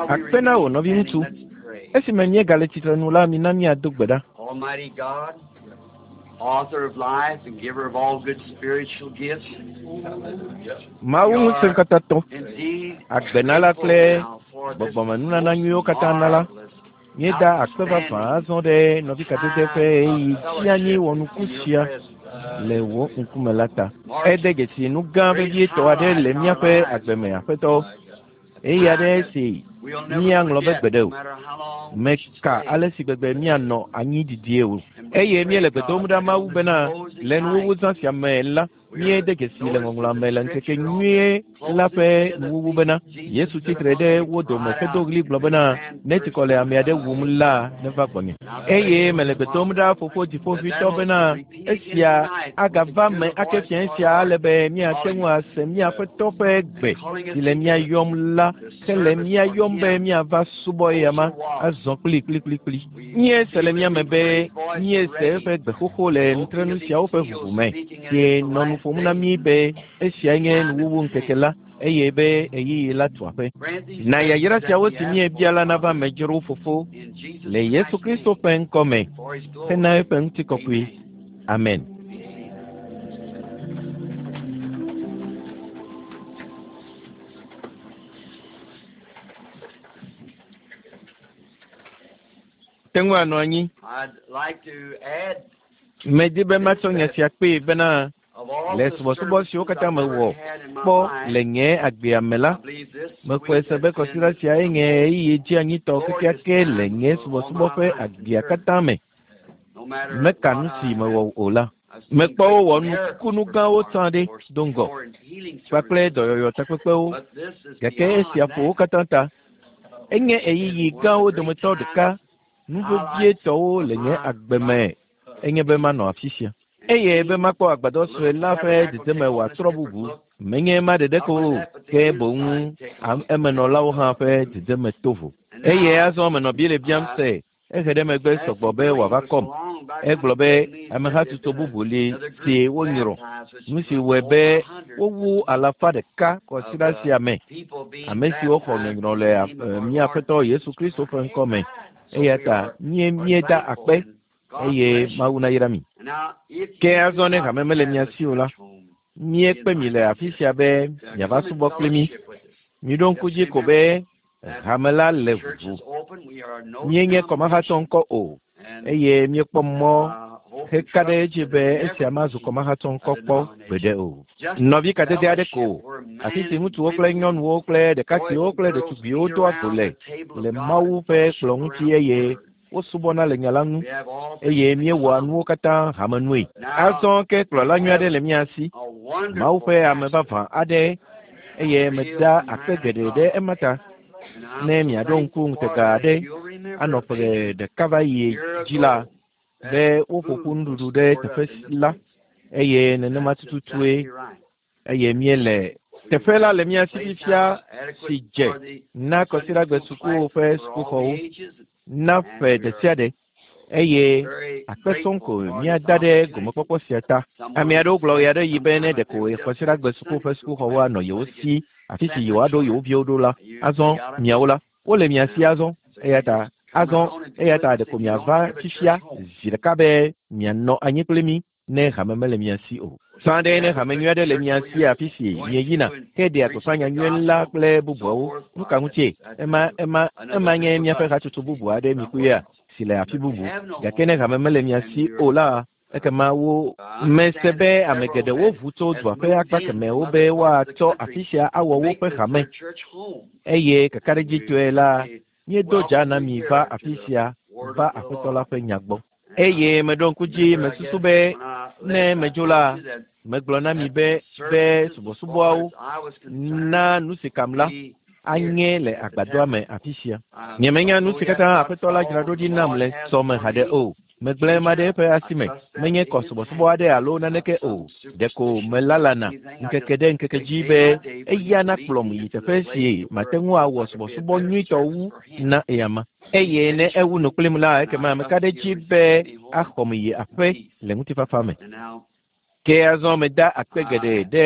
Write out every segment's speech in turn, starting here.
Akpe na wò nɔviŋutsu. Esime míegale tsitre nu la, mina míado gbe ɖa. Almighty God, author of life and giver of all good spiritual gifts. Mawu ŋusẽkatãtɔ, Indeed, agbenala kple gbɔgbɔmenunana nyuiwo katã nala, míeda akpe vavã azɔ ɖe nɔvi kadede ƒe ɣeyiɣi tsianyi wɔnuku sia le wò ŋkume la ta. Ede dzesi nu gã vevietɔ aɖe le míaƒe agbe me, Aƒetɔ, ɣeyiɣi aɖe si míaŋlɔ be gbeɖe o. Meka ale si gbegbe míanɔ anyi didie o. Eye míele gbe dom ɖa Mawu bena le nuwuwu zã sia me la, míede dzesi le ŋɔŋlɔa me le ŋkeke nyuie la ƒe nuwuwu bena Yesu tsitre ɖe wo dome hedo ɣli gblɔ bena, ne tsikɔ le ame aɖe wum la, neva gbɔnye. Eye mele gbe dom ɖa Fofo Dziƒoʋĩtɔ bena esia agava me ake fiẽ sia ale be míate ŋu ase mía Aƒetɔ ƒe gbe si le mía yɔm la hele mía yɔm be míava subɔ eyama azɔ kplikplikplikpli. Míese le mía me be míese eƒe gbe xoxo le nutrenu siawo ƒe ʋuʋu me si nɔ nu ƒom na mí be esiae nye nuwuwu ŋkeke la eye be ɣeyiɣi la tu aƒe. Na yayra siawo si míebia la nava me dzro Fofo le Yesu Kristo ƒe ŋkɔ me hena eƒe ŋutikɔkɔe. Amen. Te ŋu anɔ anyi. I'd like to add Medi be matsɔ nya sia kpee bena of all le the subɔsubɔ siwo services katã I've ever mewɔ had in my kpɔ life, le nye agbea me la, I believe this mexɔe week se has be been kɔsiɖa siae nye ɣeyiɣi dzianyitɔ kekeake le nye subɔsubɔ ƒe agbea katã me. no matter Meka what nu si I mewɔ have o la. I've seen Mekpɔ great wowɔ miracles nukunu gãwo performed tsã ɖe before do ŋgɔ before in healing kpakple services, dɔyɔyɔ takpekpewo but this is gake beyond esia ƒo wo that. katã ta. Enye It's ɣeyiɣi one of the gãwo great dometɔ ɖeka times nu highlights vevietɔwo of le nye my agbe me life. enye be manɔ afi sia. And Eye be see makpɔ agbadɔ the sue little la ƒe tabernacle dedeme take on this wòatrɔ different bubu. look. Menye ema ɖeɖe Not ko only o, that, but the ke boŋ inside takes am on a emenɔlawo different hã look. ƒe dedeme to vo. And Eye now, azɔ menɔ Biblia biam se, ehe ɖe megbe as sɔgbɔ be Billy wòava was kɔm. along back Egblɔ then, be he said amehatsotso that bubu li another si group wonyrɔ. baptized, which Nu si was wɔe over be 100 wowu alafa ɖeka of kɔsiɖa sia me. people being Ame siwo xɔ baptized nyɔnyrɔ in le the name of our mía Lord Aƒetɔ Yesu Jesus Kristo ƒe Christ. ŋkɔ me. So Eya we ta are, mie are míeda thankful akpe and God eye bless you. Mawu nayra mi. And now, if Ke you do azɔ ne not hame mele have mia a si o la, church home, we míekpe mi invite le you afi here sia be to miava come and subɔ kpli mí. fellowship with us. Miɖo ŋku Just dzi ko remember be that hame la the le church ʋuʋu. is open. We are no Míenye kɔmahatsɔ denomination. ŋkɔ o And eye míekpɔ mɔ hope and heka ɖe trust edzi that be it esia never mazu be kɔmahatsɔ a ŋkɔ kpɔ gbeɖe denomination. o. Just Nɔvi kadede aɖe fellowship ko, where afi men si and ŋutsuwo kple women, nyɔnuwo kple boys ɖekakpuiwo and kple girls ɖetugbiwo meet doa go around le the table le of God Mawu and ƒe fellowship kplɔ̃ ŋuti around the eye Word. wosubɔna le nya la ŋu We have all eye things in míewɔa common. nuwo katã hamenue. Now, Azɔ ke kplɔla we nyui aɖe have le mía si, a Mawu wonderful ƒe ame pastor, vavã aɖe eye a real meda akpe man of geɖe ɖe God. ema ta. And I'm Ne so miaɖo ŋku thankful for ŋutega that. aɖe If you'll remember anɔ ƒe maybe ɖeka va a yi year dzi la, ago, that be woƒo ƒu food was nuɖuɖu ɖe stored teƒe up in the la place. eye nenema That's tututue exactly right. eye míele We teƒe la have le a mía si place fifia now si adequate dze for the na Sunday kɔsiɖagbe school sukuwo classes ƒe for all the sukuxɔwo ages, na and ƒe we ɖe are sia ɖe eye very akpe sɔŋ grateful ko for this míada ɖe opportunity. gomekpɔkpɔ sia ta. Ame Someone aɖewo gblɔ said ɣeaɖeɣi be ne sometime that ɖeko they would just have kɔsiɖagbe suku Sunday ƒe school sukuxɔwo classes anɔ yewo so they could si afi si send their yewoaɖo yewo children. viwo ɖo la, You azɔ got it? miawo la, wole mia si Now, azɔ so eya you ta just come azɔ right on and be eya with ta us ɖeko if you don't miava have a fifia church home. zi ɖeka be mianɔ anyi kpli mí ne hame mele mia si o. Sã If ɖe you ne have a hame good nyui aɖe le church mia where si you're afi si going mieyina to and heɖea gbeƒã preaching the nyanyui la gospel kple and so bubuawo, forth, nu why, ka ŋutie? that's Ema another ema another ema nye group of míaƒe us hatsotso bubu aɖe mi somewhere kpuiea else. si le afi But if you bubu. have no Gake ne home hame mele mia and si you're o la, ekema wo mese understand be that ame several geɖewo had ʋu tso has dua ƒe moved akpa in from kemɛwo other be parts of the woatsɔ country afi sia awɔ to make woƒe this hame their church home. eye And we kakaɖedzitɔe la certainly míedo dza welcome na you mi va here to afi the sia word va of the Aƒetɔ la Lord. ƒe nya gbɔ. And I Eye meɖo ŋku dzi remember, I mesusu guess, be when I ne left, I medzo told la, you that megblɔ na mi that be the be services, as far subɔsubɔawo as I was concerned, na nu si kam la be here anye le at the agbadɔa me tabernacle. afi sia. I Nyemenya don't nu know si yet katã what Aƒetɔ la dzra all ɖo the ɖi nam Lord le has sɔme for haɖe me o. Megblẽ ema ɖe future. eƒe I asi me. trust that Menye in kɔ His subɔsubɔ hand. aɖe alo Not naneke some o. Ɖeko superstition or melalana anything. I ŋkeke just ɖe ŋkeke take dzi day be by day for eya Him to lead nakplɔm me yi into teƒe the si place mate where ŋu awɔ I could be a subɔsubɔ better nyuitɔ service wu for Him na eyama. in Eye the ne future. ewu nu kplim la, And ekema I meka trust ɖe He'll edzi be receive me home axɔm yi in aƒe peace. le ŋutifafa me. And now, Ke azɔ meda akpe geɖe ɖe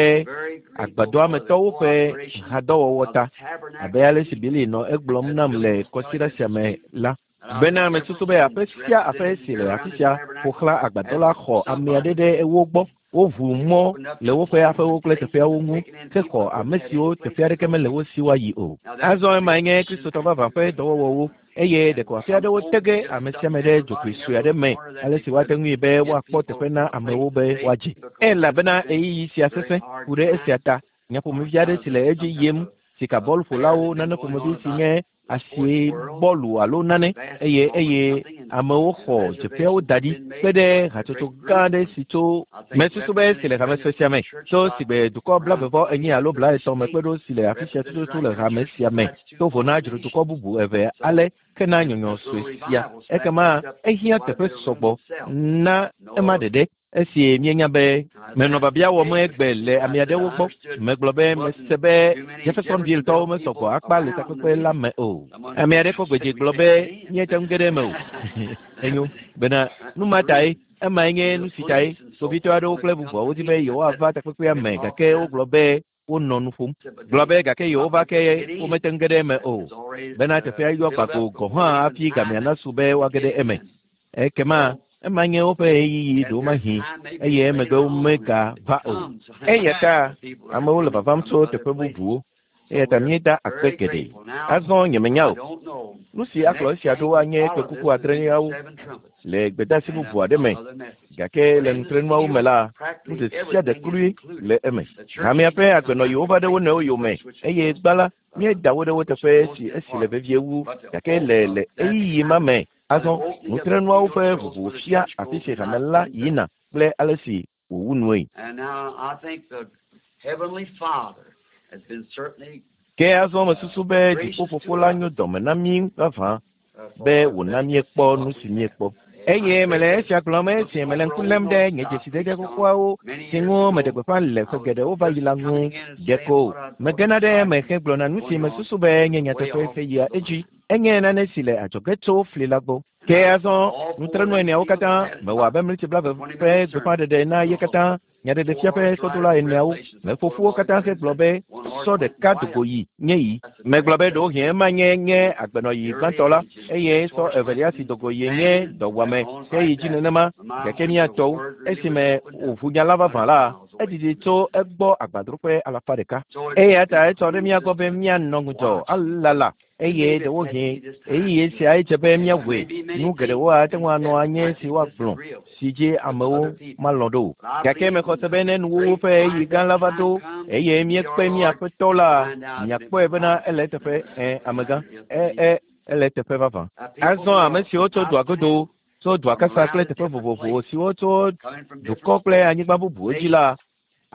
agbadɔametɔwo ƒe hadɔwɔwɔ ta, abe ale si Billy nɔ egblɔm nam le kɔsiɖa sia me la, bena mesusu be aƒe sia aƒe si le afi sia ƒo xlã agbadɔ la xɔ ame aɖe ɖe wo gbɔ. Woʋu mɔ le woƒe aƒewo kple teƒeawo ŋu hexɔ ame siwo teƒe aɖeke mele wo si woayi o. Azɔ emae nye Kristotɔ vavã ƒe dɔwɔwɔwo, eye ɖeko afi aɖewo te ge ame sia ame ɖe dzogoe sue aɖe me ale si woate ŋui be woakpɔ teƒe na amewo be woadze. Elabena ɣeyiɣi sia sesẽ ku ɖe esia ta. Nya ƒomevi aɖe si le edzi yim, sikabɔlƒolawo, nane ƒomevi si nye asie bɔlu alo nane, eye eye amewo xɔ dzeƒeawo da ɖi kpe ɖe hatsotso gã aɖe si tso mesusu be si le hame sue sia me tso sigbe dukɔ 34 alo 30 me kpe ɖo si le afi sia tututu le hame sia me to vo na dzrodukɔ bubu eve ale ke na nyɔnyɔ sue sia. Ekema ehiã teƒe sɔgbɔ na ema ɖeɖe. Esi míenya be menɔ biabia wɔm egbe le ame aɖewo gbɔ, megblɔ be mese be Jeffersonville-tɔwo mesɔ gbɔ akpa le takpekpe la me o. Ame aɖe kɔ gbe dzi gblɔ be míete ŋu ge ɖe eme o. Enyo bena nu ma tae, emae nye nu si tae kpovitɔ aɖewo kple bubuawo di be yewoava takpekpea me gake wogblɔ be wonɔ nu ƒom gblɔ be gake yewova ke womete ŋu ge ɖe eme o bena teƒea yɔ gbago gɔ̃ hã hafi gamea nasu be woage ɖe eme. Ekema ema nye woƒe ɣeyiɣi ɖewomahi eye emegbe womegava o. Eya ta amewo le vavam tso teƒe bubuwo eya ta míeda akpe geɖe. Azɔ nyemenya o. Nu si akplɔ esia ɖo anye kpẽkuku adreliawo le gbedeasi bubu aɖe me. Gake le nutrenuawo me la, nu ɖe sia ɖe kloe le eme. Hamea ƒe agbenɔɣiwo va ɖe wo nɔewo yome eye gbã la, míeda wo ɖe wo teƒe si esi le vevie wu. Gake le le ɣeyiɣi ma me azɔ, nutrenuawo ƒe vovo fia afi si hame la yina kple ale si wòwu nue. Ke azɔ mesusu be Dziƒofofo la nyo dɔme na mí vavã be wòna míekpɔ nu si míekpɔ. Eye mele esia gblɔm esi mele ŋku lém ɖe nye dzesidede xoxoawo si ŋu meɖe gbeƒã le ƒe geɖewo va yi la ŋu. Ɖeko megena ɖe eme hegblɔna nu si mesusu be nye nyateƒe heyia edzi. Enye nane si le adzɔge tso fli la gbɔ. Ke azɔ nutrenu eneawo katã mewɔ abe mlitsi 20 ƒe gbeƒãɖeɖe na ye katã Nyaɖeɖefia ƒe sɔdola eneawo meƒo ƒu wo katã hegblɔ be sɔ ɖeka dogo yi nye yi. Megblɔ be ɖewohĩ ema nye nye agbenɔɣi gbãtɔ la, eye sɔ evelia si dogo yie nye dɔwuame heyi dzi nenema. Gake mía tɔwo, esime wòʋu nya la vavã la, edidi tso egbɔ agbadroƒe 100. Eya ta etsɔ ɖe mía gbɔ be míanɔ ŋudzɔ alala eye ɖewohĩ ɣeyiɣi siae dze be míawɔe. Nu geɖewo ate ŋu anɔ anyi si woagblɔ si dzi amewo malɔ̃ ɖo o. Gake mexɔ se be ne nuwuwu ƒe ɣeyiɣi gã la va ɖo eye míekpe mía Aƒetɔ la, miakpɔe bena ele eteƒe. Ẽ, amegã. Ẽ, ẽ, ele eteƒe vavã. Azɔ ame siwo tso dua godo, tso dua kasa kple teƒe vovovo siwo tso dukɔ kple anyigba bubuwo dzi la,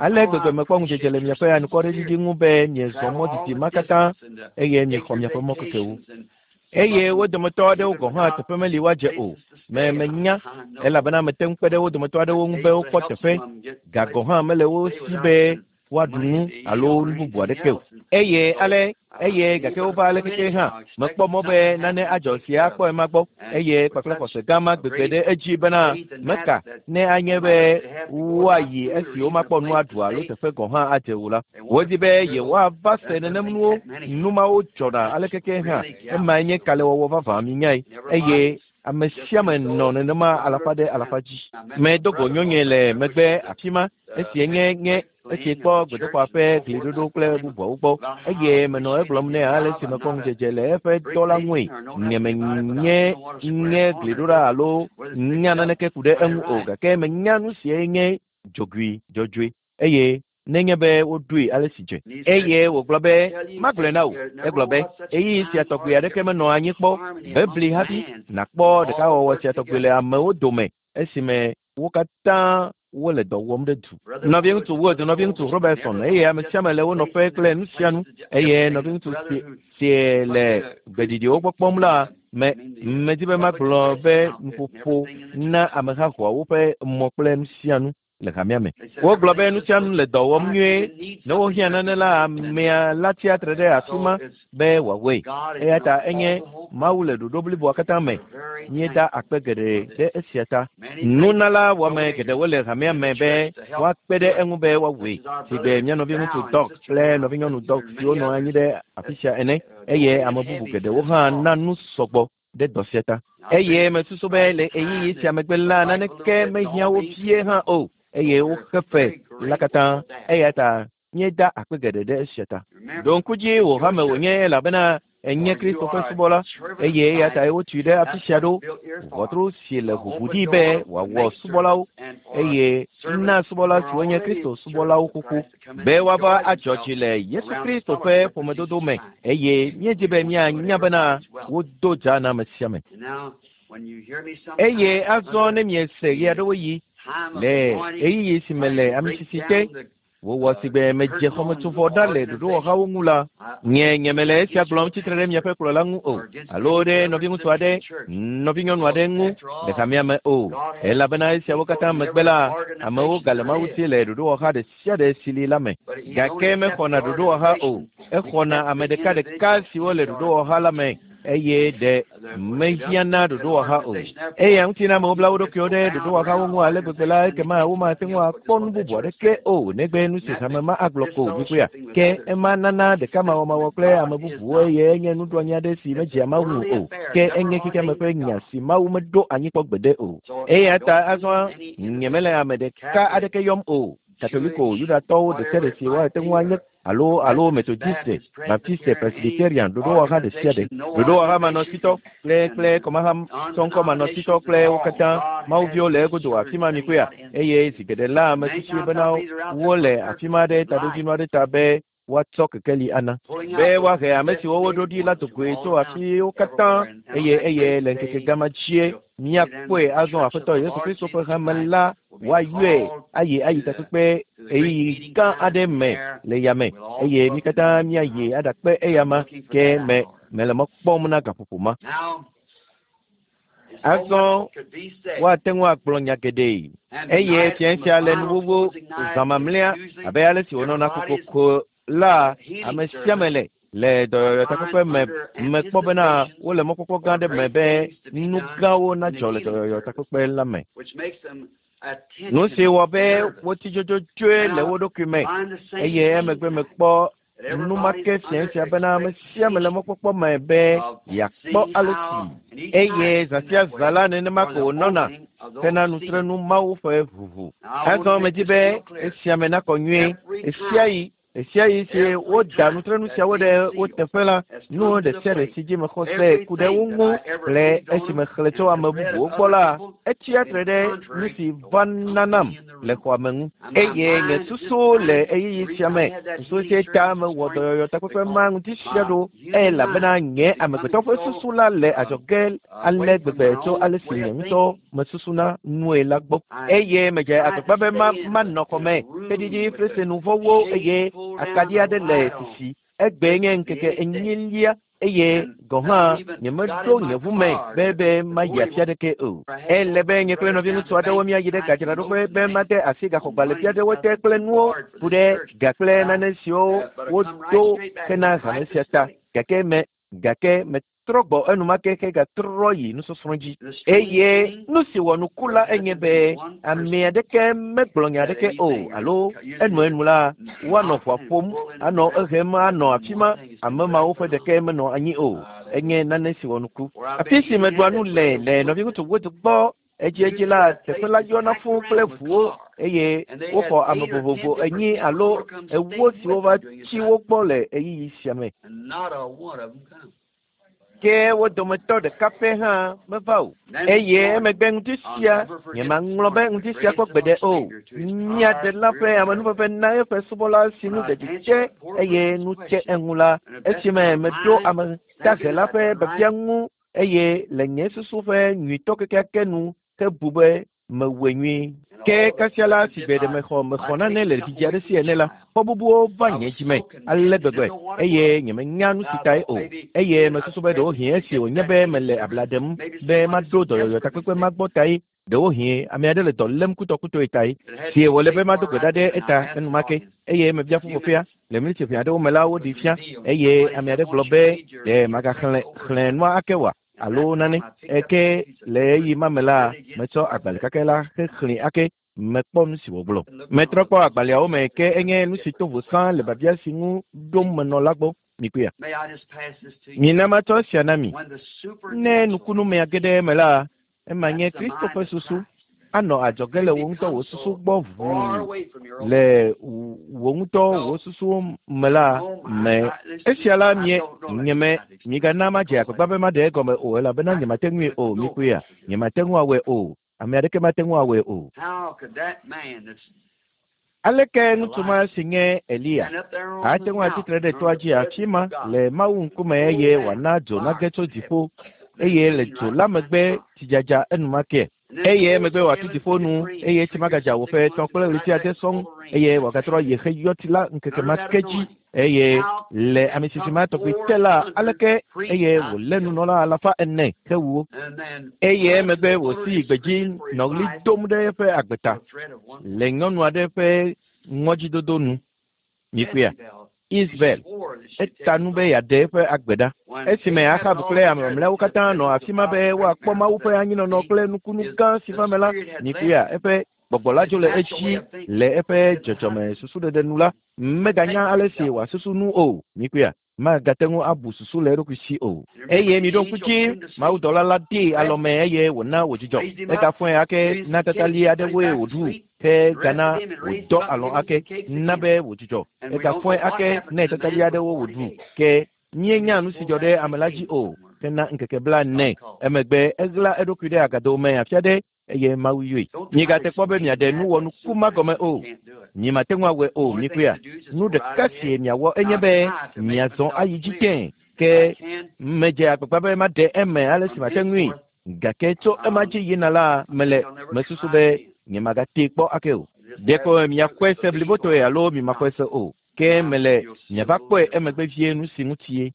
Ale gbegbe mekpɔ ŋudzedze le miaƒe anukwareɖiɖi ŋu be miezɔ mɔ didi ma katã eye miexɔ miaƒe mɔkekewo. Eye wo dometɔ aɖewo gɔ̃ hã teƒe meli woadze o. Me menya, elabena mete ŋu kpe ɖe wo dometɔ aɖewo ŋu be wokpɔ teƒe, ga gɔ̃ hã mele wo si be woaɖu nu alo nu bubu aɖeke o. Eye ale eye gake wova ale keke hã mekpɔ mɔ be nane adzɔ si akpɔ ema gbɔ eye kpakple xɔse gã ma gbegbe ɖe edzi bena meka ne anye be woayi esi womakpɔ nu aɖu alo teƒe gɔ̃ hã adze o la. Wodi be yewoava se nenem nuwo, nu mawo dzɔna ale keke hã. Emae nye kalẽwɔwɔ vavã, minyae. Eye ame sia ame nɔ nenema alafa ɖe alafa dzi. Medo go nyɔnue le megbe afi ma esi nye nye esi kpɔ gbedoxɔa ƒe gliɖoɖo kple bubuawo gbɔ eye menɔ egblɔm nɛ ale si mekpɔ ŋudzedze le eƒe dɔ la ŋui. Nyemenye nye gliɖoɖa alo nya naneke ku ɖe eŋu o gake menya nu sie nye dzogoe dzɔdzɔe eye nenye be woɖoe ale si dze. Eye wògblɔ be, Magblɔe na wò. Egblɔ be, Ɣeyiɣi sia tɔgbi aɖeke menɔ anyi kpɔ bebli hafi nàkpɔ ɖekawɔwɔ sia tɔgbi le amewo dome esime wo katã wole dɔ wɔm ɖe du. Nɔviŋutsu Wood, nɔviŋutsu Robertson, eye ame sia ame le wo nɔƒe kple nu sia nu. Eye nɔviŋutsu si, si le gbeɖiɖiwo gbɔ kpɔm la, me, medi be magblɔ be nuƒoƒo na ameha xɔa woƒe mɔ kple nu sia nu. le hamea me. Wogblɔ be nu sia nu le dɔ wɔm nyuie. Ne wohiã nane la, amea la tsia tre ɖe afi ma be wòawɔe. Eya ta enye Mawu le ɖoɖo bliboa katã me. Míeda akpe geɖe ɖe esia ta. Nunala wɔame geɖewo le hamea me be woakpe ɖe eŋu be woawɔe. Sigbe mía nɔviŋutsu Doc kple nɔvinyɔnu Doc siwo nɔ anyi ɖe afi sia ene eye ame bubu geɖewo hã na nu sɔgbɔ ɖe dɔ sia ta. Eye mesusu be le ɣeyiɣi sia megbe la, naneke mehiã wo vie hã o, eye woxe fe la katã. Eya ta míeda akpe geɖe ɖe esia ta. Ɖo ŋku dzi wò hame wònye elabena enye Kristo ƒe subɔla eye eya tae wotui ɖe afi sia ɖo. Ʋɔtru si le ʋuʋu ɖi be wòawɔ subɔlawo eye na subɔla siwo nye Kristo subɔlawo xoxo be woava adzɔ dzi le Yesu Kristo ƒe ƒomedodo me eye míedi be míanya bena wodo dza na ame sia ame. Eye azɔ ne miese ɣeaɖewoɣi le ɣeyiɣi si me le amisisi te wòwɔ sigbe medze xɔmetsovɔ ɖa le ɖoɖowɔhawo ŋu la, nye nyemele esia gblɔm tsitre ɖe miaƒe kplɔla ŋu o, alo ɖe nɔviŋutsu aɖe, nɔvinyɔnu aɖe ŋu le hamea me o, elabena esiawo katã megbe la, amewo gale Mawu si le ɖoɖowɔha ɖe sia ɖe si li la me. Gake mexɔna ɖoɖowɔha o, exɔna ame ɖekaɖeka siwo le ɖoɖowɔha la me eye ɖe mehiã na ɖoɖowɔha o. Eya ŋuti na amewo bla wo ɖokuiwo ɖe ɖoɖowɔhawo ŋu ale gbegbe la, ekema womate ŋu akpɔ nu bubu aɖeke o negbe nu si hame ma agblɔ ko mikpɔea. Ke ema nana ɖekamawɔmawɔ kple ame bubuwo eye enye nuɖoanyi aɖe si medzea Mawu ŋu o. Ke enye xexeame ƒe nya si Mawu meɖo anyi kpɔ gbeɖe o. Eya ta azɔ nyemele ame ɖeka aɖeke yɔm o. Katoliko Yudatɔwo ɖe sia ɖe si woate ŋu anye alo alo Methodiste, Baptiste, Presbyterian, ɖoɖowɔha ɖe sia ɖe. Ɖoɖowɔha manɔsitɔ kple kple kɔmaha sɔŋkɔmanɔsitɔ kple wo katã Mawuviwo le egodo afi ma mikpɔea eye zi geɖe la ame susui bena wole afi ma ɖe taɖodzinu aɖe ta be woatsɔ kekeli ana be woahe ame siwo woɖo ɖi la dogoe tso afiwo katã eye eye le ŋkeke gama dzie míakpɔe azɔ Aƒetɔ Yesu Kristo ƒe hame la woayɔe ayi ayi takpekpe ɣeyiɣi gã aɖe me le yame eye mí katã míayi aɖakpe eyama ke me mele mɔ kpɔm na gaƒoƒo ma. Azɔ woate ŋu agblɔ nya geɖe eye fiẽ sia le nuwuwu zã mamlɛa abe ale si wònɔna kokoko la ame sia ame le le dɔyɔyɔ takpekpe me mekpɔ bena wole mɔkpɔkpɔ gã aɖe me be nu gãwo nadzɔ le dɔyɔyɔ takpekpe la me. Nu si wɔ be wotsi dzodzodzoe le wo ɖokui me eye emegbe mekpɔ nu ma ke fiẽ sia bena ame sia ame le mɔkpɔkpɔ me be yeakpɔ ale si eye zã sia zã la nenema ko wònɔna hena nutrenu Mawu ƒe ʋuʋu. Azɔ medi be esia me nakɔ nyuie ɣesiaɣi ɣesiaɣi si woda nutrenu siawo ɖe wo teƒe la, nu ɖe sia ɖe si dzi mexɔ se ku ɖe wo ŋu kple esi mexlẽ tso ame bubuwo gbɔ la, etsia tre ɖe nu si va nanam le xɔa me ŋu. Eye nye susu le ɣeyiɣi sia me, susu sia ta mewɔ dɔyɔyɔ takpekpe ma ŋuti sia ɖo elabena nye amegbetɔ ƒe susu la le adzɔge ale gbegbe tso ale si nye ŋutɔ mesusuna nue la gbɔ. Eye medze agbagba be ma manɔ xɔ me xeɖiɖi flese nuvɔwo eye akaɖi aɖe le sisi. Egbee nye ŋkeke enyilia eye gɔ̃ hã nyemeɖo nye ʋu me be be mayi afi aɖeke o. Ele be nye kple nɔviŋutsu aɖewo míayi ɖe gadzraɖoƒe be made asi gaxɔgbalẽvi aɖewo te kple nuwo ku ɖe ga kple nane siwo wodo hena hame sia ta. Gake me gake metrɔ gbɔ enumake hegatrɔ yi nusɔsrɔ̃ dzi. Eye nu si wɔ nuku la enye be ame aɖeke megblɔ nya aɖeke o alo enuenu la woanɔ ʋua ƒom anɔ ehem anɔ afi ma ame mawo ƒe ɖeke menɔ anyi o. Enye nane si wɔ nuku. Afi si meɖua nu le le nɔviŋutsu Wood gbɔ edziedzi la teƒe la yɔna fũu kple ʋuwo eye woxɔ ame vovovo enyi alo ewo siwo va tsi wo gbɔ le ɣeyiɣi sia me. Ke wo dometɔ ɖeka pɛ hã meva o. Eye emegbe ŋdi sia nyemaŋlɔ be ŋdi sia kpɔ gbeɖe o. Mía Ɖela ƒe amenuveve na eƒe subɔla si nu ɖeɖi te eye nu tse eŋu la esime meɖo ame dahe la ƒe biabia ŋu eye le nye susu ƒe nyuitɔ kekeake nu ke bu be mewɔe nyuie. Ke kasia la si gbe ɖe mexɔ mexɔ nane le vidzi aɖe si ene la, xɔ bubuwo va nye dzi me ale gbegbe eye nyemenya nu si tae o. Eye mesusu be ɖewohĩ esi wònye be mele abla ɖem be maɖo dɔyɔyɔ takpekpe ma gbɔ tae. Ɖewohĩ ame aɖe le dɔ lém kutɔkutɔe tae si wòle be mado gbe ɖa ɖe eta enumake eye mebia ƒuƒoƒea le miniti ʋɛ aɖewo me la woɖi fia eye ame aɖe gblɔ be ɖe magaxlẽ xlẽ nua ake oa alo nane eke le ɣeyiɣi ma me la metsɔ agbalẽ kakɛ la hexlẽe ake mekpɔ nu si wògblɔ. Metrɔ kpɔ agbalẽawo me ke enye nu si to vo sã le biabia si ŋu ɖom menɔ la gbɔ. Mikpɔea? Mina matsɔ esia na mi. Ne nukunumea ge ɖe eme la, ema nye Kristo ƒe susu anɔ adzɔge le wò ŋutɔ wò susu gbɔ ʋuu le wò ŋutɔ wò susuwo me la me. Esia la mie nyeme migana madze agbagba be maɖe egɔme o elabena nyemate ŋui o. Mikpɔea? Nyemate ŋu awɔe o. Ame aɖeke mate ŋu awɔe o. Aleke ŋutsu ma si nye Eliya ate ŋu atsi tre ɖe toa dzi afi ma le Mawu ŋkume eye wòana dzo nage tso dziƒo eye le dzo la megbe tsidzadza enumake eye emegbe wòatu dziƒo nu eye tsi magadza wò ƒe etɔ̃ kple ɣleti ade sɔŋ eye wòagatrɔ yi xeyɔti la ŋkeke ma ke dzi eye le ame sisi ma tɔgbi te la aleke eye wòlé nunɔla alafa ene hewu wo eye emegbe wòsi yi gbedzi nɔ ɣli dom ɖe eƒe agbe ta le nyɔnu aɖe ƒe ŋɔdzidodo nu. Mikpɔea? Isabel eta nu be yeaɖe eƒe agbe ɖa. Esime Axab kple ame mamlɛawo katã nɔ afi ma be woakpɔ Mawu ƒe anyinɔnɔ kple nukunu gã si va eme la, mikpɔea? Eƒe gbɔgbɔ la dzo le edzi le eƒe dzɔdzɔme susuɖeɖe nu la, meganya ale si wòasusu nu o. Mikpɔea? Magate ŋu abu susu le eɖokui si o. Eye miɖo ŋku dzi, mawudɔla la dee alɔme eye wòna wòdzudzɔ. Egafɔe ake na tatali aɖewoe wòɖu, ke gana wòdɔ alɔ̃ ake na be wòdzudzɔ. Egafɔe ake nɛ tatali aɖewo wòɖu, ke míenya nu si dzɔ ɖe ame la dzi o hena ŋkeke blaene. Emegbe eɣla eɖokui ɖe agado me afi aɖe eye Mawu yɔe. Miegate kpɔ be miaɖe nu wɔnuku ma gɔme o. Miemate ŋu awɔe o, mikpɔea? Nu ɖeka si miawɔ enye be miazɔ ayi dzi tẽe. Ke medze agbagba be maɖe eme ale si mate ŋui, gake tso ema dzi yina la, mele mesusu be nyemagatee kpɔ ake o. Ɖeko miaxɔe se blibotɔe alo mimaxɔe se o, ke mele miava kpɔe emegbe vie nu si ŋutie.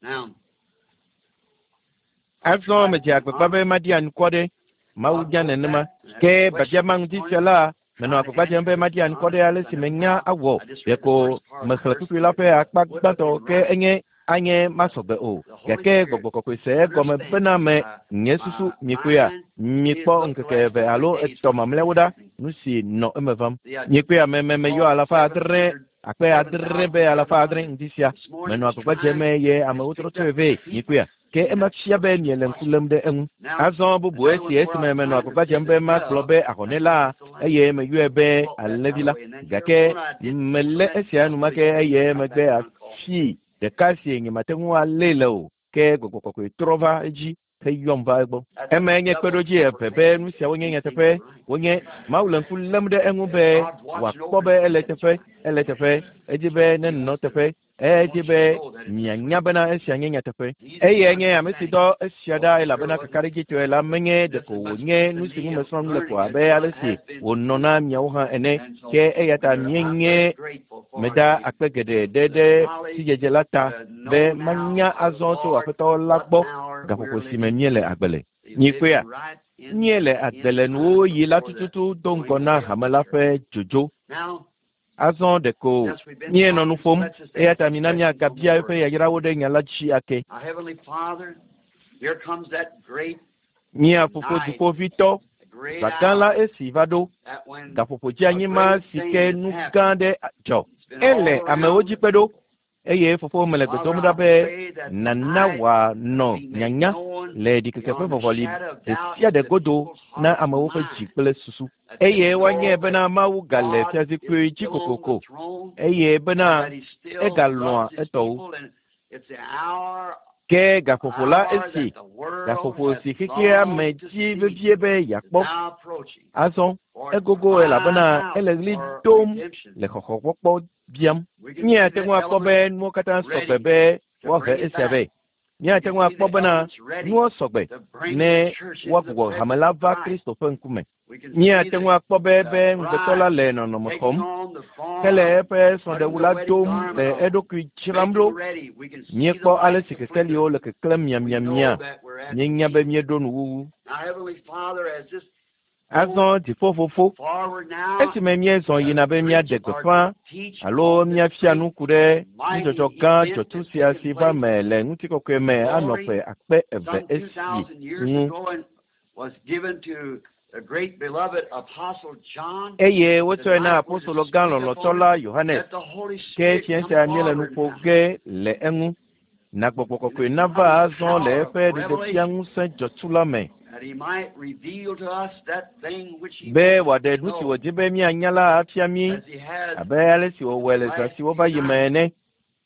Azɔ medze agbagba be maɖi anukware. Mawu nya nenema. Ke biabia ma ŋuti sia la, menɔ agbagba dzem be maɖi anukware ale si menya awɔ. Ɖeko mexlẽ kpukpui la ƒe akpa gbãtɔ ke enye anye masɔgbe o. Gake gbɔgbɔ kɔkɔe se egɔme bena me nye susu mikpɔea, mikpɔ ŋkeke eve alo etɔ̃ mamlɛawo ɖa nu si nɔ eme vam. Mikpɔea me me meyɔ alafa adre akpe adre be alafa adre ŋdi sia. Menɔ agbagba dzem eye amewo trɔ tsɔe vɛ. Mikpɔea? Ke ema fia be miele ŋku lém ɖe eŋu. Azɔ bubu esi esime menɔ agbagba dzem be magblɔ be ahɔnɛ la eye meyɔe be alẽvi la. Gake melé esia enumake eye emegbe afi ɖeka si nyemate ŋu alée le o. Ke gbɔgbɔ kɔkɔe trɔ va edzi heyɔm va egbɔ. Emae nye kpeɖodzi eve be nu siawo nye nyateƒe. Wonye Mawu le ŋku lém ɖe eŋu be wòakpɔ be ele teƒe, ele teƒe, edi be nenɔ teƒe. Edi be mianya bena esia nye nyateƒe. Eyae nye ame si dɔ esia ɖa elabena kakaɖedzitɔe la menye ɖeko wònye nu si ŋu mesrɔ̃ nu le ko abe ale si wònɔ na miawo hã ene. Ke eya ta míenye meda akpe geɖe ɖe ɖe sidzedze la ta be manya azɔ tso Aƒetɔ la gbɔ gaƒoƒo si me míele agbe le. Mikpɔea? Míele agbe le nuwuɣi la tututu do ŋgɔ na hame la ƒe dzodzo. Azɔ ɖeko míenɔ nu ƒom, eya ta mina míagabia eƒe yayrawo ɖe nya la dzi ake. Mía Fofo Dziƒoʋĩtɔ, zã gã la esi va ɖo, gaƒoƒo dzeanyi ma si ke nu gã aɖe dzɔ. Ele amewo dzi kpe ɖo. Eye fofo mele gbe dom ɖa be nàna wòanɔ nyanya le ɖikeke ƒe vɔvɔli ɖe sia ɖe godo na amewo ƒe dzi kple susu. Eye woanyae bena Mawu gale fiazikpui dzi kokoko eye bena egalɔ̃a etɔwo. Ke gaƒoƒo la esi, gaƒoƒo si xexea me di vevie be yeakpɔ. Azɔ egogo elabena ele ɣli dom le xɔxɔkpɔkpɔ biam. Míate ŋu akpɔ be nuwo katã sɔgbe be woahe esia vɛ. Míate ŋu akpɔ bena nuwo sɔgbe ne woagbugbɔ hame la va Kristo ƒe ŋkume. Míate ŋu akpɔ be be ŋugbetɔ la le nɔnɔme xɔm hele eƒe srɔ̃ɖewu la dom le eɖokui dzram ɖo. Míekpɔ ale si kekeliwo le keklẽm miamiamia. Míenya be míeɖo nuwuwu. Azɔ dziƒofofo esime míezɔ yina be míaɖe gbeƒã alo míafia nu ku ɖe nudzɔdzɔ gã dzɔtsu sia si va me le ŋutikɔkɔe me anɔ ƒe akpe eve esi ŋu. Eye wotsɔe na apostolo gã lɔlɔ̃tɔ la Yohanes. Ke fiẽ sia míele nu ƒo ge le eŋu. Na gbɔgbɔ kɔkɔe nava azɔ le eƒe ɖeɖefia ŋusẽ dzɔtsu la me be wòaɖe nu si wòdi be míanya la afia mí abe ale si wòwɔe le zã siwo va yi me ene.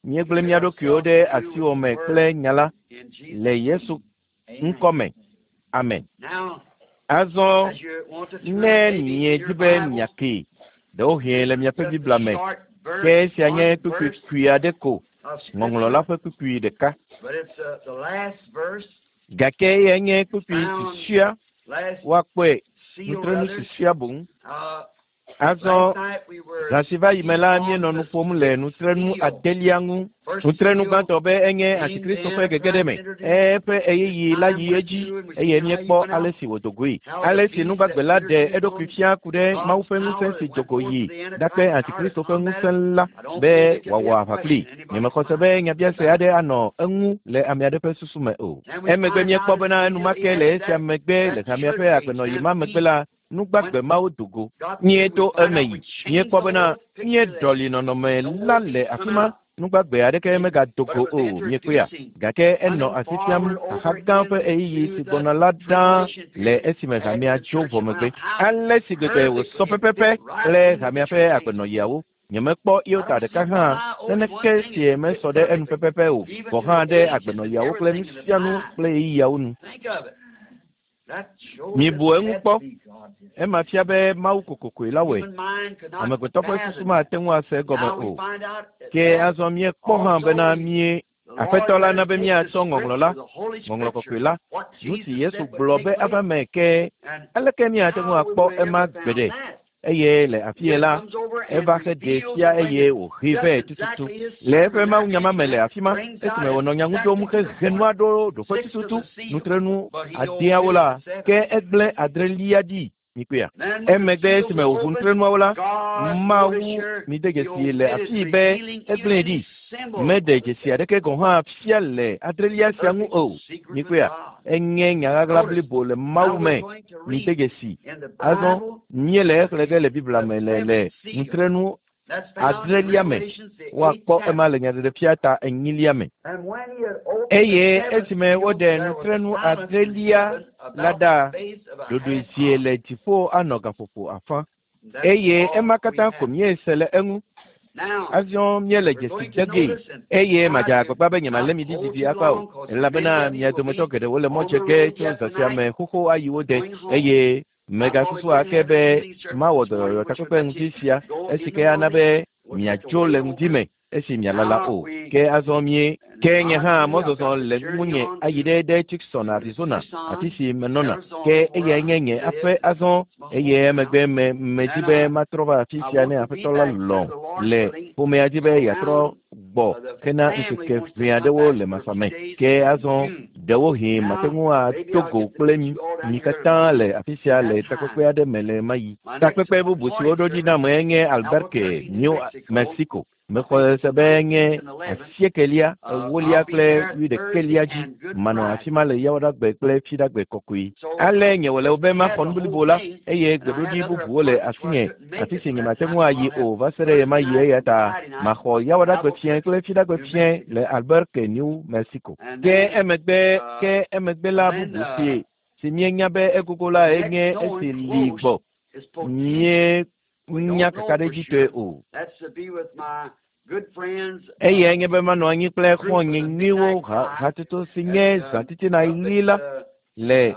Míegblẽ mía ɖokuiwo ɖe asiwò me kple nya la le Yesu ŋkɔ me. Amen. Azɔ ne miedi be miakee, ɖewohĩ le miaƒe Biblia me, ke esia nye kpukpui kpui aɖe ko, ŋɔŋlɔ la ƒe kpukpui ɖeka. Gake eyae nye kpukpui susɔea, woakpɔe nutrenu susɔea boŋ. Azɔ zã si va yi me la, míenɔ nu ƒom le nutrenu adelia ŋu. Nutrenu gbãtɔ be enye Antikristo ƒe gegeɖeme. Eƒe ɣeyiɣi la yi edzi eye míekpɔ ale si wòdo goe. Ale si nugbagbe la ɖe eɖokui fia ku ɖe Mawu ƒe ŋusẽ si do go yi ɖakpe Antikristo ƒe ŋusẽ la be wòawɔ aʋa kplii. Nyemexɔ se be nyabiase aɖe anɔ eŋu le ame aɖe ƒe susu me o. Emegbe míekpɔ bena enumake le esia megbe le hamea ƒe agbenɔɣi ma megbe la, nugbagbe mawo do go. Míeto eme yi. Míekpɔ bena míeɖɔli nɔnɔme la le afi ma. Nugbagbe aɖeke megado go o, míekpɔea. Gake enɔ asi fiam xaxa gã ƒe ɣeyiɣi si gbɔna la ɖaa le esime hamea tso vɔ megbe. Ale si gbegbe wòsɔ pɛpɛpɛ kple hamea ƒe agbenɔɣiawo. Nyemekpɔ iota ɖeka hã naneke sie mesɔ ɖe enu pɛpɛpɛ o, gɔ̃ hã ɖe agbenɔɣiawo kple nu sia nu kple ɣeyiɣiawo nu. Mibu eŋu kpɔ. Ema fia be Mawu kokokoe la wɔe. Amegbetɔ ƒe susu mate ŋu ase egɔme o. Ke azɔ míekpɔ hã bena mí Aƒetɔ la na be míatsɔ ŋɔŋlɔ la, ŋɔŋlɔ kɔkɔe la, nu si Yesu gblɔ be ava me ke aleke míate ŋu akpɔ ema gbeɖe? Eye le afi ye la, eva xe ɖee fia eye wòhee vɛ tututu le eƒe mawunya ma me le afi ma esime wònɔ nya ŋu ɖom hehe nua ɖo ɖoƒe tututu nutrenu adeawo la, ke egblẽ adrelia ɖi. Mikpɔea? Emegbe esime wòʋu nutrenuawo la, Mawu mide dzesi le afii be egblẽe ɖi. Meɖe dzesi aɖeke gɔ̃ hã fia le adrelia sia ŋu o. Mikpɔea? Enye nya ɣaɣla blibo le Mawu me. Mide dzesi. Azɔ míele exlẽ ge le Biblia me le le nutrenu adrelia me. Woakpɔ ema le nyaɖeɖefia ta enyilia me. Eye esime woɖe nutrenu adrelia la ɖa, ɖoɖoe zie le dziƒo anɔ gaƒoƒo afã. Eye ema katã ko míese le eŋu. Azɔ míele dzesi de gee eye madze agbagba be nyemalé mi ɖi didi akpa o, elabena mia dometɔ geɖewo le mɔ dze ge tso zã sia me xoxo ayi wo de eye megasusu ake be mawɔ dɔyɔyɔ takpekpe ŋdi sia esi ke ana be miadzo le ŋdi me esi mialala o. Ke azɔ mie ke nye hã mɔzɔzɔ le ŋunye ayi ɖe ɖe Tucson, Arizona, afi si menɔna. Ke eyae nye nye aƒe azɔ eye emegbe me medi be matrɔ va afi sia ne Aƒetɔ la lɔ̃ le ƒomea dzi be yeatrɔ gbɔ hena ŋkeke ʋɛ aɖewo le masa me. Ke azɔ ɖewohĩ mate ŋu ato go kple mi mi katã le afi sia le takpekpe aɖe me le ɣemaɣi. Takpekpe bubu si woɖo ɖi nam enye Albuquerque, New Mexico. Mexɔ se be nye asiekelia, ewolia kple wuiɖekelia dzi. Manɔ afi ma le Yawoɖagbe kple Fiɖagbe kɔkɔe. Ale nye wòle be maxɔ nu blibo la eye gbeɖoɖi bubuwo le asinye, afi si nyemate ŋu ayi o va se ɖe ɣemaɣi eya ta maxɔ Yawoɖagbe fiẽ kple Fiɖagbe fiẽ le Albuquerque, New Mexico. Ke emegbe ke emegbe la bubu si si míenya be egogo la enye esi li gbɔ. Míenya kakaɖedzitɔe o. Eyae nye be manɔ anyi kple xɔ̃nye nyuiwo hatsotso si nye zã titina ɣi la le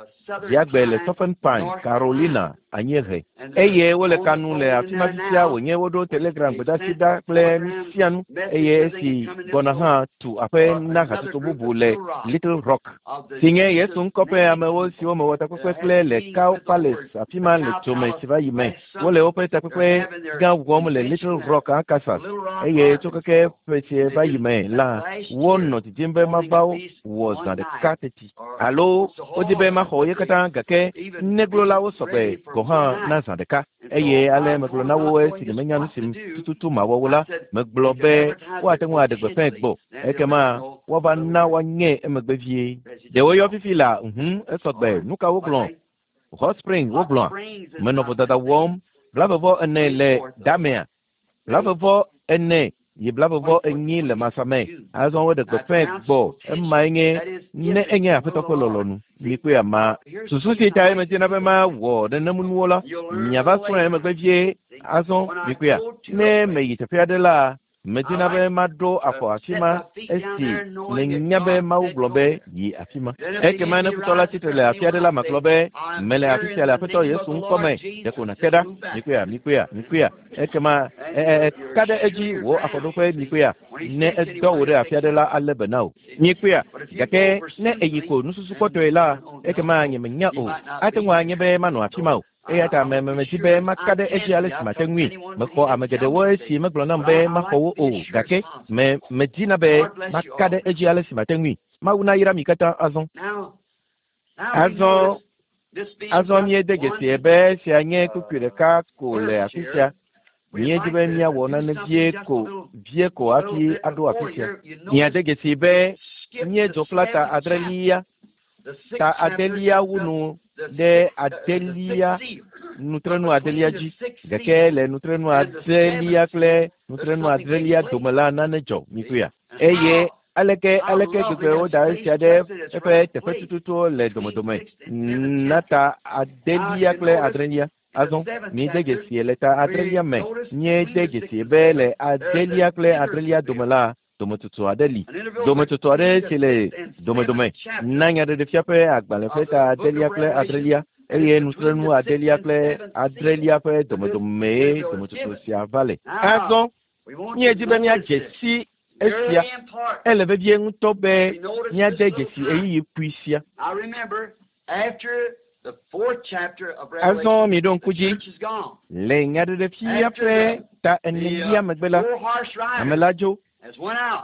Dziagbe le Southern Pine, Carolina, anyiehe. Eye wole ka nu le afi ma fifia wònye woɖo telegram gbedeasi ɖa kple nu sia nu eye esi gbɔna hã tu aƒe na hatsotso bubu le Little Rock, si nye Yesu ŋkɔ ƒe amewo siwo mewɔ takpekpe kple le Cow Palace afi ma le dzome si va yi me. Wole woƒe takpekpe gã wɔm le Little Rock, Arkansas, eye tso keke ƒe si va yi me la, wonɔ didim be mava wɔ zã ɖeka teti. Alo wodi be maxɔ ye katã gake neglolawo sɔgbe. gɔ̃ hã na zã ɖeka. Eye ale megblɔ na wo esi nyemenya nu si tututu mawɔ wo la, megblɔ be woate ŋu aɖe gbeƒãe gbɔ. Ekema woava na woanyɛ emegbe vie. Ɖe woyɔ fifi la, ŋu esɔgbe. Nu ka wogblɔ? Hot Spring wogblɔa? Menɔ vodada wɔm. 44 le damea. 44 yi 44 le masame. Azɔ woɖe gbeƒãe gbɔ. Emae nye ne enye Aƒetɔ ƒe lɔlɔ̃nu. Mikpɔe ama. Susu si tae medina be mawɔ nenemunuwo la, miava srɔ̃e emegbe vie. Azɔ mikpɔea, ne meyi teƒe aɖe la, medina be maɖo afɔ afi ma esi menya be Mawu gblɔ be yi afi ma. Ekema ne futɔ la tsitre le afi aɖe la, magblɔ be mele afi sia le Aƒetɔ Yesu ŋkɔ me. Ɖeko nàke ɖa. Mikpɔea, mikpɔea, mikpɔea. Ekema ka ɖe edzi wò afɔɖoƒe mikpɔea. Ne edɔ wò ɖe afi aɖe la, alé be na wò. Mikpɔea, gake ne eyi ko nususukpɔtɔe la, ekema nyemenya o. Ate ŋu anye be manɔ afi ma o. Eya ta medi be maka ɖe edzi ale si mate ŋui. Mexɔ ame geɖewo esi megblɔ nam be maxɔ wo o, gake medina be maka ɖe edzi ale si mate ŋui. Mawu nayra mi katã azɔ. Azɔ míede dzesi be esia nye kpukpui ɖeka ko le afi sia. Míedi be míawɔ nane vie ko hafi aɖo afi sia. Míade dzesi be míedzo kpla ta adrelia. Ta adelia wu nu ɖe adelia nutrenu adelia dzi. Gake le nutrenu adelia kple nutrenu adrelia dome la nane dzɔ mikpɔea. Eye aleke gbegbe woda esia ɖe eƒe teƒe tututu le domedome na ta adelia kple adrelia. Azɔ míede dzesi le ta adrelia me. Míede dzesi be le adelia kple adrelia dome la dometsotso aɖe li. Dometsotso aɖe si le domedome na Nyaɖeɖefia ƒe agbalẽ ƒe ta adelia kple adrelia eye nutrenu adelia kple adrelia ƒe domedomee dometsotso sia va le. Azɔ míedi be míadze si esia. Ele vevie ŋutɔ be míade dzesi ɣeyiɣi kpui sia. Azɔ miɖo ŋku dzi le Nyaɖeɖefia ƒe ta enelia megbe la, ame la dzo.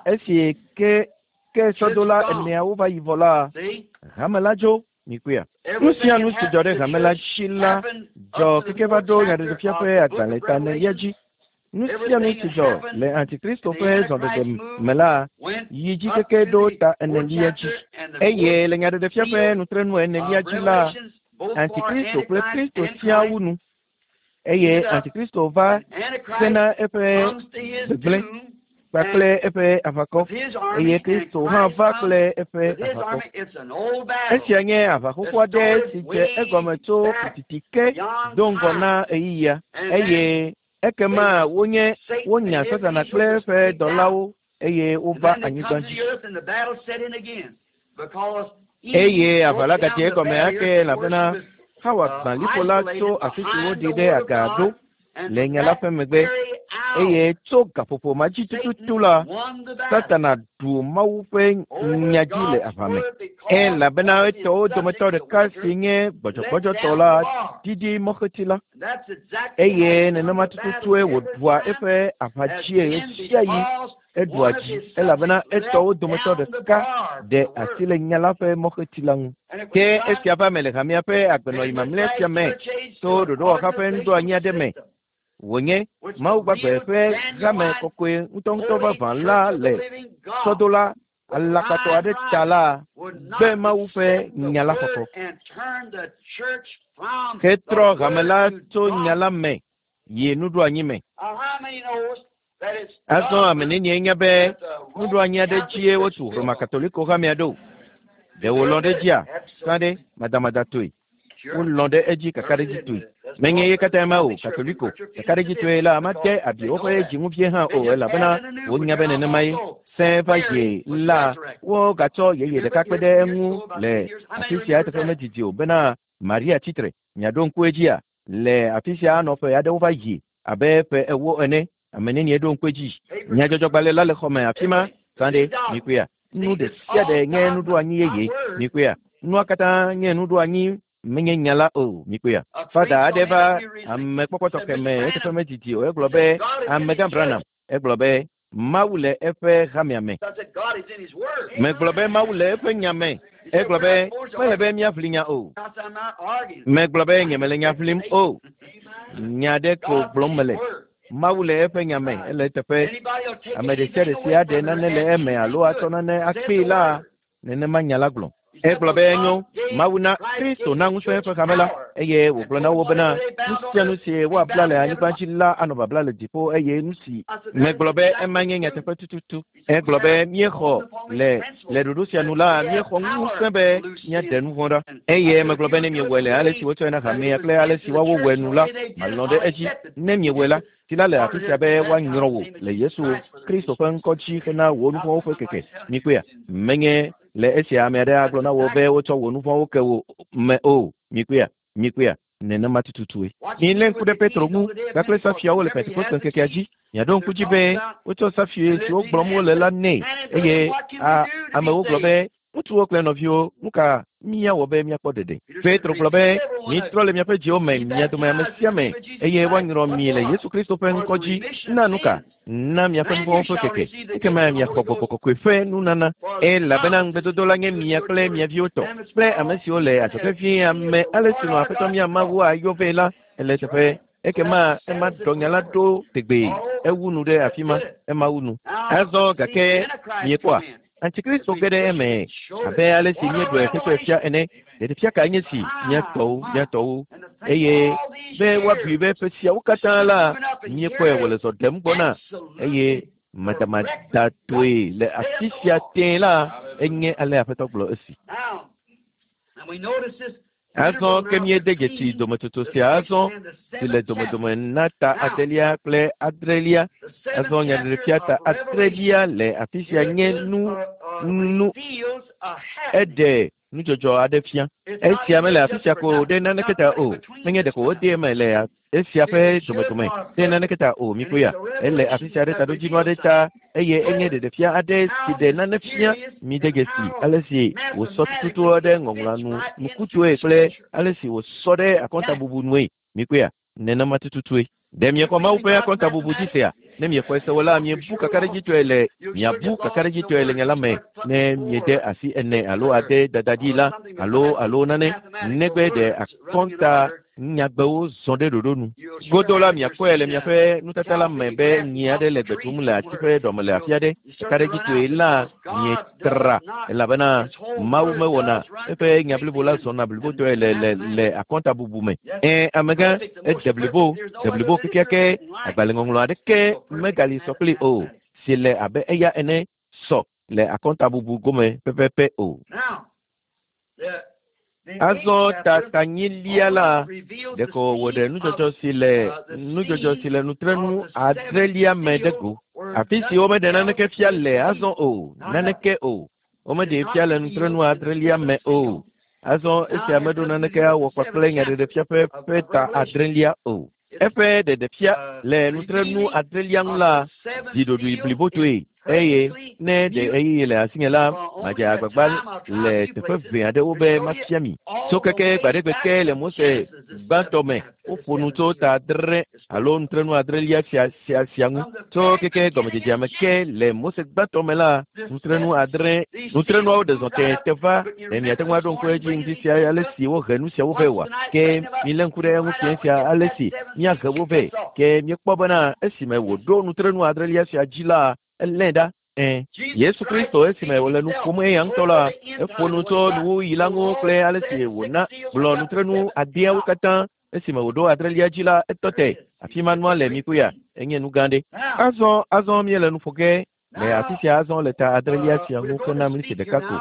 Esi ke sɔdola eneawo va yi vɔ la, hame la dzo. Mikpɔea. Nu sia nu si dzɔ ɖe hame la dzi la dzɔ keke va ɖo Nyaɖeɖefia ƒe agbalẽ ta enelia dzi. Nu sia nu si dzɔ le Antikristo ƒe zɔɖeɖe me la yi dzi keke ɖo ta enelia dzi. Eye le Nyaɖeɖefia ƒe nutrenu enelia dzi la, Antikristo kple Kristo sia wu nu. Eye Antikristo va sena eƒe gbegblẽ kpakple eƒe aʋakɔ. Eye Kristo hã va kple eƒe aʋakɔ. Esia nye aʋa xoxo aɖe si dze egɔme tso titi ke do ŋgɔ na ɣeyiɣia. Eye ekema wonya Satana kple eƒe dɔlawo eye wova anyigba dzi. Eye aʋa la gadze egɔme ake elabena Hawa gbã liƒo la tso afi si woɖi ɖe aga ɖo le nya la ƒe megbe. Eye tso gaƒoƒo ma dzi tututu la, Satana ɖu Mawu ƒe nya dzi le aʋa me. Elabena etɔwo dometɔ ɖeka si nye gbɔdzɔgbɔdzɔtɔ la didi mɔxeti la. Eye nenema tututue wòɖua eƒe aʋa dzie ɣesiaɣi eɖua dzi elabena etɔwo dometɔ ɖeka ɖe asi le nya la ƒe mɔxeti la ŋu. Ke esia va me le hamea ƒe agbenɔɣi mamlɛ sia me to ɖoɖowɔha ƒe nuɖoanyi aɖe me. Wònye Mawu gbagbe ƒe hame kɔkɔe ŋutɔŋutɔ vavã la le sɔdola alakpatɔ aɖe ta la gbe Mawu ƒe nya la xɔxɔ. Hetrɔ hame la tso nya la me yi nuɖoanyi me. Azɔ ame nenie nya be nuɖoanyi aɖe dzie wotu Roma Katoliko hamea ɖo. Ɖe wòlɔ̃ ɖe edzia? Sã ɖe madamadatɔe. Wolɔ̃ ɖe edzi kakaɖedzitɔe. Menye ye katã ma o, Katoliko kakaɖedzitɔe la mate abi woƒe dziŋuvie hã o elabena wonya be nenemae. Sẽ va yi la, wogatsɔ yeye ɖeka kpe ɖe eŋu le afi sia eteƒe medidi o bena Maria tsitre. Miaɖo ŋku edzia? Le afi sia anɔ ƒe aɖewo va yi abe ƒe 40 ene. Ame nenie ɖo ŋku edzi? Nyadzɔdzɔgbalẽ la le xɔme afi ma. Sã ɖe mikpɔea? Nu ɖe sia ɖe nye nuɖoanyi yeye. Mikpɔea? Nua katã nye nuɖoanyi menye nya la o. Mikpɔea? Fada aɖe va amekpɔkpɔ tɔxɛ me eteƒe medidi o. Egblɔ be Amegã Branham. Egblɔ be Mawu le eƒe hamea me. Megblɔ be Mawu le eƒe nya me. Egblɔ be mele be míaʋli nya o. Megblɔ be nyemele nya ʋlim o. Nya ɖe ko gblɔm mele. Mawu le eƒe nya me ele eteƒe. Ame ɖe sia ɖe si aɖe nane le eme alo atsɔ nane akpee la, nenema nya la gblɔ. Egblɔ be enyo, Mawu na Kristo na ŋusẽ eƒe hame la, eye wògblɔ na wo bena nu sia nu si woabla le anyigba dzi la anɔ babla le dziƒo eye nu si megblɔ be ema nye nyateƒe tututu. Egblɔ be míexɔ le le ɖoɖo sia nu la, míexɔ ŋusẽ be míaɖe nu vɔ̃ ɖa. Eye megblɔ be ne miewɔe le ale si wotsɔe na hamea kple ale si woawo wɔe nu la, malɔ̃ ɖe edzi. Ne miewɔe la, si la le afi sia be woanyrɔ wò le Yesu Kristo ƒe ŋkɔ dzi hena wò nu vɔ̃wo ƒe keke. Mikpɔea? Menye le esia ame aɖe agblɔ na wò be wotsɔ wò nu vɔ̃wo ke wò me o. Mikpɔea? Mikpɔea? Nenema tututue. Milé ŋku ɖe Petro ŋu kpakple safiawo le Pentekoste ŋkekea dzi. Miaɖo ŋku dzi be wotsɔ safie siwo gblɔm wole la nɛ eye a amewo gblɔ be ŋutsuwo kple nɔviwo, nu ka míawɔ be míakpɔ ɖeɖe? Petro gblɔ be, mitrɔ le miaƒe dziwo me, mia dome ame sia ame, eye woanyrɔ mi le Yesu Kristo ƒe ŋkɔ dzi. Na nu ka? Na miaƒe nu vɔ̃wo ƒe keke. Ekema miaxɔ gbɔgbɔ kɔkɔe ƒe nunana. Elabena ŋugbedodo la nye mia kple mia viwo tɔ, kple ame siwo le adzɔge vie, ame ale si nɔ Aƒetɔ mía Mawu ayɔ vɛ la, ele eteƒe. Ekema ema ɖɔ nya la ɖo tegbee. Ewu nu ɖe afi ma. Ema wu nu. Azɔ gake miekpɔa? Antikristo ge ɖe eme abe ale si míeɖɔe hetsɔe fia ene. Ɖeɖefia kae nye si mía tɔwo, mía tɔwo, eye be woabui be ƒe siawo katã la míekpɔe wòle zɔ ɖem gbɔna eye madamadatɔe le afi sia tẽe la, enye ale Aƒetɔ gblɔ esi. Azɔ ke míede dzesi dometsotso sia azɔ si le domedome na ta adelia kple adrelia. Azɔ nyaɖeɖefia ta adrelia le afi sia nye nu nu eɖe nudzɔdzɔ aɖe fia. Esia mele afi sia ko ɖe naneke ta o. Menye ɖeko wode eme le esia ƒe domedome ɖe naneke ta o. Mikpɔe ya, ele afi sia ɖe taɖodzinu aɖe ta eye enye ɖeɖefia aɖe si ɖe nane fia. Mide dzesi ale si wòsɔ tututu ɖe ŋɔŋlɔa nu nukutɔe kple ale si wòsɔ ɖe akɔntabubu nue. Mikpɔea, nenema tututue. Ɖe miexɔ Mawu ƒe akɔntabubu dzi sea? Ne miexɔe se o la, miebu kakaɖedzitɔe le miabu kakaɖedzitɔe le nya la me ne miede asi ene alo ade dada dzi la alo alo nane negbe ɖe akɔnta nyagbewo zɔ ɖe ɖoɖo nu. Godo la miakpɔe le miaƒe nutata la me be nyi aɖe le gbe ɖum le ati ƒe ɖɔme le afi aɖe. Kakaɖedzitɔe la mietra elabena Mawu mewɔna eƒe nya blibo la zɔna blibotɔe le le le akɔntabubu me. Ẽ, amegã, ede blibo, de blibo kekeake, agbalẽŋɔŋlɔ aɖeke megali sɔ kpli o, si le abe eya ene sɔ le akɔntabubu gome pɛpɛpɛ o. Azɔ ta tanyilia la, ɖeko wòɖe nudzɔdzɔ si le nudzɔdzɔ si le nutrenu adrelia me ɖe go. Afi si womeɖe naneke fia le azɔ o, naneke o. Womeɖee fia le nutrenu adrelia me o. Azɔ esia meɖo naneke awɔ kpakple nyaɖeɖefia ƒe ƒe ta adrelia o. Eƒe ɖeɖefia le nutrenu adrelia ŋu la zi ɖoɖoe blibotoe eye ne ɖe ɣeyiɣi le asinye la, madze agbagba le teƒe ʋɛ aɖewo be mafia mi. Tso keke gbaɖegbe ke le Mose gbãtɔ me, woƒo nu tso ta adre alo nutrenu adrelia sia sia sia ŋu. Tso keke gɔmedzedzea me ke le Mose gbãtɔ me la, nutrenu adre nutrenuawo ɖe zɔ tẽ te va. Ɖe miate ŋu aɖo ŋku edzi ŋdi sia ale si wohe nu siawo vɛ oa? Ke milé ŋku ɖe eŋu fiẽ sia ale si míahe wo vɛ. Ke míekpɔ bena esime wòɖo nutrenu adrelia sia dzi la, elée ɖa. Ẽ, Yesu Kristo esime wòle nu ƒom eya ŋutɔ la, eƒo nu tso nuwuɣi la ŋu kple ale si wòna gblɔ nutrenu adeawo katã. Esime wòɖo adrelia dzi la, etɔ te. Afi ma nua le mikuya. Enye nu gã ɖe. Azɔ, azɔ míele nu ƒo ge le afi sia azɔ le ta adrelia sia ŋu hena miniti ɖeka ko,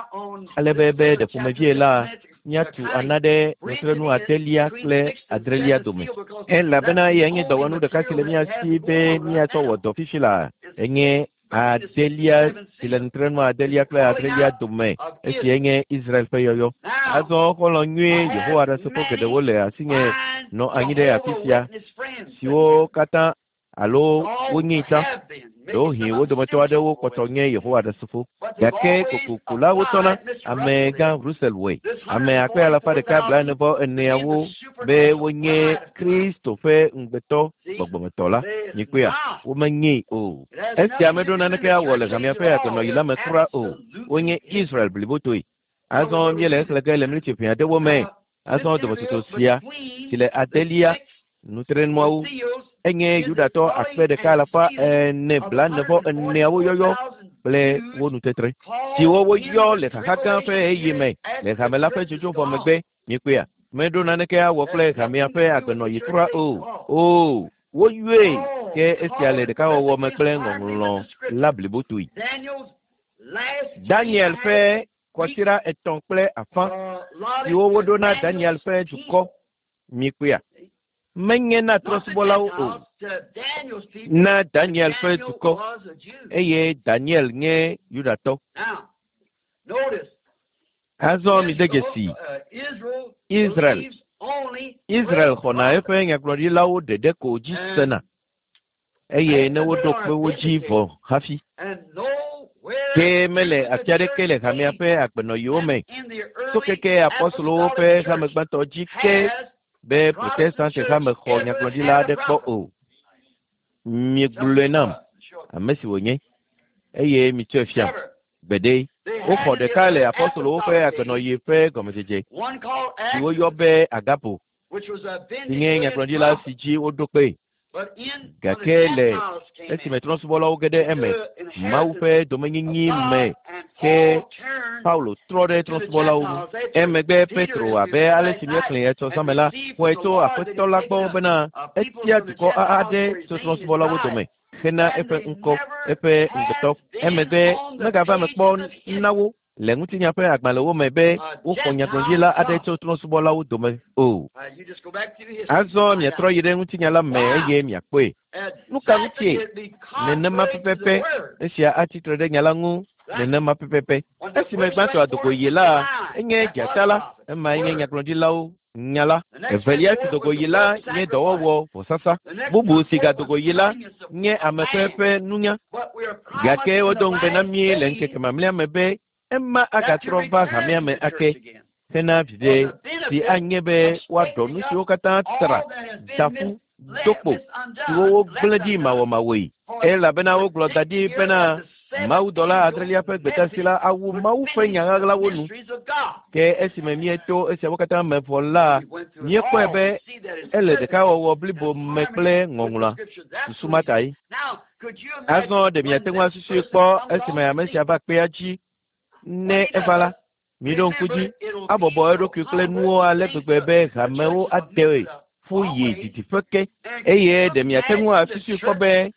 ale be be ɖe ƒomevie la, míatu ana ɖe nutrenu adelia kple adrelia dome. Elabena eyae nye dɔwɔnu ɖeka si le mía si be míatsɔ wɔ dɔ fifi laa. Enye adelia si le nutrenu adelia kple adrelia dome, esi enye Israel ƒe yɔyɔ. Azɔ xɔlɔ̃ nyui Yehowa Ɖasefo geɖewo le asinye nɔ anyi ɖe afi sia, siwo katã alo wonyee tsã. Ɖewohĩ wo dometɔ aɖewo kpɔtɔ nye Yehowa Ɖasefo. Gake kokoko la wotɔna Amegã Russell wɔe. Ame akpe alafa ɖeka blaene-vɔ-eneawo be wonye Kristo ƒe ŋugbetɔ gbɔgbɔmetɔ la. Mikpɔea? Womenyee o. Esia meɖo naneke awɔ le hamea ƒe agbenɔɣi la me kura o. Wonye Israel blibotoe. Azɔ míele exlẽ ge le miniti ʋɛ aɖewo me. Azɔ dometsotso sia si le adelia nutrenuawo enye Yudatɔ akpe ɖeka alafa ene blaene vɔ eneawo yɔyɔ kple wo nutetre siwo woyɔ le xaxa gã ƒe ɣeyiɣi me le hame la ƒe dzodzo vɔ megbe. Mikpɔea? Meɖo naneke awɔ kple hamea ƒe agbenɔɣi kura o. O, woyɔe ke esia le ɖekawɔwɔ me kple ŋɔŋlɔ la blibotoe. Daniel ƒe kɔsiɖa etɔ̃ kple afã siwo woɖo na Daniel ƒe dukɔ. Mikpɔea? Menye na trɔ̃subɔlawo o, na Daniel ƒe dukɔ, eye Daniel nye Yudatɔ. Azɔ mide dzesi Israel. Israel xɔna eƒe nyagblɔɖilawo ɖeɖe ko dzi sena. eye ne woɖo kpe wo dzi vɔ hafi. Ke mele afi aɖeke le hamea ƒe agbenɔɣiwo me tso keke apɔstolowo ƒe hame gbãtɔ dzi ke be Protestante hame xɔ nyagblɔɖila aɖe kpɔ o. Miegblɔe nam ame si wònye, eye mitsɔe fiam. Gbeɖe, woxɔ ɖeka le apɔstolowo ƒe agbenɔɣi ƒe gɔmedzedze si woyɔ be Agabo si nye nyagblɔɖila si dzi woɖo kpee. Gake le esime trɔ̃subɔlawo ge ɖe eme, Mawu ƒe domenyinyi me ke Paulo trɔ ɖe trɔ̃subɔlawo ŋu. Emegbe Petro, abe ale si míexlẽe etsɔ zã me la, xɔe tso Aƒetɔ la gbɔ bena etia dukɔ aɖe tso trɔ̃subɔlawo dome hena eƒe ŋkɔ, eƒe ŋugbetɔ. Emegbe megava eme kpɔ na wo le ŋutinya ƒe agbalẽwo me be woxɔ nyagblɔɖila aɖe tso trɔ̃subɔlawo dome o. Azɔ miatrɔ yi ɖe ŋutinya la me eye miakpɔe. Nu ka ŋutie? Nenema pɛpɛpɛ esia atsi tre ɖe nya la ŋu nenema pɛpɛpɛ. Esime gbãtɔ adogo yi la, enye dzata la, emae nye nyagblɔɖilawo nya la. Evelia si dogo yi la nye dɔwɔwɔ vɔsasa. Bubu si gadogo yi la nye ame ƒe ƒe nunya. Gake wodo ŋugbe na mí le ŋkeke mamlɛa me be ema agatrɔ va hamea me ake hena viɖe si anye be woaɖɔ nu siwo katã tra, da ƒu, do kpo, siwo wogblẽ ɖi mawɔmawɔe. Elabena wogblɔ da ɖi bena Mawudɔla adrelia ƒe gbedeasi la awu Mawu ƒe nya ɣaɣlawo nu. Ke esime míeto esiawo katã me vɔ la, míekpɔe be ele ɖekawɔwɔ blibo me kple Ŋɔŋlɔa. Susu ma tae. Azɔ ɖe miate ŋu asusui kpɔ esime ame sia va kpea dzi ne eva la, miɖo ŋku dzi, abɔbɔ eɖokui kple nuwo ale gbegbe be hamewo ade ƒu yi didiƒe ke. Eye ɖe miate ŋu asusui kpɔ be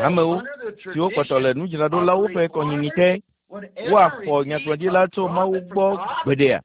hamewo, siwo kpɔtɔ le nudzraɖolawo ƒe kɔnyinyi te, woaxɔ nyagblɔɖila tso Mawu gbɔ gbeɖea?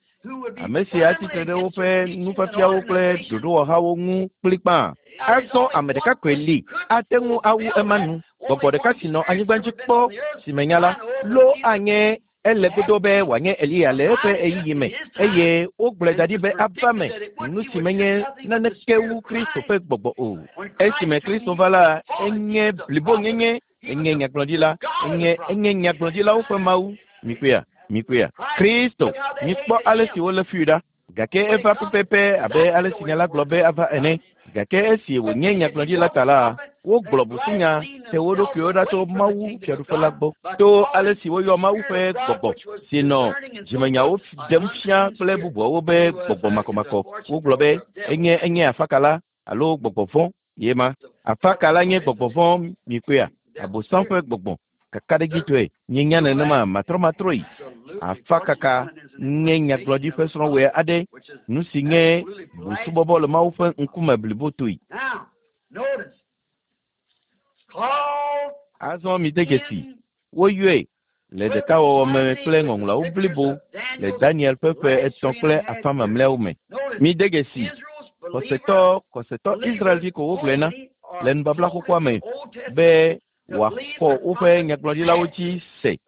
Ame si atsi tre ɖe woƒe nufiafiawo kple ɖoɖowɔhawo ŋu kplikpaa. Azɔ ame ɖeka koe li ate ŋu awu ema nu. Gbɔgbɔ ɖeka si nɔ anyigba dzi kpɔ si menya la, lo anye Ele godoo be wòanye Eliya le eƒe ɣeyiɣi me, eye wogblɔe da ɖi be ava me nu si menye naneke wu Kristo ƒe gbɔgbɔ o. Esime Kristo va la, enye blibonyenye, enye nyagblɔɖila, enye, enye nyagblɔɖilawo ƒe Mawu. Mikpɔea? Mikpɔea? Kristo! Mikpɔ ale si wolé fui ɖa. Gake eva pɛpɛpɛ abe ale si nya la gblɔ be ava ene. Gake esi wònye nyagblɔɖila ta la, wogblɔ busunya te wo ɖokuiwo ɖa tso Mawu Fiaɖuƒe la gbɔ to ale si woyɔ Mawu ƒe gbɔgbɔ si nɔ dzimenyawo ɖem fia kple bubuawo be gbɔgbɔ makɔmakɔ. Wogblɔ be enye enye afakala alo gbɔgbɔ vɔ̃ ye ma. Afakala nye gbɔgbɔ vɔ̃, mikpɔea, Abosam ƒe gbɔgbɔ. Kakaɖedzitɔe, míenya nenema matrɔmatrɔe. Afakaka nye nyagblɔɖi ƒe srɔ̃wɔe aɖe, nu si nye busubɔbɔ le Mawu ƒe ŋkume blibotoe. Azɔ mide dzesi, woyɔe le ɖekawɔwɔ me kple Ŋɔŋlɔawo blibo le Daniel ƒe ƒe etɔ̃ kple afã mamlɛawo me. Mide dzesi, xɔsetɔ, xɔsetɔ Israelvi ko wogblɔe na le Nubabla Xoxoa me be wòaxɔ woƒe nyagblɔɖilawo dzi se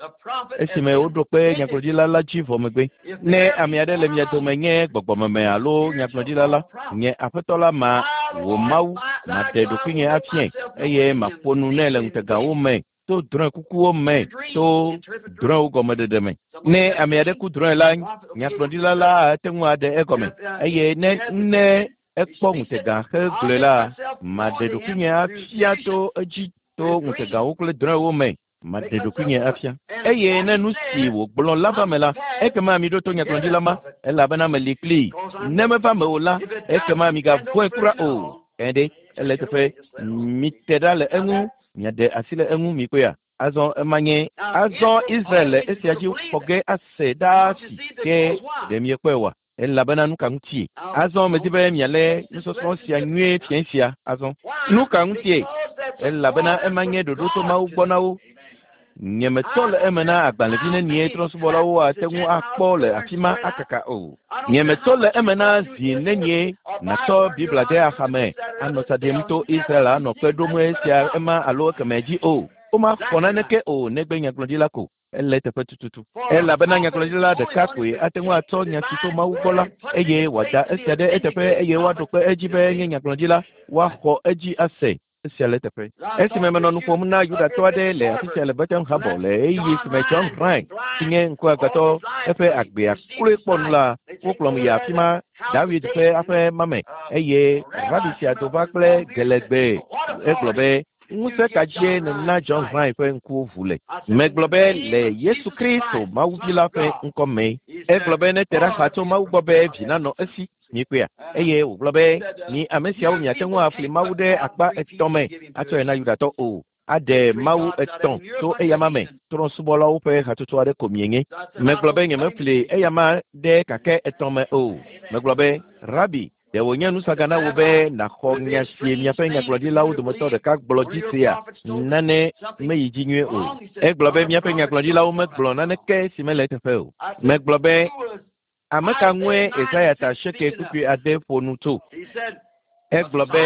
esime woɖo kpe nyagblɔɖila la dzi vɔ megbe. Ne ame aɖe le mia dome nye gbɔgbɔmeme alo nyagblɔɖila la, nye Aƒetɔ la ma wò Mawu, maɖe ɖokuinye afiae, eye maƒo nu nɛ le ŋutegawo me. to drɔ̃ekukuwo me, to drɔ̃ewo gɔmeɖeɖe me. Ne ame aɖe ku drɔ̃e la, nyagblɔɖila la ate ŋu aɖe egɔme eye ne ekpɔ ŋutega hegblɔe la, maɖe ɖokuinye afia to edzi to ŋutegawo kple drɔ̃ewo me. Maɖe ɖokuinye afia. Eye ne nu si wògblɔ la va me la, ekema miɖo to nyagblɔɖila ma, elabena meli kplii. Ne meva me o la, ekema migavɔ̃e kura o. Ɛɖe, ele teƒe, mite ɖa le eŋu, miaɖe asi le eŋu mikpɔea. Azɔ ema nye azɔ Israel le esia dzi xɔ ge ase ɖaa si ke ɖe miekpɔe oa? Elabena nu ka ŋutie? Azɔ medi be mialé nusɔsrɔ̃ sia nyuie fiẽ sia azɔ. Nu ka ŋutie? Elabena ema nye ɖoɖo tso Mawu gbɔ na wo. Nyemetɔ le eme na agbalẽvi nenie trɔ̃subɔlawo ate ŋu akpɔ le afi ma akaka o. Nyemetɔ le eme na zi nenie nàtsɔ Biblia de axame anɔ tsa ɖim to Israel anɔ kpe ɖom esia ema alo ekemɛ dzi o. Womaxɔ naneke o negbe nyagblɔɖila ko. Ele teƒe tututu. Elabena nyagblɔɖila ɖeka koe ate ŋu atsɔ nya si tso Mawu gbɔ la, eye wòada esia ɖe eteƒe eye woaɖo kpe edzi be enye nyagblɔɖila, woaxɔ edzi ase. Esia le teƒe. Esime menɔ nu ƒom na Yudatɔ aɖe le afi sia le Bethlehem Harbor le ɣeyiɣi si me John Rhyn, si nye ŋkuagbãtɔ eƒe agbea kloe kpɔ nu la, wokplɔm yi afi ma, Dawid ƒe aƒe ma me, eye rabi sia do va kple gelegbe. Egblɔ be, ŋusẽ ka dzie nèna John Rhyn ƒe ŋkuwo ʋu le? Megblɔ be le Yesu Kristo Mawuvi la ƒe ŋkɔ me. Egblɔ be nete ɖa xa tso Mawu gbɔ be vi nanɔ esi. Mikpɔea? Eye wògblɔ be, mi ame siawo miate ŋu afli Mawu ɖe akpa etɔ̃ me atsɔe na Yudatɔ o. Aɖe Mawu etɔ̃ tso eyama me. Trɔ̃subɔlawo ƒe hatsotso aɖe ko mienye. Megblɔ be nyemefli eyama ɖe kakɛ etɔ̃ me o. Megblɔ be, Rabi, ɖe wònye nusaga na wò be nàxɔ nya si miaƒe nyagblɔɖilawo dometɔ ɖeka gblɔ dzi sea? Nane meyi dzi nyuie o. Egblɔ be miaƒe nyagblɔɖilawo megblɔ naneke si mele eteƒe o. Megblɔ be, ame ka ŋue Yesaya ta seke kpukpui ade ƒo nu tso? Egblɔ be,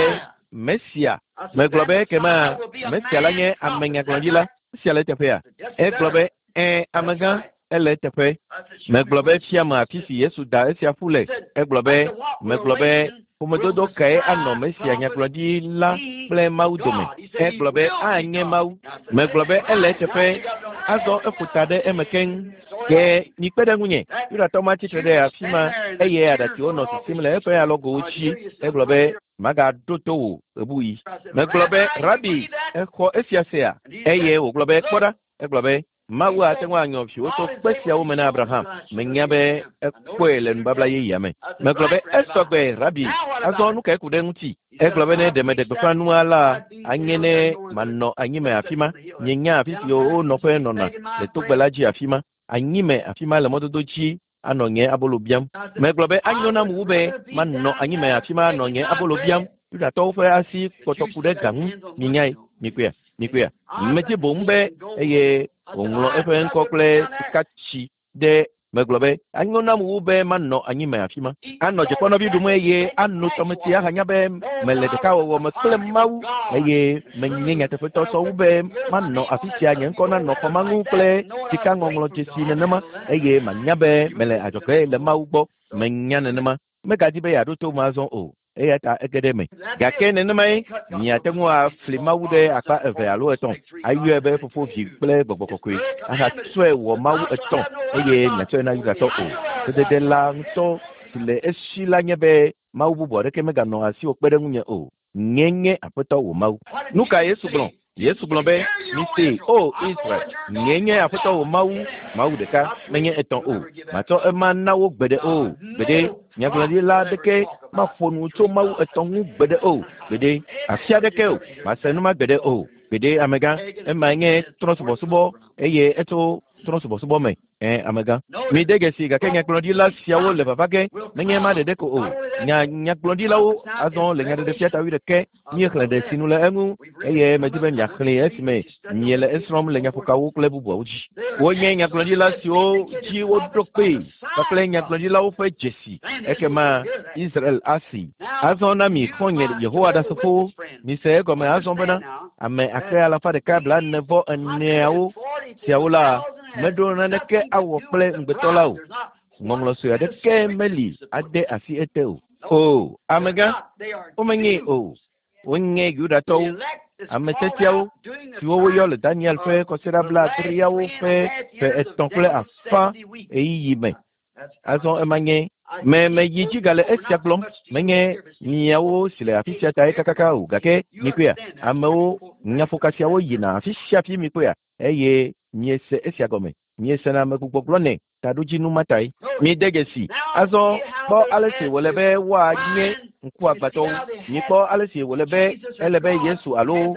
Mesia. Megblɔ be ekema Mesia la nye ame nyagblɔɖila. Esia le eteƒea? Egblɔ be, ɛ̃, amegã, ele eteƒe. Megblɔ be fiame afi si Yesu da esia ƒu le. Egblɔ be, megblɔ be ƒomedodo kae anɔ Mesia nyagblɔɖila kple Mawu dome? Egblɔ be anye Mawu. Megblɔ be ele eteƒe. Azɔ eƒo ta ɖe eme keŋ. Ke mikpe ɖe ŋunye. Yudatɔ ma tsitre ɖe afi ma eye aɖatsiwo nɔ sisim le eƒe alɔgowo dzi. Egblɔ be, magaɖo to wò ɣebuɣi. Megblɔ be, Rabi, exɔ esia sea? Eye wògblɔ be, kpɔ ɖa. Egblɔ be, Mawu ate ŋu anyɔ viwò tso kpe siawo me na Abraham. Menya be ekpɔe le nubabla yeyea me. Megblɔ be, esɔgbe, Rabi. Azɔ nu kae ku ɖe eŋuti? Egblɔ be ne ɖe meɖe gbeƒã nua la, anye ne manɔ anyime afi ma. Mienya afi si wo nɔƒe nɔna le togbɛ la dzi afi ma. Anyime afi ma le mɔdodo dzi anɔ nye abolo biam. Megblɔ be anyo nam wu be manɔ anyime afi ma anɔ nye abolo biam. Yudatɔwo ƒe asi kpɔtɔ ku ɖe ga ŋu. Mienyae, mikpɔea, mikpɔea. Medi boŋ be eye wòŋlɔ eƒe ŋkɔ kple sikatsi ɖe. Megblɔ be anyo nam wu be manɔ anyime afi ma. Anɔ dzekpɔnɔvi ɖum eye ano tɔmetsi ahanya be mele ɖekawɔwɔ me kple Mawu eye menye nyateƒetɔ sɔ wu be manɔ afi sia nye ŋkɔ nanɔ xɔ ma ŋu kple sikaŋɔŋlɔdzesi nenema eye manya be mele adzɔge le Mawu gbɔ. Menya nenema. Megadi be yeaɖo to me azɔ o. Eya ta ege ɖe eme. Gake nenemae miate ŋu afli Mawu ɖe akpa eve alo etɔ̃, ayɔe be Fofo, Vi kple Gbɔgbɔ Kɔkɔe, ahatsɔe wɔ Mawu etɔ̃ eye miatsɔe na Yudatɔ o. Sedede la ŋutɔ si le esi la nye be Mawu bubu aɖeke meganɔ asiwò kpe ɖe ŋunye o. Nye nye Aƒetɔ wò Mawu. Nu ka Yesu gblɔ? Yesu gblɔ be, misee, O Israel, nye nye Aƒetɔ wò Mawu, Mawu ɖeka, menye etɔ̃ o. Matsɔ ema na wo gbeɖe o. Gbeɖe, nyagblɔɖila aɖeke maƒo nu tso Mawu etɔ̃ ŋu gbeɖe o. Gbeɖe, afi aɖeke o. Mase nu ma gbeɖe o. Gbeɖe, amegã, emae nye trɔ̃subɔsubɔ eye etso trɔ̃subɔsubɔ me. Amegã. Mide dzesi gake nyagblɔɖila siawo le vava ge, menye ema ɖeɖe ko o. Nyagblɔɖilawo azɔ le nyaɖeɖefia ta wuiɖekɛ. Míexlẽ ɖe sinu le eŋu eye medi be miaxlẽe esime miele esrɔ̃m le nyaƒokawo kple bubuawo dzi. Wonye nyagblɔɖila siwo dzi woɖo kpee kpakple nyagblɔɖilawo ƒe dzesi. Ekema Israel asi. Azɔ na mi xɔ̃nye Yehowa Ɖasefowo, mise egɔme azɔ bena ame akpe alafa ɖeka 44 siawo la meɖo naneke awɔ kple ŋugbetɔ la o. Ŋɔŋlɔ sue aɖeke meli ade asi ete o. O, amegã, womenyee o. Wonye Yudatɔwo, ame sesẽawo siwo woyɔ le Daniel ƒe kɔsiɖa blaadreawo ƒe ƒe etɔ̃ kple afã ɣeyiɣi me. Azɔ ema nye me meyi dzi gale esia gblɔm menye miawo si le afi sia tae kakaka o gake mikpɔea amewo nyaƒoka siawo yina afi sia afi mikpɔea eye miese esia gɔme miesena amegbugbɔgblɔ nɛ taɖodzinu ma tae. Mide dzesi azɔ kpɔ ale si wòle be woanye ŋkuagbãtɔwo. Mikpɔ ale si wòle be ele be Yesu alo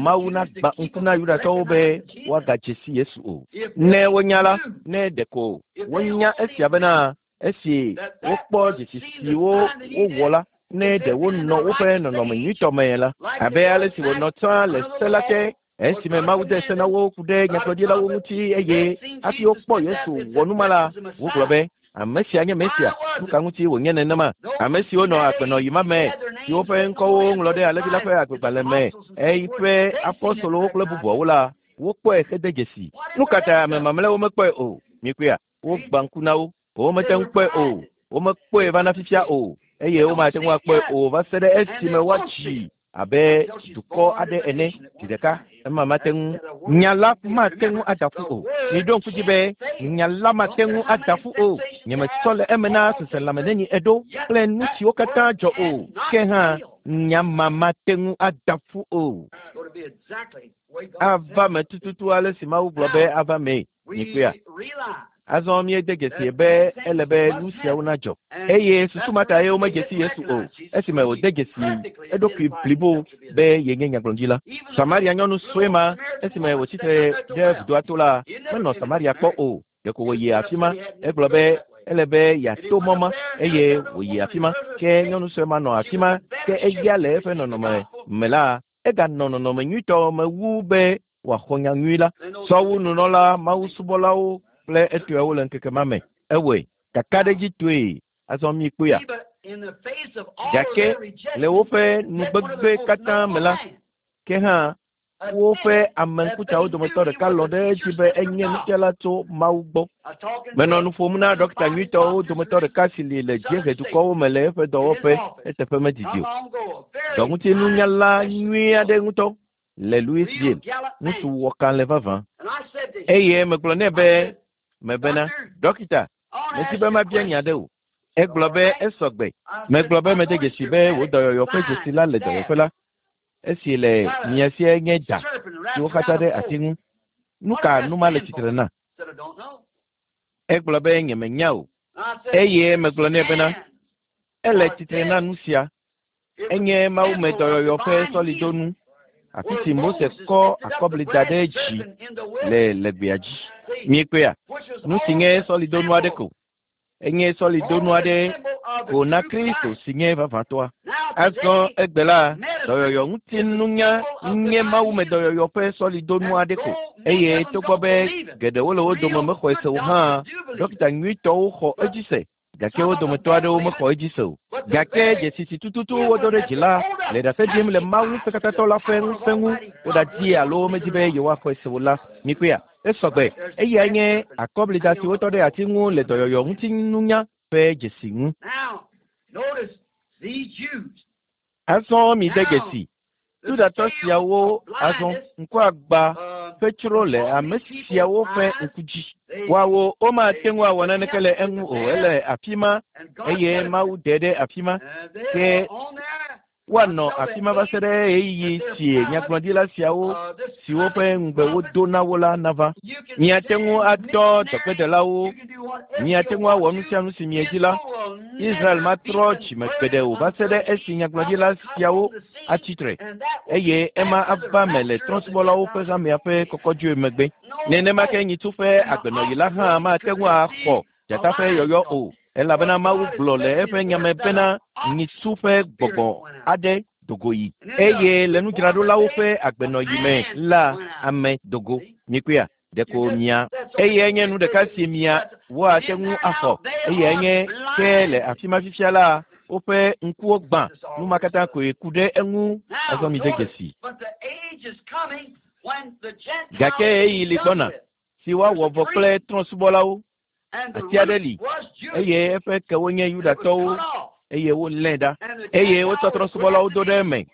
Mawu nagbã ŋku na Yudatɔwo be woagadze si Yesu o. Ne wonya la, ne ɖeko wonya esia bena esi wokpɔ dzesi siwo wowɔ la, ne ɖe wonɔ woƒe nɔnɔme nyuitɔ me la, abe ale si wònɔ tsã le se la te esime Mawu de se na wo ku ɖe nyagblɔɖilawo ŋuti eye hafi wokpɔ Yesu wɔ nu ma la, wogblɔ be, Ame sia nye Mesia. Nu ka ŋuti wònye nenema? Ame siwo nɔ agbenɔɣi ma me, siwo ƒe ŋkɔwo woŋlɔ ɖe Alẽvi la ƒe agbegbalẽ me, eƒe apostolowo kple bubuawo la, wokpɔe hede dzesi. Nu ka tae ame mamlɛawo mekpɔe o? Mikpɔea? Wogbã ŋku na wo. Womete ŋu kpɔe o. Womekpɔe va na fifia o, eye womate ŋu akpɔe o va se ɖe esime woatsi abe dukɔ aɖe ene zi ɖeka. Ema mate ŋu, nya la mate ŋu ada ƒu o. Miɖo ŋku dzi be nya la mate ŋu ada ƒu o. Nyemesɔ le eme na seselãme neni eɖo kple nu siwo katã dzɔ o. Ke hã, nya ma mate ŋu ada ƒu o. Ava me tututu ale si Mawu gblɔ be ava mee. Mikpɔea? Azɔ míede dzesi be ele be nu siawo nadzɔ. Eye susu ma tae womedze si Yesu o, esime wòde dzesi eɖokui blibo be yenye nyagblɔɖila. Samaria nyɔnu sue ma, esime wòtsi tre ɖe vudoa to la, menɔ Samaria kpɔ o. Ɖeko wòyi afi ma. Egblɔ be ele be yeato mɔ ma, eye wòyi afi ma. Ke nyɔnu sue ma nɔ afi ma, ke eya le eƒe nɔnɔme me la, eganɔ nɔnɔme nyuitɔ me wu be wòaxɔ nya nyui la sɔ wu nunɔla mawusubɔlawo kple etɔewo le ŋkeke ma me. Ewɔe kakaɖedzitɔe azɔ míekpɔea. Gake le woƒe nugbegbe katã me la, ke hã woƒe ame ŋkutsawo dometɔ ɖeka lɔ̃ ɖe edzi be enye nufiala tso Mawu gbɔ. Menɔ nu ƒom na ɖɔkita nyuitɔwo dometɔ ɖeka si li le dziehe dukɔwo me le eƒe dɔwɔƒe eteƒe medidi o. Dɔŋutinunyala nyui aɖe ŋutɔ le Louisville, ŋutsu wɔkalẽ vavã. Eye megblɔ nɛ be, mebena, Ɖɔkita, medi be mabia nya ɖe wò. Egblɔ be, Esɔ gbe. Megblɔ be mede dzesi be wò dɔyɔyɔ ƒe dzesi la le dɔyɔƒe la. Esi le mia sie nye da si woxatsa ɖe ati ŋu. Nu ka nu ma le tsitre na? Egblɔ be, Nyemenya o. Eye megblɔ nɛ bena, Ele tsitre na nu sia. Enye mawume dɔyɔyɔ ƒe sɔlidonu, afi si Mose kɔ akɔbli da ɖe dzi le le gbea dzi. Miekpɔea? Nu si nye sɔlidonu aɖe ko. Enye sɔlidonu aɖe ko na Kristo si nye vavãtɔa. Azɔ egbe la, dɔyɔyɔ ŋuti nunya nye mawume dɔyɔyɔ ƒe sɔlidonu aɖe ko. Eye togbɔ be geɖewo le wo dome mexɔe se o hã, ɖɔkita nyuitɔwo xɔ edzi se. Gake wo dometɔ aɖewo mexɔ edzi se o. Gake dzesi si tututu wodo ɖe dzi la le ɖase ɖim le Mawu Ŋusẽkatãtɔ la ƒe ŋusẽ ŋu. Woɖadi alo womedi be yewoaxɔe se o la, mikpɔea? Esɔ gbe. Eyae nye akɔblida si wotɔ ɖe ati ŋu le dɔyɔyɔ ŋutinunya ƒe dzesi ŋu. Azɔ mide dzesi Yudatɔ siawo azɔ ŋkuagba ƒe tsro le ame siawo ƒe ŋku dzi. Woawo womate ŋu awɔ naneke le eŋu o, ele afi ma eye Mawu ɖe ɖe afi ma. Ke woanɔ afi ma va se ɖe ɣeyiɣi si nyagblɔɖila siawo siwo ƒe ŋugbe wodo na wo la nava. Miate ŋu adɔ dɔgbedelawo, miate ŋu awɔ nu sia nu si miedi la. Israel matrɔ dzime gbeɖe o va se ɖe esi nyagblɔɖila siawo atsi tre, eye ema ava me le trɔ̃subɔlawo ƒe hamea ƒe kɔkɔdzoe megbe. Nenema ke nyitsu ƒe agbenɔɣi la hã mate ŋu axɔ dzata ƒe yɔyɔ o, elabena Mawu gblɔ le eƒe nya me bena nyitsu ƒe gbɔgbɔ aɖe do go yi, eye le nudzraɖolawo ƒe agbenɔɣi me la, ame do go. Mikpɔea? Ɖeko mia. Eyae nye nu ɖeka si mia woate ŋu axɔ. Eyae nye ke le afi ma fifia la, woƒe ŋkuwo gbã. Nu ma katã koe ku ɖe eŋu. Azɔ mide dzesi. Gake ɣeyiɣi li gbɔna si woawɔ vɔ kple trɔ̃subɔlawo. Ati aɖe li eye eƒe kewo nye Yudatɔwo eye wolée ɖa eye wotsɔ trɔ̃subɔlawo do ɖe eme.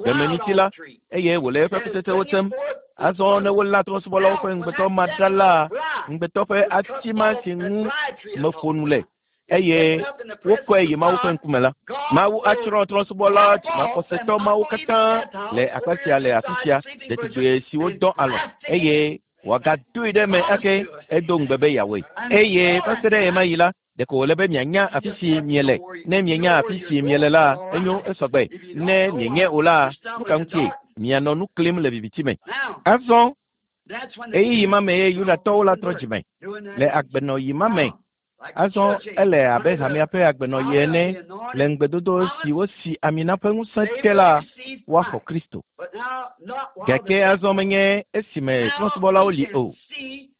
Gbemeniti la, eye wòle eƒe kutsetsewo tsem. Azɔ ne wolé trɔ̃subɔlawo ƒe ŋugbetɔ ma ɖa la, ŋugbetɔ ƒe ati ma si ŋu meƒo nu le eye wokɔe yi Mawu ƒe ŋkume la, Mawu atsrɔ̃ trɔ̃subɔla maxɔsetɔ mawo katã le akpa sia le afi sia, ɖetugbui siwo dɔ alɔ̃ eye wòagadoe ɖe eme ake. Edo ŋugbe be yeawɔe. Eye va se ɖe ɣemaɣi la, ɖeko wòle be mianya afi si miele. Ne mienya afi si miele la, enyo, esɔgbe. Ne mienyae o la, nu ka ŋutie mianɔ nu klim le viviti me? Azɔ ɣeyiɣi ma mee Yudatɔwo la trɔ dzime le agbenɔɣi ma me. Azɔ ele abe hamea ƒe agbenɔɣi ene le ŋugbedodo si wosi ami na ƒe ŋusẽ te la, woaxɔ Kristo. Gake azɔ menye esime trɔ̃subɔlawo li o.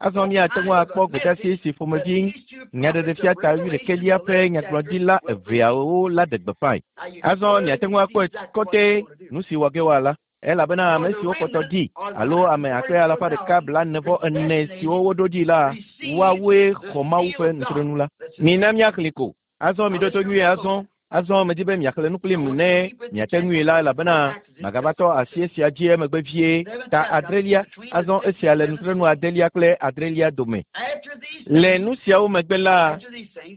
Azɔ míate ŋu akpɔ gbedeasi si ƒomevi Nyaɖeɖefia ta wuiɖekɛlia ƒe nyagblɔɖila eveawo la ɖe gbeƒãe. Azɔ miate ŋu akpɔe kɔtɛ nu si wɔ ge woala. Elabena ame siwo kpɔtɔ ɖi alo ame akpe alafa ɖeka blaene-vɔ-ene siwo woɖo ɖi la, woawoe xɔ Mawu ƒe nutrenu la. Mina míaxlẽe ko. Azɔ miɖo to nyuie azɔ. Azɔ medi be miaxlẽ nu kplim ne miate ŋui la, elabena magava tɔ asi esia dzi emegbe vie. Ta adrelia. Azɔ esia le nutrenu adelia kple adrelia dome. Le nu siawo megbe la,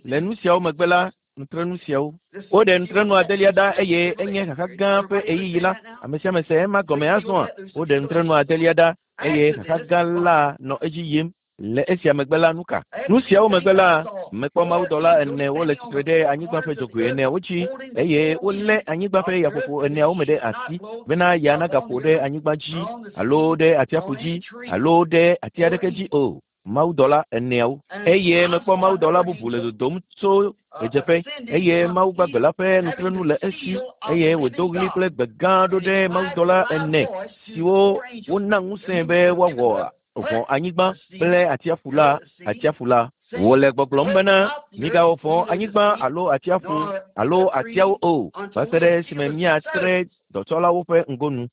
le nu siawo megbe la, nutrenu siawo. Woɖe nutrenu adelia ɖa eye enye xaxa gã ƒe ɣeyiɣi la. Ame sia ame se ema gɔme azɔa? Woɖe nutrenu adelia ɖa eye xaxa gã la nɔ edzi yim. Le esia megbe la, nu ka? Nu siawo megbe la, mekpɔ mawudɔla ene wole tsitre ɖe anyigba ƒe dzogoe eneawo dzi eye wolé anyigba ƒe yaƒoƒo eneawo me ɖe asi bena ya nagaƒo ɖe anyigba dzi alo ɖe atsiaƒu dzi alo ɖe ati aɖeke dzi o. Mawudɔla eneawo. Eye mekpɔ mawudɔla bubu le dodom tso ɣedzeƒe, eye Mawu gbagbe la ƒe nutrenu le esi, eye wòdo ɣli kple gbe gã ɖo ɖe mawudɔla ene siwo wona ŋusẽe be woawɔ vɔ̃ anyigba kple atsiaƒu la, atsiaƒu la. Wòle gbɔgblɔm bena, Migawɔ vɔ̃ anyigba alo atsiaƒu alo atiawo o, va se ɖe esime míatre dɔtsɔlawo ƒe ŋgonu.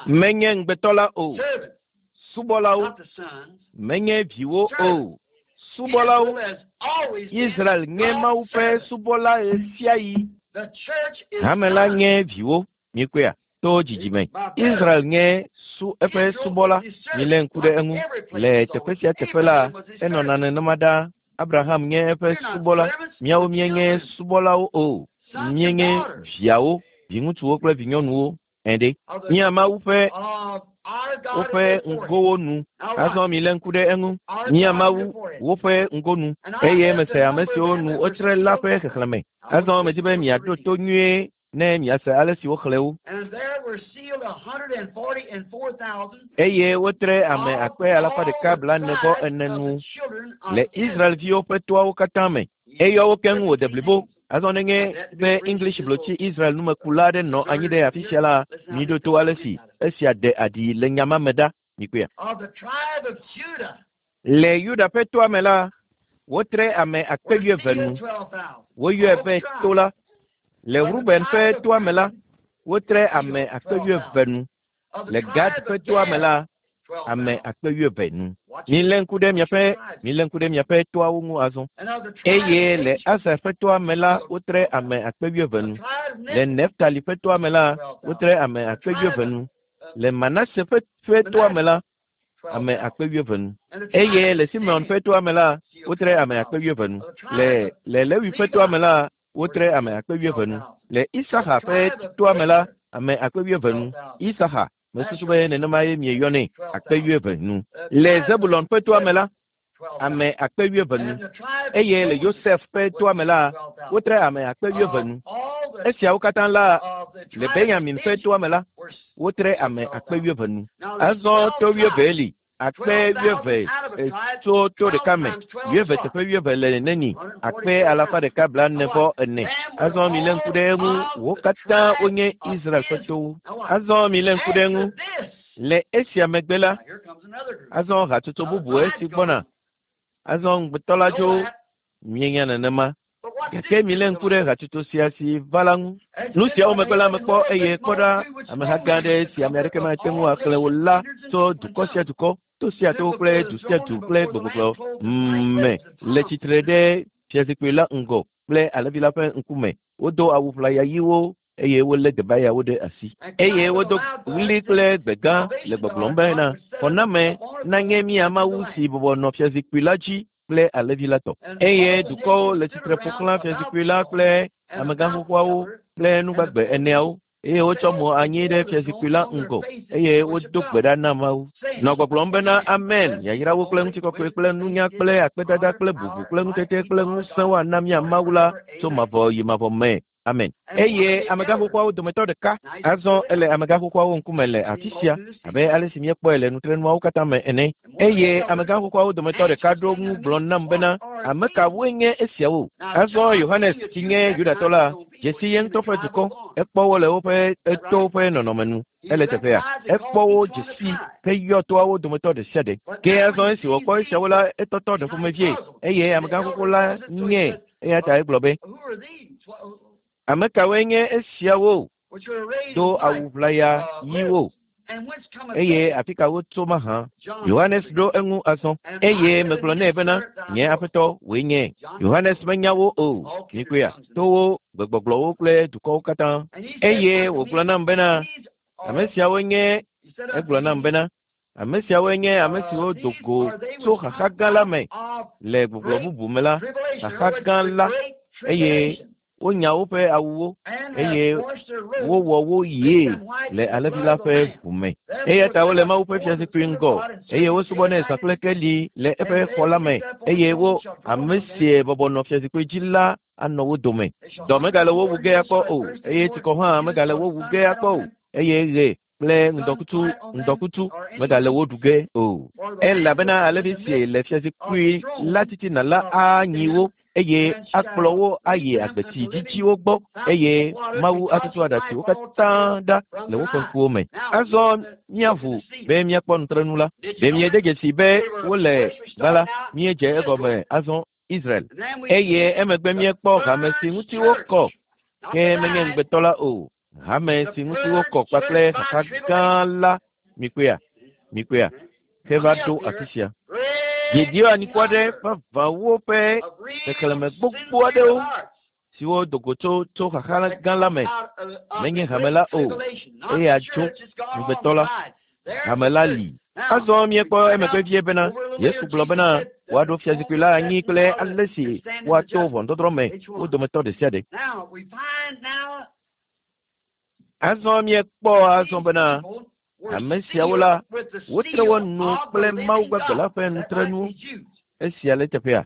Menye ŋugbetɔ la o, subɔlawo, menye viwo o, subɔlawo. Israel nye Mawu ƒe subɔla ɣesiaɣi. Hame la nye viwo. Mikpɔea? To dzidzime. Israel nye su eƒe subɔla. Milé ŋku ɖe eŋu. Le teƒe sia teƒe la, enɔna nenema ɖaa. Abraham nye eƒe subɔla. Míawo míenye subɔlawo o. Míenye viawo, viŋutsuwo kple vinyɔnuwo. Ɛ̃ ɖe. Mía Mawu ƒe woƒe ŋgowo nu. Azɔ milé ŋku ɖe eŋu. Mía Mawu woƒe ŋgonu. Eye mese ame siwo nu wotsre la ƒe xexlẽme. Azɔ medi be miaɖo to nyuie ne miase ale si woxlẽ wo. Eye wotre ame akpe alafa ɖeka blaene-vɔ-ene nu le Israel-viwo ƒe toawo katã me. Eyɔ wo keŋ wòde blibo. Azɔ nenye be English blotsi Israel numekula aɖe nɔ anyi ɖe afi sia la, miɖo to ale si esia ɖe aɖi le nya ma me ɖa. Mikpɔea? Le Yuda ƒe toa me la, wotre ame akpe wuieve nu. Woyɔe be to la. Le Ruben ƒe toa me la, wotre ame akpe wuieve nu. Le Gad ƒe toa me la, ame akpe wuieve nu. Milé ŋku ɖe miaƒe milé ŋku ɖe miaƒe toawo ŋu azɔ. Eye le Aser ƒe toa me la, wotre ame akpe wuieve nu. Le Neftali ƒe toa me la, wotre ame akpe wuieve nu. Le Manase ƒe ƒe toa me la, ame akpe wuieve nu. Eye le Simeon ƒe toa me la, wotre ame akpe wuieve nu. Le le Lewi ƒe toa me la, wotre ame akpe wuieve nu. Le Isaxa ƒe toa me la, ame akpe wuieve nu. Isaxa, mesusu be nenema ye mieyɔnɛ, akpe wuieve nu. Le Zebulon ƒe toa me la, ame akpe wuieve nu. Eye le Yosef ƒe toa me la, wotre ame akpe wuieve nu. Esiawo katã la, le Benyamin ƒe toa me la, wotre ame akpe wuieve nu. Azɔ to wuieve li, akpe wuieve tso to ɖeka me, wuieve teƒe wuieve le neni, akpe alafa ɖeka blaene vɔ ene. Azɔ milé ŋku ɖe eŋu, wo katã wonye Israel ƒe towo. Azɔ milé ŋku ɖe eŋu. Le esia megbe la, azɔ hatsotso bubu esi gbɔna. Azɔ ŋugbetɔ la dzo, mienya nenema. Gake milé ŋku ɖe hatsotso sia si va la ŋu. Nu siawo megbe la mekpɔ eye kpɔ ɖa, ameha gã aɖe si ame aɖeke mate ŋu axlẽ o la tso dukɔ sia dukɔ, to sia to kple du sia du kple gbegbɔgblɔ me le tsitre ɖe fiazikpui la ŋgɔ kple Alẽvi la ƒe ŋkume. Wodo awu ʋlaya ɣiwo. eye wolé debayawo ɖe asi. Eye wodo ɣli kple gbe gã le gbɔgblɔm bena, Xɔname nanye mía Mawu si bɔbɔ nɔ fiazikpui la dzi kple Alẽvi la tɔ. Eye dukɔwo le tsitre ƒo xlã fiazikpui la kple amegã xoxoawo kple nugbagbe eneawo, eye wotsɔ mo anyi ɖe fiazikpui la ŋgɔ, eye wodo gbe ɖa na Mawu, nɔ gbɔgblɔm bena, Amen! Yayrawo kple ŋutikɔkɔe kple nunya kple akpedada kple bubu kple ŋutete kple ŋusẽ woana mía Mawu la tso mavɔ yi mavɔ me. Amen. Eye amegã xoxoawo dometɔ ɖeka azɔ ele amegã xoxoawo ŋkume le afi sia, abe ale si míekpɔe le nutrenuawo katã me ene. Eye amegã xoxoawo dometɔ ɖeka ɖo ŋu gblɔ nam bena, Ame kawoe nye esiawo? Azɔ Yohanes si nye Yudatɔ la dze si ye ŋutɔ ƒe dukɔ. Ekpɔ wo le woƒe towo ƒe nɔnɔme nu. Ele teƒea. Ekpɔ wo dze si heyɔ toawo dometɔ ɖe sia ɖe. Ke azɔ esi wòkpɔ esiawo la, etɔtɔ ɖe ƒomevie, eye amegã xoxo la nyee. Eya ta egblɔ be, Ame kawoe nye esiawo do awu ʋlaya ɣiwo, eye afi ka wotso mahã? Yohanes ɖo eŋu azɔ, eye megblɔ nɛ bena, Nye Aƒetɔ, wòe nye. Yohanes menya wo o. Mikpɔea? Towo, gbegbɔgblɔwo kple dukɔwo katã. Eye wògblɔ nam bena, Ame siawoe nye, egblɔ nam bena, Ame siawoe nye ame siwo do go tso xaxa gã la me, le gbɔgblɔ bubu me la, xaxa gã la, eye wonya woƒe awuwo, eye wowɔ wo ɣie le Alẽvi la ƒe ʋu me. Eya ta wole Mawu ƒe fiazikpui ŋgɔ, eye wosubɔnɛ zã kple keli le eƒe xɔ la me, eye wo, ame si bɔbɔ nɔ fiazikpui dzi la anɔ wo dome. Dɔ megale wo wu ge akpɔ o, eye tsikɔ hã megale wo wu ge akpɔ o, eye ɣe kple ŋdɔkutsu ŋdɔkutsu megale wo ɖu ge o. Elabena alẽvi si le fiazikpui la titina la anyi wo, eye akplɔ wo ayi agbetsi dzidziwo gbɔ, eye Mawu atutu aɖatsiwo katã ɖa le woƒe ŋkuwo me. Azɔ míaʋu be míakpɔ nutrenu la. Ɖe miede dzesii be wole gbã la, míedze egɔme azɔ Israel, eye emegbe míekpɔ hame si ŋuti wokɔ, ke menye ŋugbetɔ la o, hame si ŋuti wokɔ kpakple xaxa gã la. Mikpɔea? Mikpɔea? Heva ɖo afi sia. Gideon anyikɔ aɖe vavãwo ƒe xexlẽme gbogbo aɖewo siwo do go tso tso xaxa gã la me menye hame la o, eya tso ŋugbetɔ la. Hame la li. Azɔ míekpɔ emegbe vie bena Yesu gblɔ bena woaɖo fiazikpui la anyi kple ale si woato ʋɔnudɔdrɔ̃ me wo dometɔ ɖe sia ɖe. Azɔ míekpɔ azɔ bena ame siawo la, wotre wo nu kple Mawu gbagbe la ƒe nutrenuwo. Esia le teƒea.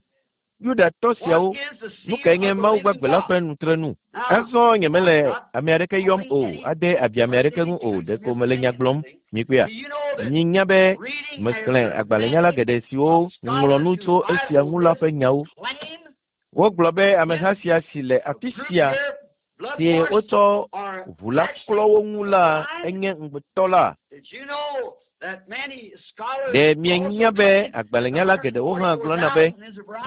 Yudatɔ siawo, nu kae nye Mawu gbagbe la ƒe nutrenu? Azɔ nyemele ame aɖeke yɔm o, ade abi ame aɖeke ŋu o, ɖeko mele nya gblɔm. Mikpɔea? Minya be mexlẽ agbalẽnyala geɖe siwo ŋlɔ nu tso esia ŋu la ƒe nyawo. Wogblɔ be ameha sia si le afi sia si wotsɔ ʋu la klɔ wo ŋu la enye ŋugbetɔ la. Ɖe mienya be agbalẽnyala geɖewo hã gblɔna be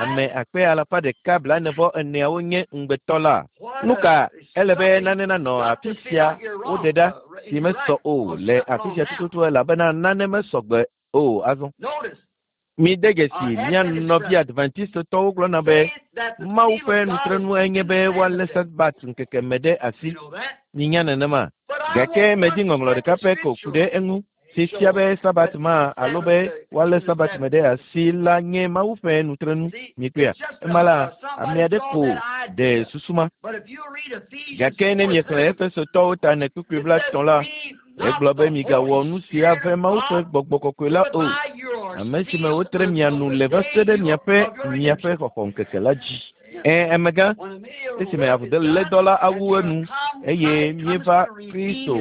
ame akpe alafa ɖeka blaene-vɔ-eneawo nye ŋugbetɔ la? Nu ka ele be nane nanɔ afi sia woɖe ɖa si mesɔ o le afi sia tututu elabena nane mesɔ gbe o azɔ. Mide dzesi mía nɔvi Adventistetɔwo gblɔna be Mawu ƒe nutrenu enye be woalé Sabat ŋkeke me ɖe asi. Minya nenema. Gake medi ŋɔŋlɔ ɖeka pɛ ko ku ɖe eŋu, si fia be Sabat ma alo be woalé Sabat me ɖe asi la nye Mawu ƒe nutrenu. Mikpɔea? Ema la, ame aɖe ko ɖe susu ma. Gake ne miexlẽ Efesotɔwo ta ene kpukpui blaetɔ̃ la, Egblɔ be migawɔ nu si ave Mawu ƒe gbɔgbɔ kɔkɔe la o, ame si me wotre mia nu le va se ɖe miaƒe miaƒe xɔxɔŋkeke la dzi. Ẽ, amegã, esime avulédɔ la awu enu eye míeva Kristo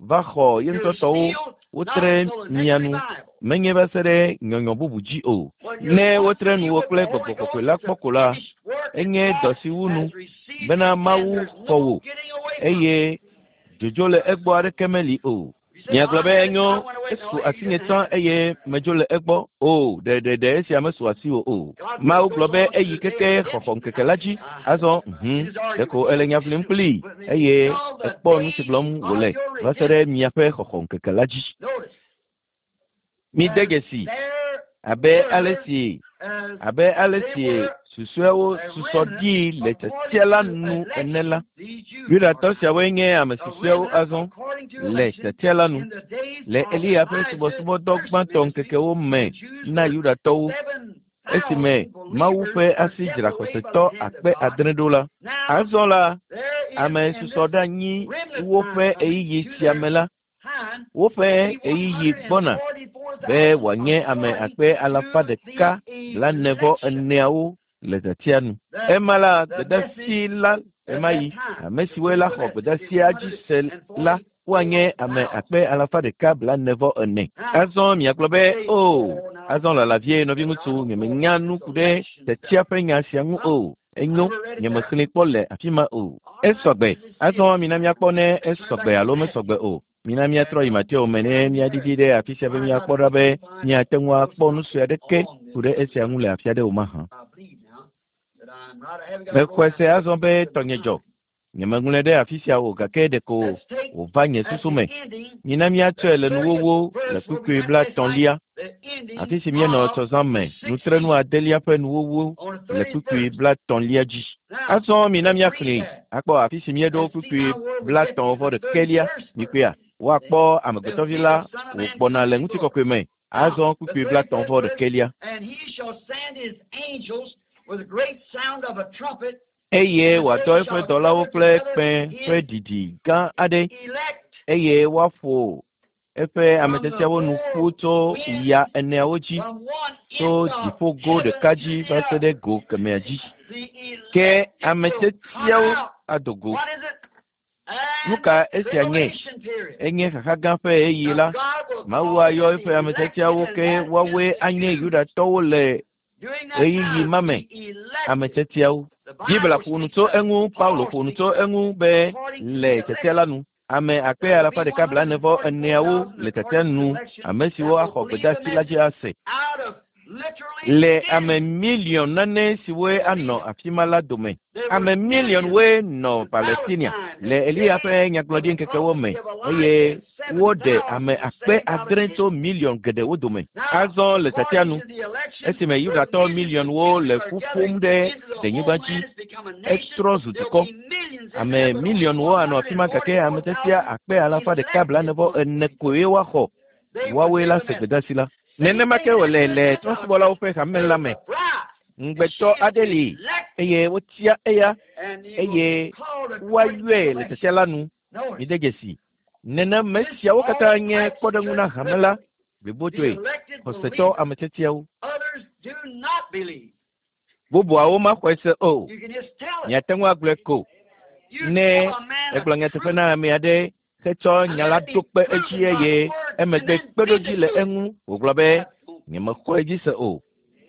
va xɔ ye ŋutɔ tɔwo, wotre mia nu, menye va se ɖe nyɔnyɔ bubu dzi o. Ne wotre nuwò kple gbɔgbɔ kɔkɔe la kpɔ ko la, enye dɔ si wu nu bena Mawu xɔ wò eye Dzodzo le egbɔ aɖeke meli o. Miagblɔ be enyo, esu asinye tsã eye medzo le egbɔ. O, ɖeɖeɖe esia mesu asiwò o. Mawu gblɔ be eyi keke xɔxɔ ŋkeke la dzi. Azɔ, hum, ɖeko èle nya ʋlim kplii eye èkpɔ nu si gblɔm wòle va se ɖe miaƒe xɔxɔ ŋkeke la dzi. Mide dzesii. Abe ale si abe ale si susɔeawo susɔ ɖi le tiatia la nu ene la, Yudatɔ siawoe nye ame susɔeawo azɔ le tiatia la nu. Le Eliya ƒe subɔsubɔdɔ gbãtɔ ŋkekewo me na Yudatɔwo, esime Mawu ƒe asi dzra xɔsetɔ 6000 ɖo la, azɔ la, ame susɔ ɖe anyi woƒe ɣeyiɣi sia me la, woƒe ɣeyiɣi gbɔna be wòanye ame 144,000 le tiatia nu. Ema la, gbedeasi la ɣemaɣi, ame siwoe la xɔ gbedeasia dzi se la, woanye ame 144,000. Azɔ miagblɔ be, o, azɔ lala vie nɔviŋutsu, nyemenya nu ku ɖe tiatia ƒe nya sia ŋu o. Enyo, nyemexlẽe kpɔ le afi ma o. Esɔgbe. Azɔ mina míakpɔ ne esɔgbe alo mesɔgbe o. Mina míatrɔ yi Mateo me ne míaɖiɖi ɖe afi sia be míakpɔ ɖa be míate ŋu akpɔ nu sue aɖeke ku ɖe esia ŋu le afi aɖe o mahã. Mexɔe se azɔ be tɔnye dzɔ. Nyemeŋlɔe ɖe afi sia o gake ɖeko wòva nye susu me. Mina míatsɔe le nuwuwu le kpukpui 30, afi si míenɔ tsɔzã me, nutrenu adelia ƒe nuwuwu le kpukpui 30 dzi. Azɔ mina míaxlẽe akpɔ afi si míeɖo kpukpui 31. Mikpɔea, woakpɔ amegbetɔvi la wògbɔna le ŋutikɔkɔe me. Azɔ kpukpui 31. Eye wòadɔ eƒe dɔlawo kple kpẽ ƒe ɖiɖi gã aɖe, eye woaƒo eƒe ame tiatiawo nu ƒu tso ya eneawo dzi, tso dziƒogo ɖeka dzi va se ɖe go kemɛa dzi. Ke ame tiatiawo ado go. Nu ka esia nye? Enye xaxa gã ƒe ɣeyiɣi la. Mawu ayɔ eƒe ame tiatiawo ke woawoe anye Yudatɔwo le ɣeyiɣi ma me. Ame tiatiawo. Biblia ƒo nu tso eŋu, Paulo ƒo nu tso eŋu be le tiatia la nu, ame 144,000 le tiatia nu, ame siwo axɔ gbedeasi la dzi ase. Le ame miliɔn nane siwoe anɔ afi ma la dome. Ame miliɔnwoe nɔ Palestinia le Eliya ƒe nyagblɔɖi ŋkekewo me eye woɖe ame 6000 tso miliɔn geɖewo dome. Azɔ le tiatia nu, esime Yudatɔ miliɔnwo le ƒu ƒom ɖe denyigba dzi, etrɔ zu dukɔ. Ame miliɔnwo anɔ afi ma gake ame tiatia 144,000 koe woaxɔ. Woawoe la se gbedeasi la. Nenema ke wòle le trɔ̃subɔlawo ƒe hame la me. Ŋugbetɔ aɖe li eye wotia eya eye woayɔe le tiatia la nu. Mide dzesi. Nenema siawo katã nye kpɔɖeŋu na hame la blibotoe, xɔsetɔ ame tiatiawo. Bubuawo maxɔe se o. Miate ŋu agblɔe ko. Ne egblɔ nyateƒe na ame aɖe hetsɔ nya la ɖo kpe edzi eye emegbe kpeɖodzi le eŋu wògblɔ be nyemexɔ edzi se o.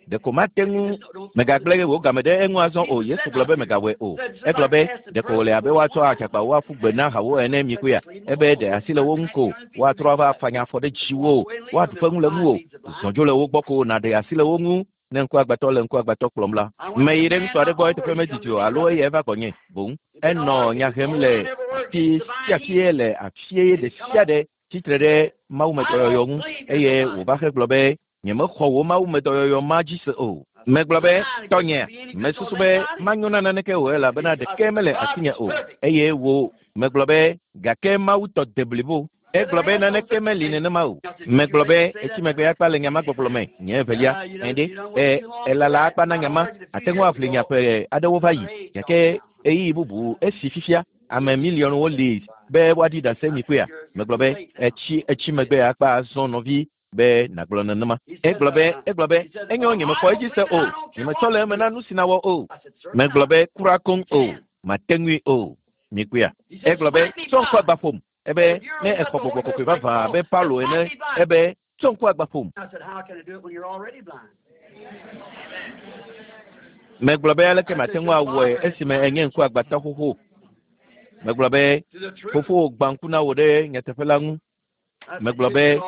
Ɖeko mate ŋu megagblẽ wò game ɖe eŋu azɔ o. Yesu gblɔ be megawɔe o. Egblɔ be ɖeko wòle abe woatsɔ adzagbawo aƒu gbe na hawo ene mikpɔea. Ebe ɖe asi le wo ŋu ko woatrɔ ava afanya afɔ ɖe dziwò, woaɖu ƒe ŋu le ŋuwò. Zɔ dzo le wo gbɔ ko nàɖe asi le wo ŋu. Ne ŋkuagbãtɔ le ŋkuagbãtɔ kplɔm la, meyi ɖe ŋutsu aɖe gbɔ eteƒe medidi o alo eya eva gbɔnye boŋ. Enɔ nya hem le afi sia fie le afie ɖe sia ɖe tsitre ɖe mawumedɔyɔyɔ ŋu eye wòva he gblɔ be nyemexɔ wò mawumedɔyɔyɔ ma dzi se o. Megblɔ be tɔnye, mesusu be manyo na naneke o elabena ɖeke mele asinye o. Eye wò megblɔ be gake Mawu tɔ de blibo. Egblɔ be naneke meli nenema o. Megblɔ be etsi megbe akpa le nya ma gbɔgblɔ me. Nye evelia, ɛɖe, elala akpa na nya ma. Ate ŋu aʋli nya ƒe aɖewo va yi. Gake ɣeyiɣi bubu esi fifia ame miliɔnwo li be woaɖi ɖase mikpɔea. Megblɔ be etsi megbe akpa azɔ nɔvi be nàgblɔ nenema. Egblɔ be enyo nyemexɔ edzi se o. Nyemetsɔ le eme na nu si nawɔ o. Megblɔ be kura koŋ o. Mate ŋui o. Mikpɔea. Egblɔ be tsɔ ŋku agba ƒom. Ebe ne exɔ gbɔgbɔ kɔkɔe vavã abe Paulo ene, ebe tsɔ ŋku agba ƒom. Megblɔ be aleke mate ŋu awɔe esime enye ŋku agbatɔ xoxo. Megblɔ be fofowò gbã ŋku na wò ɖe nyateƒe la ŋu. Megblɔ be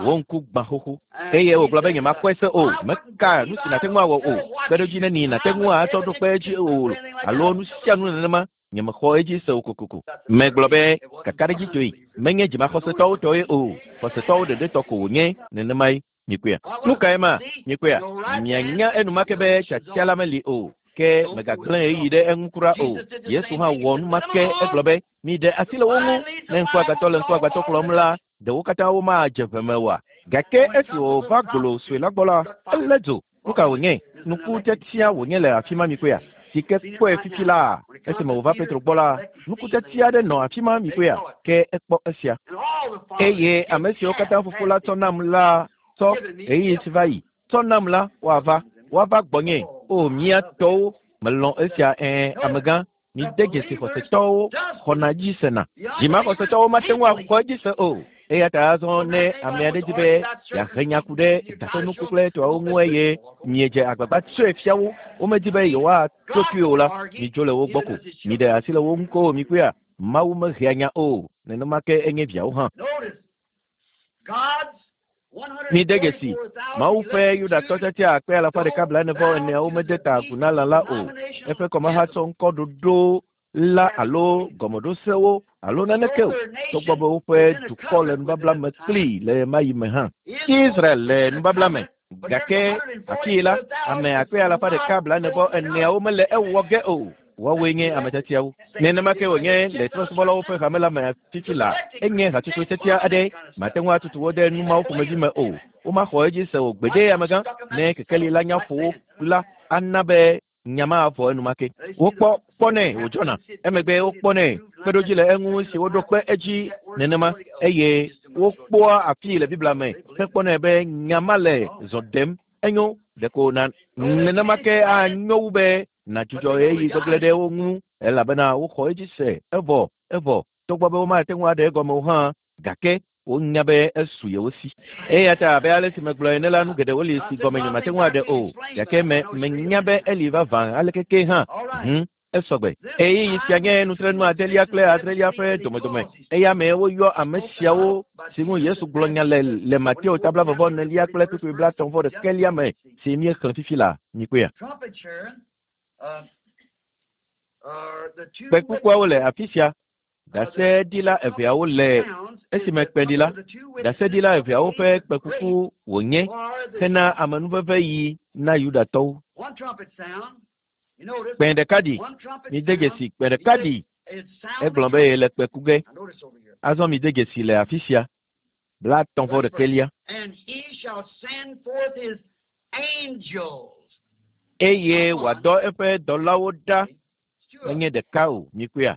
wò ŋku gbã xoxo. Eye wògblɔ be nyemakpɔe se o. Meka nu si nàte ŋu awɔ o. Kpeɖodzi neni nàte ŋu atsɔ ɖo kpe edzi o alo nu sia nu nenema. Nyemexɔ edzi se o kokoko. Megblɔ be kakaɖedzitɔe menye dzimaxɔsetɔwo tɔe o. Xɔsetɔwo ɖeɖe tɔ ko wònye nenemae. Mikpɔea? Nu kae ma? Mikpɔea? Mianya enumake be tiatia la meli o. Ke mègagblẽ ɣeyiɣi ɖe eŋu kura o. Yesu hã wɔ nu ma ke. Egblɔ be, Miɖe asi le wo ŋu. Ne ŋkuagbãtɔ le ŋkuagbãtɔ kplɔm la, ɖe wo katã womadze ʋe me oa? Gake esi wòva golo sue la gbɔ la, elé dzo. Nu ka wònye? Nukutiatia wònye le afi ma, mikpɔea? Si ke kpɔe fifi laa. Esime wòva Petro gbɔ la, nukutiatia aɖe nɔ afi ma, mikpɔea? Ke ekpɔ esia. Eye ame siwo katã Fofo la tsɔ nam la tsɔ ɣeyiɣi si va yi tsɔ nam la, woava, woava gbɔnye. O, mía tɔwo, melɔ̃ esia, ɛ̃, amegã. Mide dzesi xɔsetɔwo xɔna dzi sena. Dzimaxɔsetɔwo mate ŋu axɔ edzi se o. Eya ta azɔ ne ame aɖe di be yeahe nya ku ɖe taƒenuku kple etɔawo ŋu eye miedze agbagba tsɔe fia wo, womedi be yewoato kpli o la, midzo le wo gbɔ ko. Miɖe asi le wo ŋu ko mikpɔea? Mawu mehea nya o, nenema ke enye viawo hã. Mide dzesi, Mawu ƒe Yudatɔ tiatia akpe alafa ɖeka blaene vɔ eneawo mede ta agu na lã la o. Eƒe kɔmaha tsɔ ŋkɔ ɖoɖo la alo gɔmeɖosewo alo naneke o, togbɔ be woƒe dukɔ le nubabla me kplii le ɣemaɣi me hã. Israel le nubabla me, gake afii la, ame akpe alafa ɖeka blaene vɔ eneawo mele ewɔ ge o. Woawoe nye ame tiatiawo. Nenema ke wònye le trɔ̃subɔlawo ƒe hame la me fifi la. Enye hatsotso tiatia aɖe. Màte ŋu atutu wo ɖe nu mawo ƒomevi me o. Womaxɔ edzi se o gbeɖe, amegã. Ne kekeli la nya ƒo wo la, ana be nya ma avɔ enumake. Wokpɔ kpɔnɛ wòdzɔna. Emegbe wokpɔnɛ kpeɖodzi le eŋu si woɖo kpe edzi nenema, eye wokpɔa afii le Biblia me hekpɔnɛ be nya ma le zɔ ɖem. Enyo, ɖeko na nenema ke anyo wu be nàdzudzɔ ɣeyiɣi gbegblẽ ɖe wo ŋu, elabena woxɔ edzi se, evɔ, evɔ, togbɔ be womate ŋu aɖe egɔme o hã, gake wonya be esu yewo si. Eya ta abe ale si megblɔ ene la, nu geɖewo li si gɔme nyemate ŋu aɖe o, gake me, menya be eli vavã aleke kee hã. Hũ, esɔgbe. Ɣeyiɣi sia nye nutrenu adelia kple adrelia ƒe domedome. Eya mee woyɔ ame siawo si ŋu Yesu gblɔ nya le le Mateo ta blaeve vɔ enelia kple kpukpui blaetɔ̃ vɔ ɖekɛlia me si míexlẽ fifi la. Mikpɔea? Kpẽkukuawo le afi sia. Ɖaseɖila eveawo le esime kpẽɖila. Ɖaseɖila eveawo ƒe kpẽkuku wònye hena amenuveveɣi na Yudatɔwo. Kpẽ ɖeka ɖi. Mide dzesi, kpẽ ɖeka ɖi. Egblɔ be yele kpẽ ku ge. Azɔ mide dzesi le afi sia. Blaetɔ̃ vɔ ɖekɛlia. Eye wòadɔ eƒe dɔlawo ɖa. Menye ɖeka o, mikpɔea?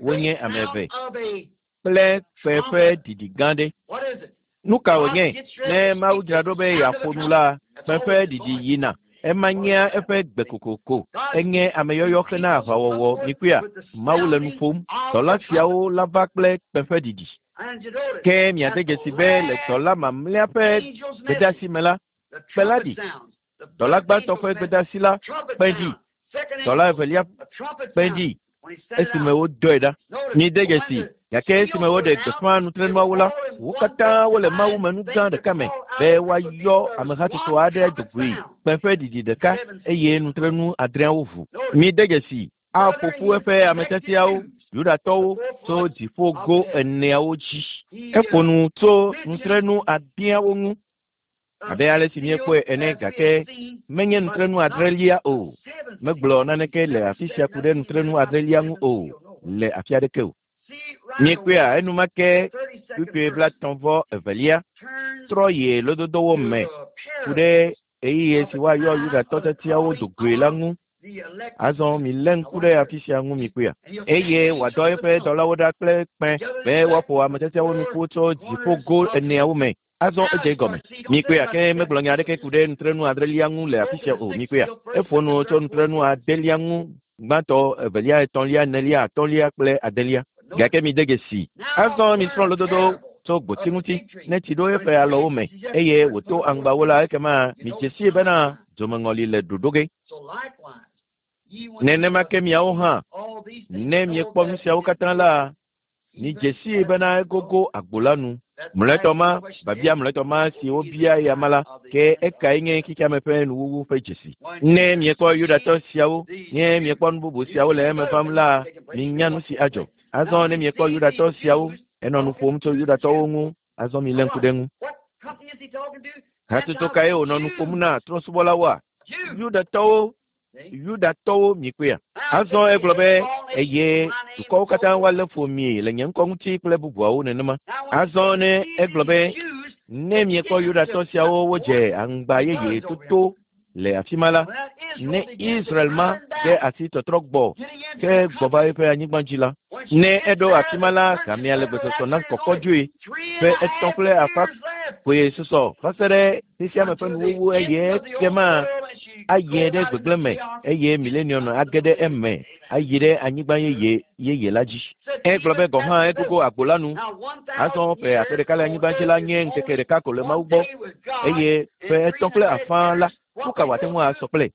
Wonye ame eve. Kple kpẽ ƒe ɖiɖi gã ɖe. Nu ka wònye? Ne Mawu dzra ɖo be yeaƒo nu la, kpẽ ƒe ɖiɖi yina. Ema nyea eƒe gbe kokoko. Enye ameyɔyɔ hena aʋawɔwɔ. Mikpɔea? Mawu le nu ƒom. Dɔla siawo lava kple kpẽ ƒe ɖiɖi. Ke miade dzesi be le dɔla mamlɛa ƒe gbedeasi me la, kpẽ la ɖi. Dɔla gbãtɔ ƒe gbedeasi la, kpẽ ɖi. Dɔla evelia kpẽ ɖi esime wodɔe ɖa. Mide dzesi, gake esime woɖe gbeƒã nutrenuawo la, wo katã wole Mawu me nu gã ɖeka me be woayɔ amehatsotso aɖe do goe, kpẽ ƒe ɖiɖi ɖeka, eye nutrenu adreawo ʋu. Mide dzesi, aƒo ƒu eƒe ame tiatiawo, Yudatɔwo, tso dziƒo go eneawo dzi. Eƒo nu tso nutrenu adeawo ŋu. Abe ale si míekpɔe ene, gake menye nutrenu adrelia o. Megblɔ naneke le afi sia ku ɖe nutrenu adrelia ŋu o, le afi aɖeke o. Míekpɔea enumake kpukpui blaetɔ̃ vɔ evelia trɔ yi lododowo me ku ɖe ɣeyiɣi si woayɔ Yudatɔ tiatiawo do goe la ŋu. Azɔ milé ŋku ɖe afi sia ŋu mikpɔea. Eye wòadɔ eƒe dɔlawo ɖa kple kpẽ be woaƒo ame tiatiawo nu ƒu tso dziƒo go eneawo me. Azɔ edze egɔme. Mikpɔea, ke megblɔ nya aɖeke ku ɖe nutrenu adrelia ŋu le afi sia o. Mikpɔea, eƒo nu tso nutrenu adelia ŋu, gbãtɔ, evelia, etɔ̃lia, enelia, atɔ̃lia kple adelia. Gake mide dzesi. Azɔ misrɔ̃ lododo tso gboti ŋuti. Ne tsi ɖo eƒe alɔwo me eye wòto aŋgbawo la, ekema midze sii bena dzomeŋɔli le ɖoɖo ge. Nenema ke miawo hã, ne miekpɔ nu siawo katã la, Midze sii bena egogo agbo la nu. Mlɔetɔ ma, biabia mlɔetɔ ma si wobia eya ma la, ke ekae nye xexeame ƒe nuwuwu ƒe dzesi? Ne miekpɔ Yudatɔ siawo, ne miekpɔ nu bubu siawo le eme vam la, minya nu si adzɔ. Azɔ ne miekpɔ Yudatɔ siawo, enɔ nu ƒom tso Yudatɔwo ŋu, azɔ milé ŋku ɖe eŋu. Hatsotso kae wònɔ nu ƒom na trɔ̃subɔlawoa? Yudatɔwo, Yudatɔwo mikpɔea? Azɔ egblɔ be, eye dukɔwo katã woalé fu mi le nye ŋkɔ ŋuti kple bubuawo nenema. Azɔ ne egblɔ be, ne miekpɔ Yudatɔ siawo wodze aŋgba yeye toto le afi ma la, ne Israel ma de asi tɔtrɔ gbɔ ke gbɔ va eƒe anyigba dzi la, ne eɖo afi ma la, gamea le gbesɔsɔ na kɔkɔdzoe ƒe etɔ̃ kple afã koe susɔ va se ɖe xexea me ƒe nuwuwu eye ekema ayi ɖe gbegblẽ me eye milenium age ɖe eme ayi ɖe anyigba yeye yeye la dzi. Egblɔ be gɔ̃ hã egogo agbo la nu. Azɔ ƒe akpe ɖeka le anyigba dzi la nye ŋkeke ɖeka ko le Mawu gbɔ eye ƒe etɔ̃ kple afã la, nu ka wòate ŋu asɔ kple?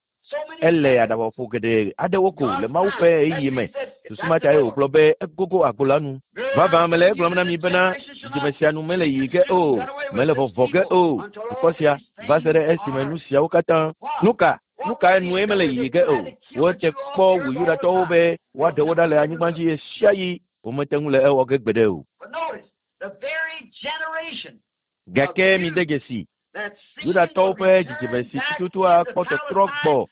Ele aɖabaƒoƒo geɖe aɖewo ko le Mawu ƒe ɣeyiɣi me. Susu ma tae wògblɔ be egogo agbo la nu. Vavã mele egblɔm na mi bena dzidzime sia nu mele yiyi ge o, mele vɔvɔ ge o, dukɔ sia va se ɖe esime nu siawo katã. Nu ka? Nu kae nue mele yiyi ge o? Wote kpɔ wu Yudatɔwo be woaɖe wo ɖa le anyigba dzi ɣesiaɣi. Womete ŋu le ewɔ ge gbeɖe o. Gake mide dzesi, Yudatɔwo ƒe dzidzime si tututu akpɔ tɔtrɔ gbɔ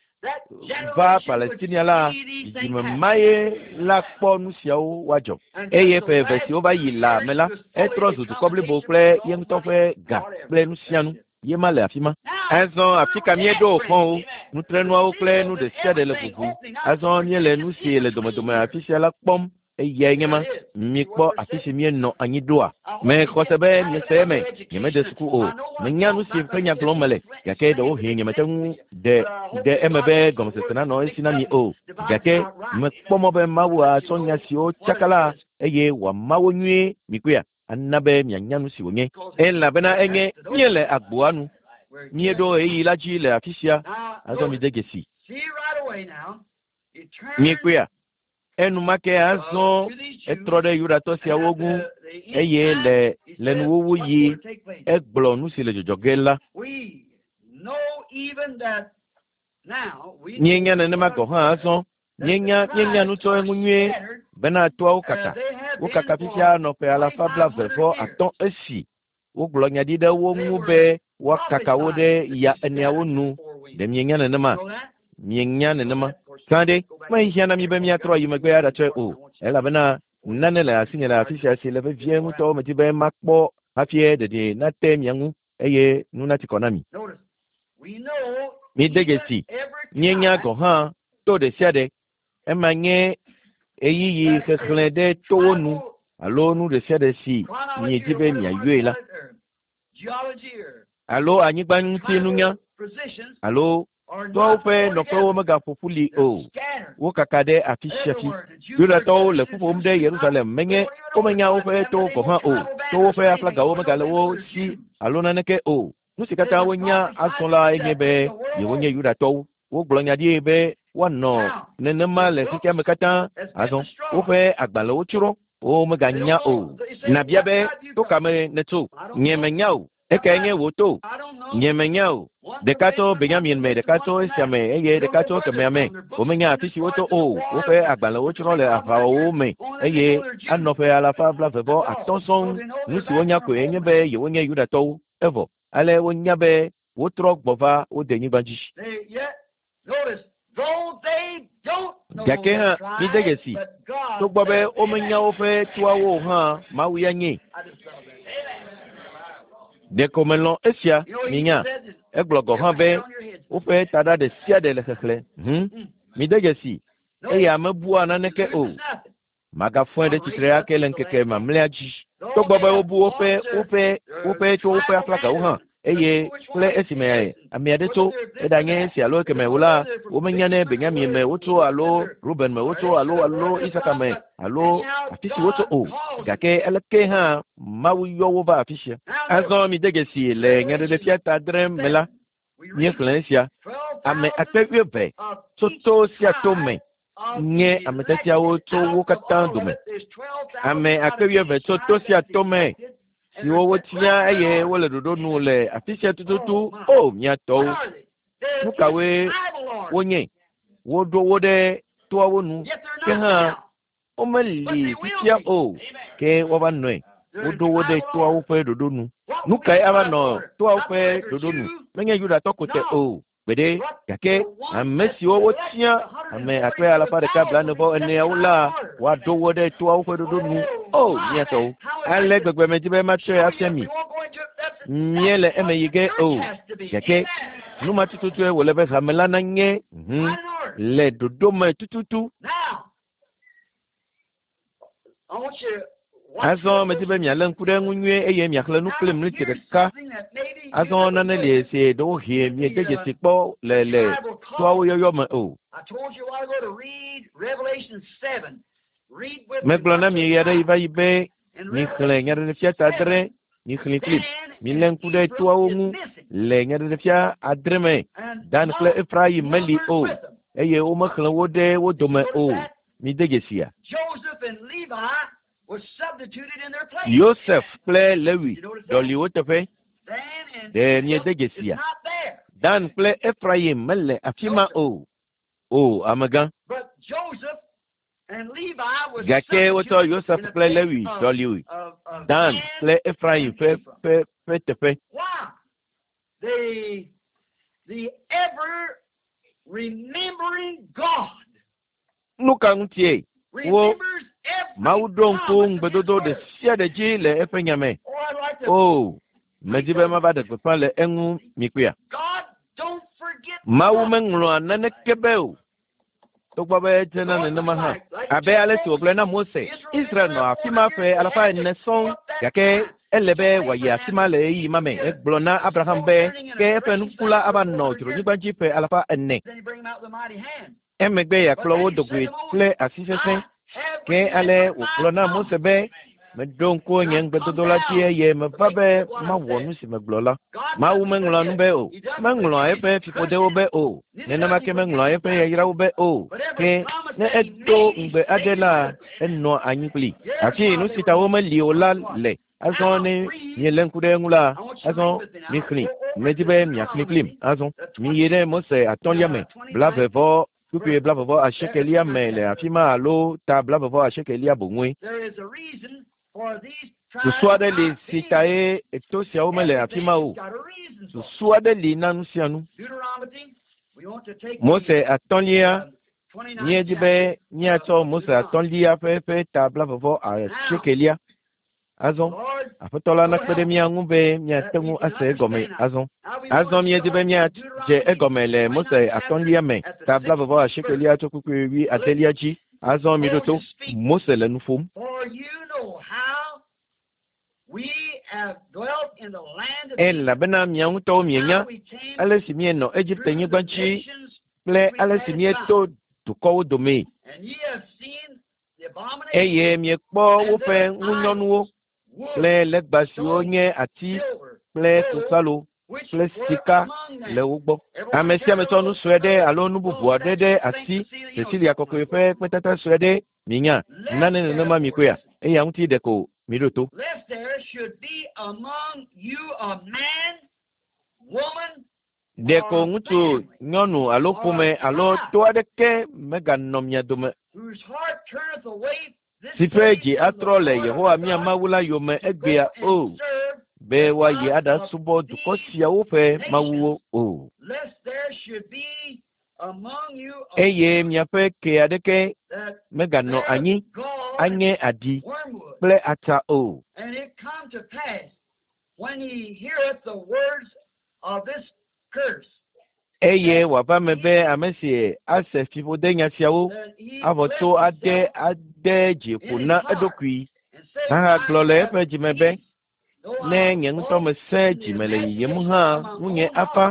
va Palestinia la, dzidzime mae la kpɔ nu siawo woadzɔ. Eye ƒe eve siwo va yi la me la, etrɔ zu dukɔ blibo kple ye ŋutɔ ƒe ga kple nu sia nu. Ye ma le afi ma. Azɔ afi ka míeɖo xɔwo, nutrenuawo kple nu ɖe sia ɖe le ʋuʋu. Azɔ míele nu si le domedome afi sia la kpɔm. Eyae nye ma. Mikpɔ afi si míenɔ anyi ɖoa. Mexɔ se be miese eme. Nyemede suku o. Menya nu si ƒe nya gblɔm mele, gake ɖewohĩ nyemete ŋu ɖe ɖe eme be gɔmesese nanɔ esi na mi o. Gake mekpɔ mɔ be Mawu atsɔ nya siwo tsaka la eye wòama wo nyuie. Mikpɔea? Ana be mianya nu si wònye. Elabena enye míele agboa nu. Míeɖo ɣeyiɣi la dzi le afi sia. Azɔ mide dzesi. Mikpɔea? Enumake azɔ etrɔ ɖe Yudatɔ siawo ŋu eye le le nuwuwu yi egblɔ nu si le dzɔdzɔ ge la. Míenya nenema gɔ̃ hã azɔ. Míenya míenya nu tso eŋu nyuie bena toawo kaka. Wokaka fifia nɔ ƒe alafa 95 esi wogblɔ nya ɖi ɖe wo ŋu be woakaka wo ɖe ya eneawo nu. Ɖe mienya nenema? Mienya nenema? Gã ɖe, mehiã na mi be míatrɔ ayi megbe aɖatsɔe o, elabena nane le asinye le afi sia si le vevie ŋutɔ medi be makpɔ hafi ɖeɖi nate mia ŋu eye nu nati kɔ na mi. Mide dzesi, míenya gɔ̃ hã to ɖe sia ɖe Ema nye ɣeyiɣi xexlẽ ɖe towo nu alo nu ɖe sia ɖe si miedi be miayɔe la, alo anyigba ŋuti nunya, alo toawo ƒe nɔƒewo megaƒo ƒu li o. Wokaka ɖe afi sia fi. Yudatɔwo le ƒu ƒom ɖe Yerusalem menye womenya woƒe towo gɔ̃ hã o. Towo ƒe aflagawo megale wo si alo naneke o. Nu si katã wonya azɔ la enye be yewonye Yudatɔwo. Wogblɔ nya ɖi be woanɔ nenema le xexea me katã. Azɔ woƒe agbalẽwo tsrɔ̃, womeganya o. Nàbia be, To ka me nètso? Nye menya o. Ekae nye wò to? Nye menya o. Ɖeka tso Benyamin me, ɖeka tso esia me, eye ɖeka tso kemɛa me. Womenya afi si wotso o. Woƒe agbalẽwo tsrɔ̃ le aʋawɔwɔwo me, eye anɔ ƒe alafa 95 sɔŋ. Nu si wonya koe nye be yewonye Yudatɔwo. Evɔ, ale wonya be wotrɔ gbɔ va wo denyigba dzi. Gake hã, mide dzesi, togbɔ be womenya woƒe toawo o hã, Mawu ya nyae. Ɖeko melɔ̃ esia, minya. Egblɔ gɔ̃ hã be woƒe taɖa ɖe sia ɖe le xexlẽ. Hum. Mide dzesi, eya mebua naneke o. Magafɔe ɖe tsitre ake le ŋkeke mamlɛa dzi. Togbɔ be wobu woƒe woƒe woƒe tso woƒe aflagawo hã, eye kple esime ame aɖe tso, eɖanye esi alo ekeme o la, womenya ne Benyamin me wotso alo Ruben me wotso alo alo Isaka me alo afi si wotso o. Gake aleke hã Mawu yɔ wo va afi sia. Azɔ mide dzesi le Nyaɖeɖefia ta adre me la, míexlẽ esia. Ame akpe wuieve tso to sia to me nye ame tiatiawo tso wo katã dome. Ame akpe wuieve tso to sia to me siwo wotia eye wole ɖoɖo nu le afi sia tututu. O, mía tɔwo! Nu kawoe wonye? Woɖo wo ɖe toawo nu. Ke hã womeli fifia o, ke woava nɔe. Woɖo wo ɖe toawo ƒe ɖoɖo nu. Nu kae ava nɔ toawo ƒe ɖoɖo nu? Menye Yudatɔ ko te o. Gbeɖe, gake ame siwo wotia, ame akpe alafa ɖeka blaene-vɔ-eneawo la, woaɖo wo ɖe toawo ƒe ɖoɖo nu. O, mía tɔwo! Ale gbegbe medi be matsɔe afia mi. Míele eme yi ge o. Gake nu ma tututue wòle be hame la nanye, le ɖoɖo me tututu. Azɔ medi be mialé ŋku ɖe eŋu nyuie eye miaxlẽ nu kplim ɣleti ɖeka. Azɔ nane li si ɖewohĩ miede dzesi kpɔ le le toawo yɔyɔ me o. Megblɔ na mi ɣeaɖeɣi va yi be mixlẽ Nyaɖeɖefia ta adre, mixlẽe kplim. Milé ŋku ɖe toawo ŋu le Nyaɖeɖefia adre me. Dan kple Efrayim meli o, eye womexlẽ wo ɖe wo dome o. Mide dzesia? Yosef kple Lewi ɖɔli wo teƒe. Ɖe miede dzesia? Dan kple Efrayim mele afi ma o. O, amegã. Gake wotsɔ Yosef kple Lewi ɖɔli Dan kple Efrayim ƒe ƒe ƒe teƒe. Nu ka ŋutie wo Mawu ɖo ŋku ŋugbedodo ɖe sia ɖe dzi le eƒe nya me? O, medi be mava ɖe gbeƒã le eŋu mikpɔea? Mawu meŋlɔa naneke be o, togbɔ be edzena nenema hã. Abe ale si wògblɔe na Mose, Israel nɔ afi ma ƒe alafa ene sɔŋ, gake ele be wòayi afi ma le ɣeyiɣi ma me. Egblɔ na Abraham be, ke eƒe nuku la ava nɔ dzronyigba dzi ƒe alafa ene. Emegbe yeakplɔ wo do goe kple asi sesẽ. Ke ale wògblɔ na Mose be, Meɖo ŋku nye ŋugbedodo la dzi eye meva be mawɔ nu si megblɔ la. Mawu meŋlɔa nu be o. Meŋlɔa eƒe fiƒodewo be o. Nenema ke meŋlɔa eƒe yayrawo be o. Ke ne edo ŋugbe aɖe la, enɔa anyi kplii. Hafi nu si ta womeli o la le. Azɔ ne mielé ŋku ɖe eŋu la, azɔ mixlẽ. Medi be miaxlẽ kplim. Azɔ miyi ɖe Mose atɔ̃lia me, blave vɔ kpukpui blave vɔ asiekelia me le afi ma alo ta blave vɔ asiekelia boŋue. Susu aɖe li si tae to siawo mele afi ma o. Susu aɖe li na nu sia nu. Mose atɔ̃lia Míedi be míatsɔ Mose atɔ̃lia ƒe ƒe ta blave vɔ asiekelia. Azɔ, Aƒetɔ la nakpe ɖe mía ŋu be míate ŋu ase egɔme azɔ. Azɔ míedi be míadze egɔme le Mose atɔ̃lia me, ta blaeve-vɔ-asiekelia tso kpukpui wuiadelia dzi. Azɔ miɖo to, Mose le nu ƒom. Elabena mia ŋutɔwo mienya ale si míenɔ Egipte-nyigba dzi kple ale si míeto dukɔwo domee. Eye miekpɔ woƒe ŋunyɔnuwo kple legba siwo nye ati kple klosalo kple sika le wo gbɔ. Ame sia ame tsɔ nu sue ɖe alo nu bubu aɖe ɖe asi, Cecilia Kɔkɔe ƒe kpetata sue ɖe, minya, nane nenema mikpɔea? Eya ŋuti ɖeko miɖo to. Ɖeko ŋutsu, nyɔnu alo ƒome alo to aɖeke meganɔ mia dome si ƒe dzi atrɔ le Yehowa mía Mawu la yome egbea o, be woayi aɖasubɔ dukɔ siawo ƒe mawuwo o. Eye miaƒe ke aɖeke meganɔ anyi anye aɖi kple atsa o. Eye wòava eme be ame si ase fiƒodenya siawo avɔ to ade ade dzi ƒo na eɖokui ahagblɔ le eƒe dzi me be, Ne nye ŋutɔ mesẽ dzi me le yiyim hã, ŋunye afa.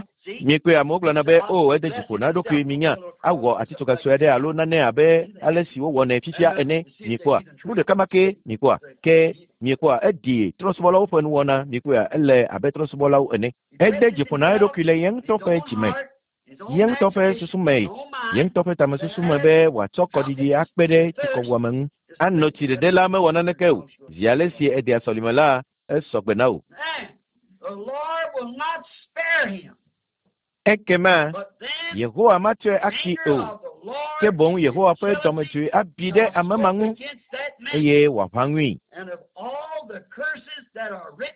Miekpɔe, amewo gblɔna be, O, ede dzi ƒo na eɖokui, minya, awɔ atitsoga sue aɖe alo nane abe ale si wowɔnɛ fifia ene. Miekpɔa? Nu ɖeka ma kee, miekpɔa? Ke, miekpɔa, eɖi trɔ̃subɔlawo ƒe nuwɔna, miekpɔea, ele abe trɔ̃subɔlawo ene. Ede dzi ƒo na eɖokui le ye ŋutɔ ƒe dzi me, ye ŋutɔ ƒe susu me, ye ŋutɔ ƒe tamesusu me be wòatsɔ kɔɖiɖi akpe ɖe tsikɔwuame ŋu. Ano tsi ɖeɖe la mewɔ naneke o. Zi ale si edea sɔlime la, esɔ gbe na wò. Ekema Yehowa matsɔe akee o, ke boŋ Yehowa ƒe dɔmedzoe abi ɖe ame ma ŋu, eye wòaʋã ŋui.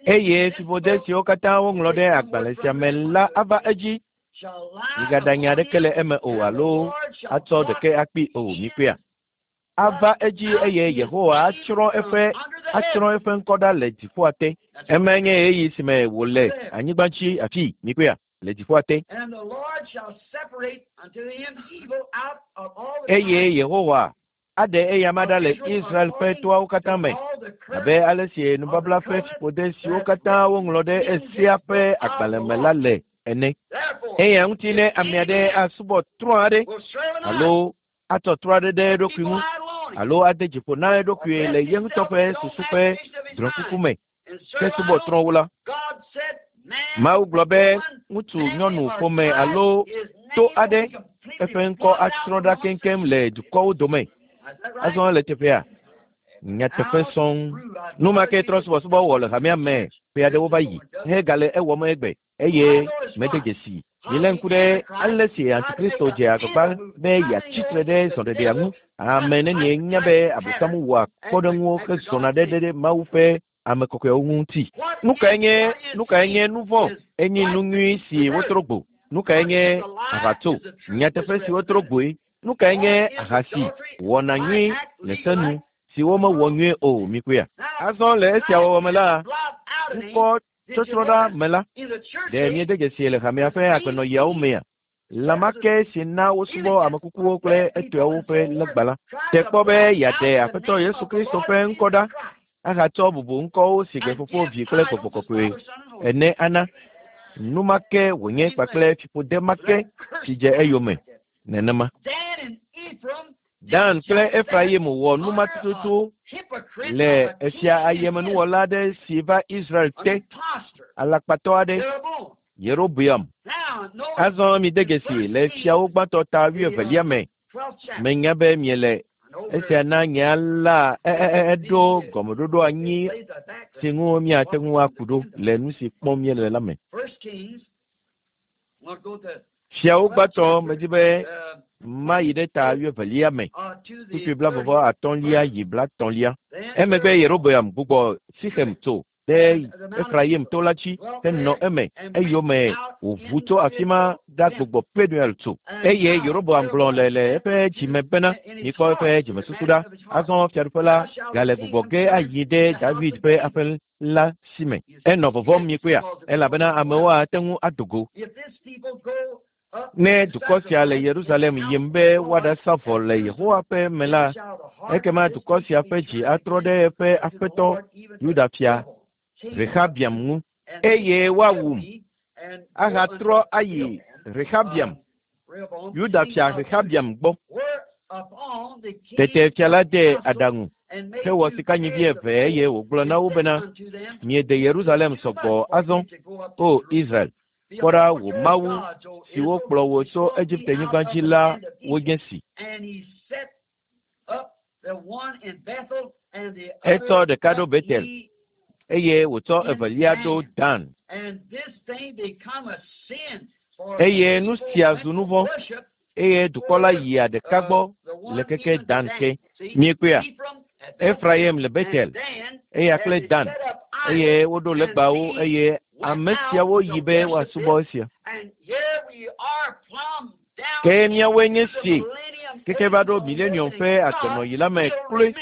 Eye fiƒode siwo katã woŋlɔ ɖe agbalẽ sia me la ava edzi. Migaɖa nya aɖeke le eme o alo atsɔ ɖeke akpee o. Mikpɔea? Ava edzi eye Yehowa atsrɔ̃ eƒe atsrɔ̃ eƒe ŋkɔ ɖa le dziƒoa te. Emae nye ɣeyiɣi si me wòle anyigba dzi afii. Mikpɔea? Le dziƒoa te. Eye Yehowa aɖe eyama ɖa le Israel ƒe toawo katã me, abe ale si nubabla ƒe fiƒode siwo katã woŋlɔ ɖe Sea ƒe agbalẽ me la le ene. Eya ŋuti ne ame aɖe asubɔ trɔ̃ aɖe alo atsɔ trɔ̃ aɖe ɖe eɖokui ŋu alo ade dzi ƒo na eɖokui le ye ŋutɔ ƒe susu ƒe drɔ̃kuku me hesubɔ trɔ̃wo la, Mawu gblɔ be ŋutsu, nyɔnu, ƒome alo to aɖe eƒe ŋkɔ atsrɔ̃ ɖa keŋkeŋ le dukɔwo dome. Azɔ le teƒea, nyateƒe sɔŋ. Nu ma ke trɔ̃subɔsubɔ wɔ le hamea me ƒe aɖewo va yi hegale ewɔm egbe. Eye mede dzesi. Milé ŋku ɖe ale si Antikristo dze agbagba be yeatsi tre ɖe zɔɖeɖea ŋu. Ame nenie nya be Abosam wɔa kpɔɖeŋuwo hezɔna ɖe ɖe Mawu ƒe ame kɔkɔewo ŋu ŋuti? Nu kae nye, nu kae nye nu vɔ̃? Enye nu nyui si wotrɔ gbo. Nu kae nye aʋatso? Nyateƒe si wotrɔ gboe. Nu kae nye ahasi? Wɔna nyui le se nu si womewɔ nyuie o. Mikpɔea? Azɔ le esia wɔwɔ me la, ŋkɔ tsɔtsrɔ̃ ɖa me la, ɖe míede dzesii le hamea ƒe agbenɔɣiawo mea? Lã ma ke si na wosubɔ ame kukuwo kple etɔewo ƒe legba la, te kpɔ be yeaɖe Aƒetɔ Yesu Kristo ƒe ŋkɔ ɖa ahatsɔ bubu ŋkɔwo si gbe Fofo, Vi kple Gbɔgbɔ Kɔkɔe ene ana. Nu ma ke wònye kpakple fiƒode ma ke si dze eyome nenema. Dan kple Efrayim wɔ nu ma tututu le efia ayemenuwɔla aɖe si va Israel te, alakpatɔ aɖe, Yerobeam. Azɔ mide dzesi le fiawo gbãtɔ ta wuievelia me. Menya be miele esia na nye la eɖo gɔmeɖoɖo anyi si ŋu míate ŋu aku ɖo le nu si kpɔm míele la me. Fiawo gbãtɔ medi be mayi ɖe ta wuievelia me, kpukpui blavevɔ atɔ̃lia yi blatɔ̃lia. Emegbe Yerobeam gbugbɔ Sixem tso ɖe Efrayim to la dzi henɔ eme. Eyome wòʋu tso afi ma ɖagbugbɔ Penuel tso. Eye Yerobeam gblɔ le le eƒe dzi me bena, Mikpɔ eƒe dzimesusu ɖa. Azɔ fiaɖuƒe la gale gbugbɔ ge ayi ɖe David ƒe aƒe la si me. Enɔ vɔvɔ̃m mikpɔea? Elabena amewo ate ŋu ado go. Ne dukɔ sia le Yerusalem yim be woaɖasa vɔ le Yehowa ƒe me la, ekema dukɔ sia ƒe dzi atrɔ ɖe eƒe aƒetɔ Yuda fia Rehabiam ŋu, eye woawum ahatrɔ ayi Rehabiam, Yuda fia Rehabiam gbɔ. Tete fia la de aɖaŋu hewɔ sikanyivi eve eye wògblɔ na wo bena, Miede Yerusalem sɔgbɔ azɔ, O Israel. Kpɔ ɖa, wò Mawu siwo kplɔ wò tso Egipte-nyigba dzi la wonye si. Etsɔ ɖeka ɖo Betel eye wòtsɔ evelia ɖo Dan. Eye nu sia zu nu vɔ̃, eye dukɔ la yia ɖeka gbɔ le keke Dan ke. Miekpɔea? Efrayim le Betel, eya kple Dan, eye woɖo legbawo, eye ame siawo yi be woasubɔ esia. Ke míawoe nye si keke va ɖo milenium ƒe agbenɔɣi la me kloe,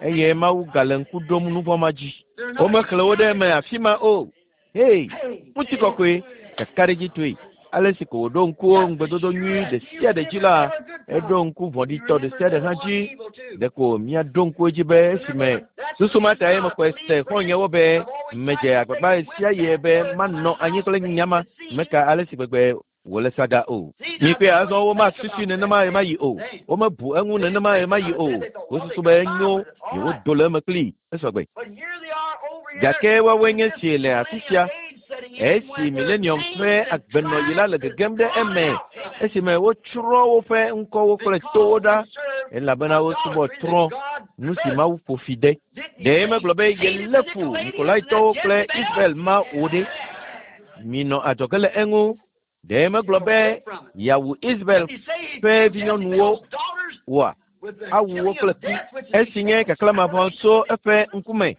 eye Mawu gale ŋku ɖom nu vɔ̃ ma dzi. Womexlẽ wo ɖe eme afi ma o. Hei, ŋutikɔkɔe, kakaɖedzitɔe, ale si ko wòɖo ŋku ŋugbedodo nyui ɖe sia ɖe dzi la, eɖo ŋku vɔ̃ɖitɔ ɖe sia ɖe hã dzi. Ɖeko míaɖo ŋku edzi be esime susu ma tae mexɔe se xɔ̃nyewo be medze agbagba ɣesiaɣi be manɔ anyi kple nya ma, meka ale si gbegbe wòle saga o. Mikpɔe azɔ womasusui nenema ɣemaɣi o. Womebu eŋu nenema ɣemaɣi o. Wosusu be enyo yewodo le eme kplii. Esɔgbe. Gake woawoe nye si le afi sia esi milenium ƒe agbenɔɣi la le gegem ɖe eme esime wotsrɔ̃ woƒe ŋkɔwo kple towo ɖa elabena wosubɔ trɔ̃ nu si Mawu ƒo fi de. Ɖe megblɔ be yelé fu Nikolaitɔwo kple Israel ma wo ɖe? Minɔ adzɔge le eŋu. Ɖe megblɔ be yeawu Israel ƒe vinyɔnuwo oa? Awu wo kple ku, esi nye kaklã mavɔ tso eƒe ŋkume.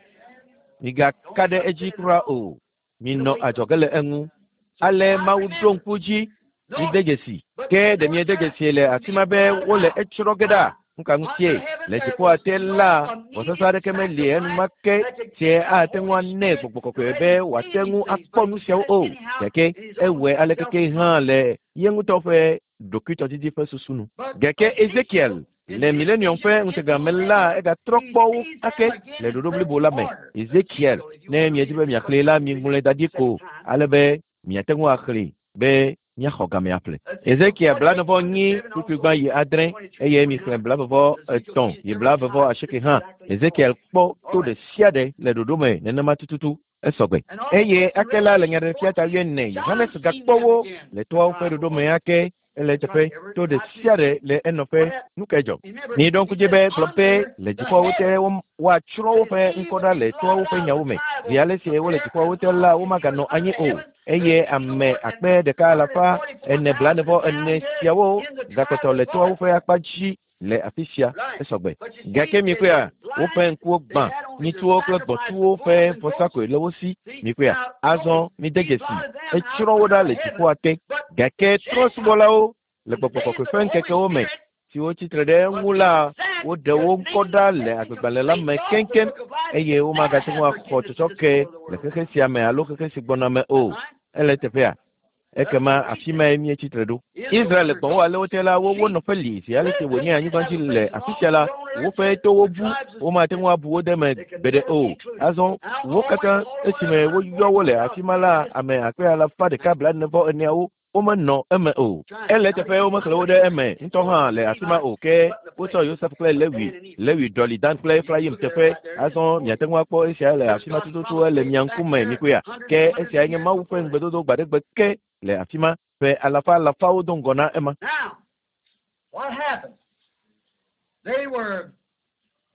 Migaka ɖe edzi kura o. Minɔ adzɔge le eŋu. Ale Mawu ɖo ŋku dzi. Mide dzesi. Ke ɖe miede dzesi le afi ma be wole etsrɔ̃ ge ɖa? Nu ka ŋutie? Le dziƒoa te la, vɔsasa aɖeke meli enumake si ate ŋu anɛ gbɔgbɔ kɔkɔe be wòate ŋu akpɔ nu siawo o. Gake ewɔe alekeke hã le ye ŋutɔ ƒe ɖokuitɔdidi ƒe susu nu. Gake Ezekiel le milenium ƒe ŋutega me la, egatrɔ kpɔ wo ake le ɖoɖo blibo la me. Ezekiel, ne miedi be miaxlẽe la, miŋlɔe da ɖi ko ale be miate ŋu axlẽe be míaxɔ game aƒle. Ezekiel 44 kpukpui gbã yi 6 eye mixlẽ 43 yi 48 hã. Ezekiel kpɔ to ɖe sia ɖe le ɖoɖo me nenema tututu. Esɔgbe. Eye ake la le Nyaɖeɖefia ta 4, Yohanes gakpɔ wo le toawo ƒe ɖoɖo me ake. Ele eteƒe, to ɖe sia ɖe le enɔƒe. Nu kae dzɔ? Miɖo ŋku dzi be gblɔ be le dziƒoawo te woatsrɔ̃ woƒe ŋkɔ ɖa le toawo ƒe nyawo me. Zi ale si wole dziƒoawo te la, womaganɔ anyi o. Eye ame 1444 siawo gakpɔtɔ le toawo ƒe akpa dzi le afi sia. Esɔgbe. Gake mikpɔea, woƒe ŋkuwo gbã, nyitsuwo kple gbɔ̃tsuwo ƒe vɔsa koe le wo si. Mikpɔea, azɔ mide dzesi, etsrɔ̃ wo ɖa le dziƒoa te. Gake trɔ̃subɔlawo le gbɔgbɔ kɔkɔe ƒe ŋkekewo me siwo tsi tre ɖe eŋu la, woɖe wo ŋkɔ ɖa le agbegbalẽ la me keŋkeŋ eye womagate ŋu axɔ tsɔtsɔke le xexe sia me alo xexe si gbɔna me o. Ele eteƒea? Ekema afi mae míetsi tre ɖo. Israel le gbɔ̃wo ale wote la, wowo nɔƒe li zi ale si wònye anyigba dzi le afi sia la, woƒe towo bu, womate ŋu abu wo de eme gbeɖe o. Azɔ wo katã esime woyɔ wo le afi ma la, ame 144,000 womenɔ eme o. Ele eteƒe womexlẽ wo ɖe eme ŋutɔ hã le afi ma o, ke wotsɔ Yosef kple Lewi, Lewi ɖɔli Dan kple Efrayim teƒe. Azɔ miate ŋu akpɔ esia le afi ma tututu, ele mia ŋkume, mikpɔea? Ke esiae nye Mawu ƒe ŋugbedodo gbaɖegbe ke le afi ma, ƒe alafa alafawo do ŋgɔ na ema.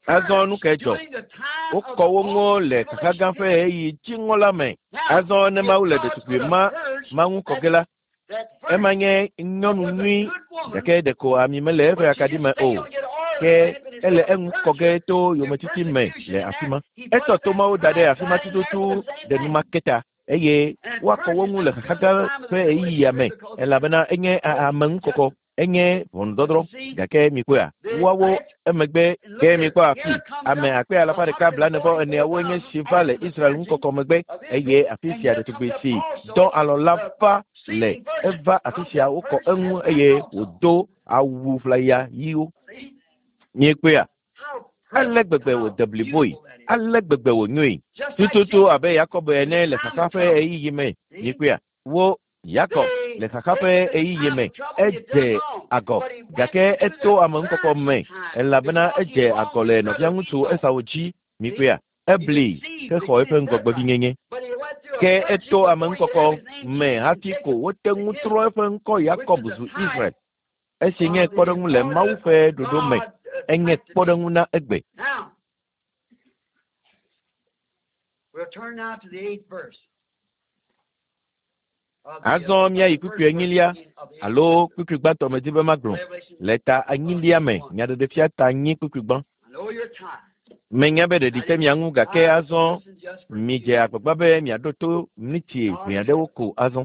Azɔ nu kae dzɔ? Wokɔ wo ŋu le xaxa gã ƒe ɣeyiɣi dziŋɔ la me. Azɔ ne Mawu le ɖetugbui ma ma ŋu kɔ ge la, ema nye nyɔnu nyui, gake ɖeko ami mele eƒe akaɖi me o. Ke ele eŋu kɔ ge to yometiti me le afi ma. Etsɔ tomawo da ɖe afi ma tututu ɖe nu ma ke ta eye woakɔ wo ŋu le xaxa gã ƒe ɣeyiɣia me elabena enye ameŋukɔkɔ. Enye ʋɔnudɔdrɔ̃, gake mikpɔea, woawo emegbe ke mikpɔ afi ame 144,000 nye si va le Israel ŋukɔkɔ megbe, eye afi sia ɖetugbui si dɔ alɔ la va le eva afi sia wokɔ eŋu eye wòdo awu ʋlaya ɣiwo. Miekpɔea? Ale gbegbe wòde bliboe, ale gbegbe wònyoe, tututu abe Yakob ene le xaxa ƒe ɣeyiɣi me. Miekpɔea? Wo Yakob le xaxa ƒe ɣeyiɣi me edze agɔ, gake eto ameŋukɔkɔ me elabena edze agɔ le nɔviaŋutsu Esau dzi. Mikpɔea? Ebli hexɔ eƒe ŋgɔgbevinyenye. Ke eto ameŋukɔkɔ me hafi ko wote ŋu trɔ eƒe ŋkɔ Yakob zu Israel, esi nye kpɔɖeŋu le Mawu ƒe ɖoɖo me, enye kpɔɖeŋu na egbe. Azɔ míayi kpukpui enyilia alo kpukpui gbãtɔ medi be magblɔ le ta enyilia me, Nyaɖeɖefia ta enyi kpukpui gbã. Menya be ɖeɖi te mia ŋu gake azɔ midze agbagba be miaɖo to miniti ʋɛ aɖewo ko azɔ.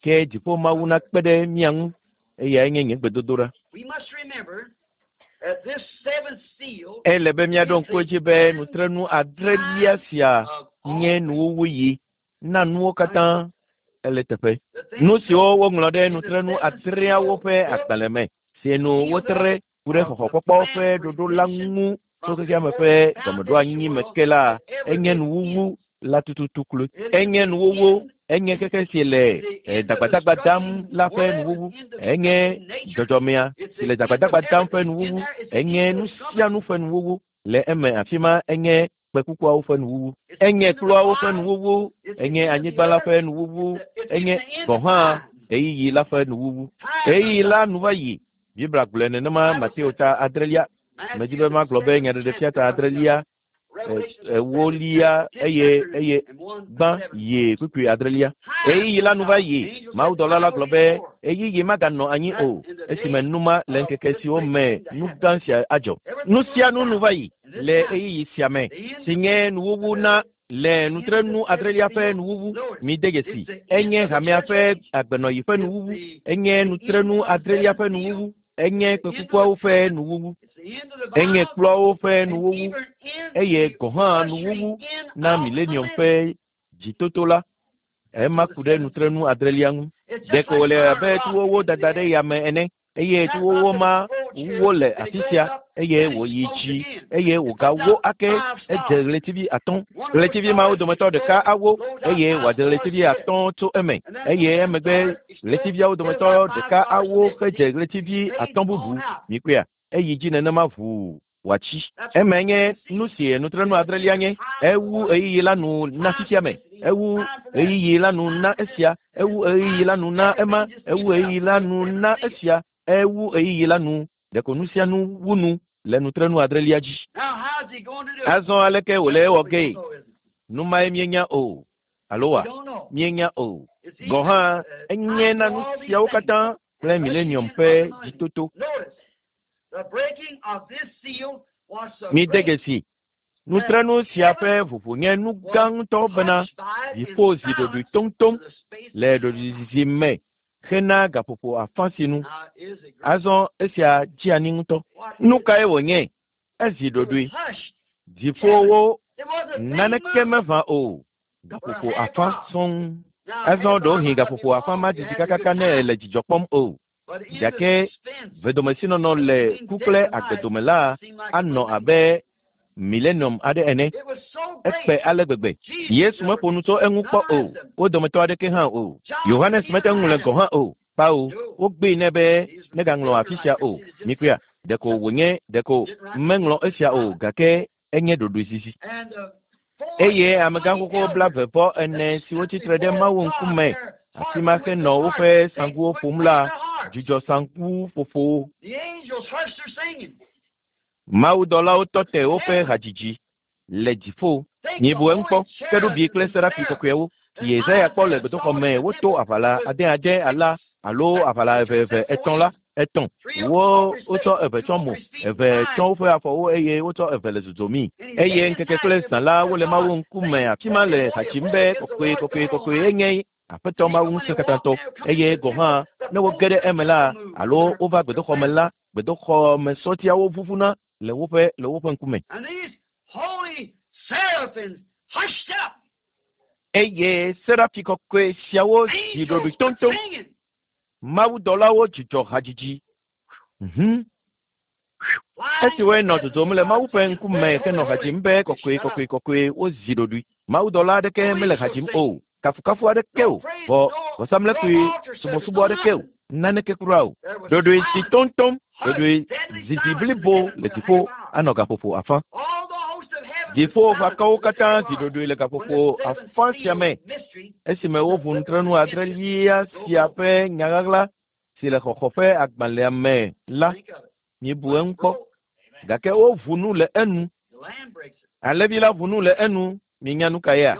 Ke dziƒo Mawu nakpe ɖe mía ŋu, eyae nye nye gbedodoɖa. Ele be míaɖo ŋku edzi be nutrenu adrelia sia nye nuwuwuɣi na nuwo katã. Ele teƒe. Nu siwo woŋlɔ ɖe nutrenu adreawo ƒe agbalẽ me si nu wotre ku ɖe xɔxɔkpɔkpɔ ƒe ɖoɖo la ŋu tso xexeame ƒe gɔmeɖoanyi me ke la, enye nuwuwu la tututu kloe. Enye nuwuwu, enye xexe si le dagbadagba dam la ƒe nuwuwu, enye dzɔdzɔmea si le dagbadagba dam ƒe nuwuwu, enye nu sia nu ƒe nuwuwu le eme afi ma, enye kpekukuawo ƒe nuwuwu, enye kpluawo ƒe nuwuwu, enye anyigba la ƒe nuwuwu, enye gɔ̃ hã ɣeyiɣi la ƒe nuwuwu. Ɣeyiɣi la nu va yi. Biblia gblɔe nenema Mateo ta adrelia. Medi be magblɔ be Nyaɖeɖefia ta adrelia, ewolia eye eye gbã yi kpukpui adrelia. Ɣeyiɣi la nu va yi. Mawudɔla la gblɔ be ɣeyiɣi maganɔ anyi o esime nu ma le ŋkeke siwo me nu gã sia adzɔ. Nu sia nu nu va yi le ɣeyiɣi sia me si nye nuwuwu na Le nutrenu adrelia ƒe nuwuwu, mide dzesi, enye hamea ƒe agbenɔyi ƒe nuwuwu, enye nutrenu adrelia ƒe nuwuwu, enye kpekukuawo ƒe nuwuwu, enye kplɔawo ƒe nuwuwu, eye gɔ̃ hã nuwuwu na milenium ƒe dzitoto la. Ema ku ɖe nutrenu adrelia ŋu. Ɖeko wòle abe tuwowo dada ɖe yame ene, eye tuwowo ma wo le afi sia, eye wòyi dzi, eye wògawo ake edze ɣletivi 5. Ɣletivi mawo dometɔ ɖeka awo, eye wòadze ɣletivi 5 tso eme, eye emegbe ɣletiviawo dometɔ ɖeka awo hedze ɣletivi 5 bubu. Mikpɔea? Eyi dzi nenema ʋuu wòatsi. Eme nye nu si nutrenu adrelia nye. Ewu ɣeyiɣi la nu na fifia me, ewu ɣeyiɣi la nu na esia, ewu ɣeyiɣi la nu na ema, ewu ɣeyiɣi la nu na esia, ewu ɣeyiɣi la nu. Ɖeko nu sia nu wu nu le nutrenu adrelia dzi. Azɔ aleke wòle ewɔ gee? Nu mae míenya o. Alo wa? Míenya o. Gɔ̃ hã enye na nu siawo katã kple milenium ƒe dzitoto. Mide dzesi, nutrenu sia ƒe ʋuʋu nye nu gã ŋutɔ bena dziƒo zi ɖoɖoe toŋtoŋ le ɖoɖoezizi me hena gaƒoƒo afã si nu. Azɔ esia dzi anyi ŋutɔ. Nu kae wònye? Ezi ɖoɖoe. Dziƒowo naneke meʋã o. Gaƒoƒo afã sɔŋ. Azɔ ɖewohĩ gaƒoƒo afã ma didi kakaka ne ele dzidzɔ kpɔm o. Gake vedomesinɔnɔ le ku kple agbedome la anɔ abe milenium aɖe ene. Ekpe ale gbegbe. Yesu meƒo nu tso eŋu kpɔ o. Wo dometɔ aɖeke hã o. Yohanes mete ŋu ŋlɔe gɔ̃ hã o. Kpao, wogbee nɛ be negaŋlɔ afi sia o. Mikpɔea? Ɖeko wònye ɖeko meŋlɔ esia o, gake enye ɖoɖoezizi. Eye amegãxoxo 44 siwo tsitre ɖe Mawu ŋkume afi ma henɔ woƒe saŋkuwo ƒom la dzudzɔ saŋku ƒoƒo. Mawudɔlawo tɔ te woƒe hadzidzi le dziƒo. Mibu eŋu kpɔ, kerubi kple serafi kɔkɔewo si Yesaya kpɔ le gbedoxɔ me woto aʋala 6 ala alo aʋala 2 3 la, 3. Wo wotsɔ 2 tsɔ mo, 2 tsɔ woƒe afɔwo eye wotsɔ 2 le dzodzomii. Eye ŋkeke kple zã la wole Mawu ŋkume afi ma le ha dzim be kɔkɔe, kɔkɔe, kɔkɔe enye Aƒetɔ Mawu ŋusẽkatãtɔ. Eye gɔ̃ hã ne woge ɖe eme la alo wova gbedoxɔ me la, gbedoxɔ me sɔtiawo ʋuʋuna le woƒe le woƒe ŋkume. Eye serafi kɔkɔe siawo zi ɖoɖoe toŋtoŋ. Mawudɔlawo dzudzɔ hadzidzi. Esi woenɔ dzodzom le Mawu ƒe ŋkume henɔ ha dzim be kɔkɔe, kɔkɔe, kɔkɔe, wozi ɖoɖoe. Mawudɔla aɖeke mele ha dzim o. Kafukafu aɖeke o. Vɔ vɔsamlekpui subɔsubɔ aɖeke o. Naneke kura o. Ɖoɖoe zi toŋtoŋ, ɖoɖoe zizi blibo le dziƒo anɔ gaƒoƒo afã. Dziƒo ʋakɔwo katã zi ɖoɖoe le gaƒoƒo afã sia me esime woʋu nutrenu adrelia sia ƒe nyaɣaɣla si le xɔxɔ ƒe agbalẽa me la. Mibu eŋu kpɔ. Gake woʋu nu le enu. Alẽvi la ʋu nu le enu. Minya nu ka yea?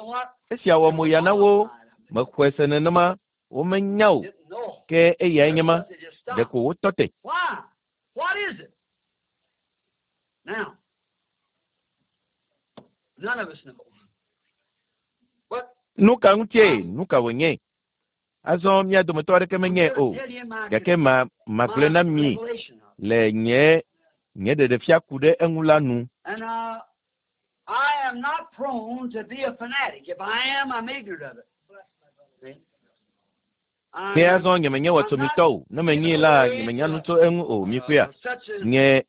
Esia wɔ moya na wo. Mexɔe se nenema. Womenya o. Ke eyae nye ma. Ɖeko wotɔ te. Nu ka ŋutie? Nu ka wònye? Azɔ mía dometɔ aɖeke menyae o. Gake ma magblɔe na mi le nye nye ɖeɖefia ku ɖe eŋu la nu. I am not prone to be a fanatic. If I am, I'm ignorant of it. Ke azɔ nye menye wɔtsomitɔ o. Ne menyee la, nye menya nu tso eŋu o. Mikpɔea? Nye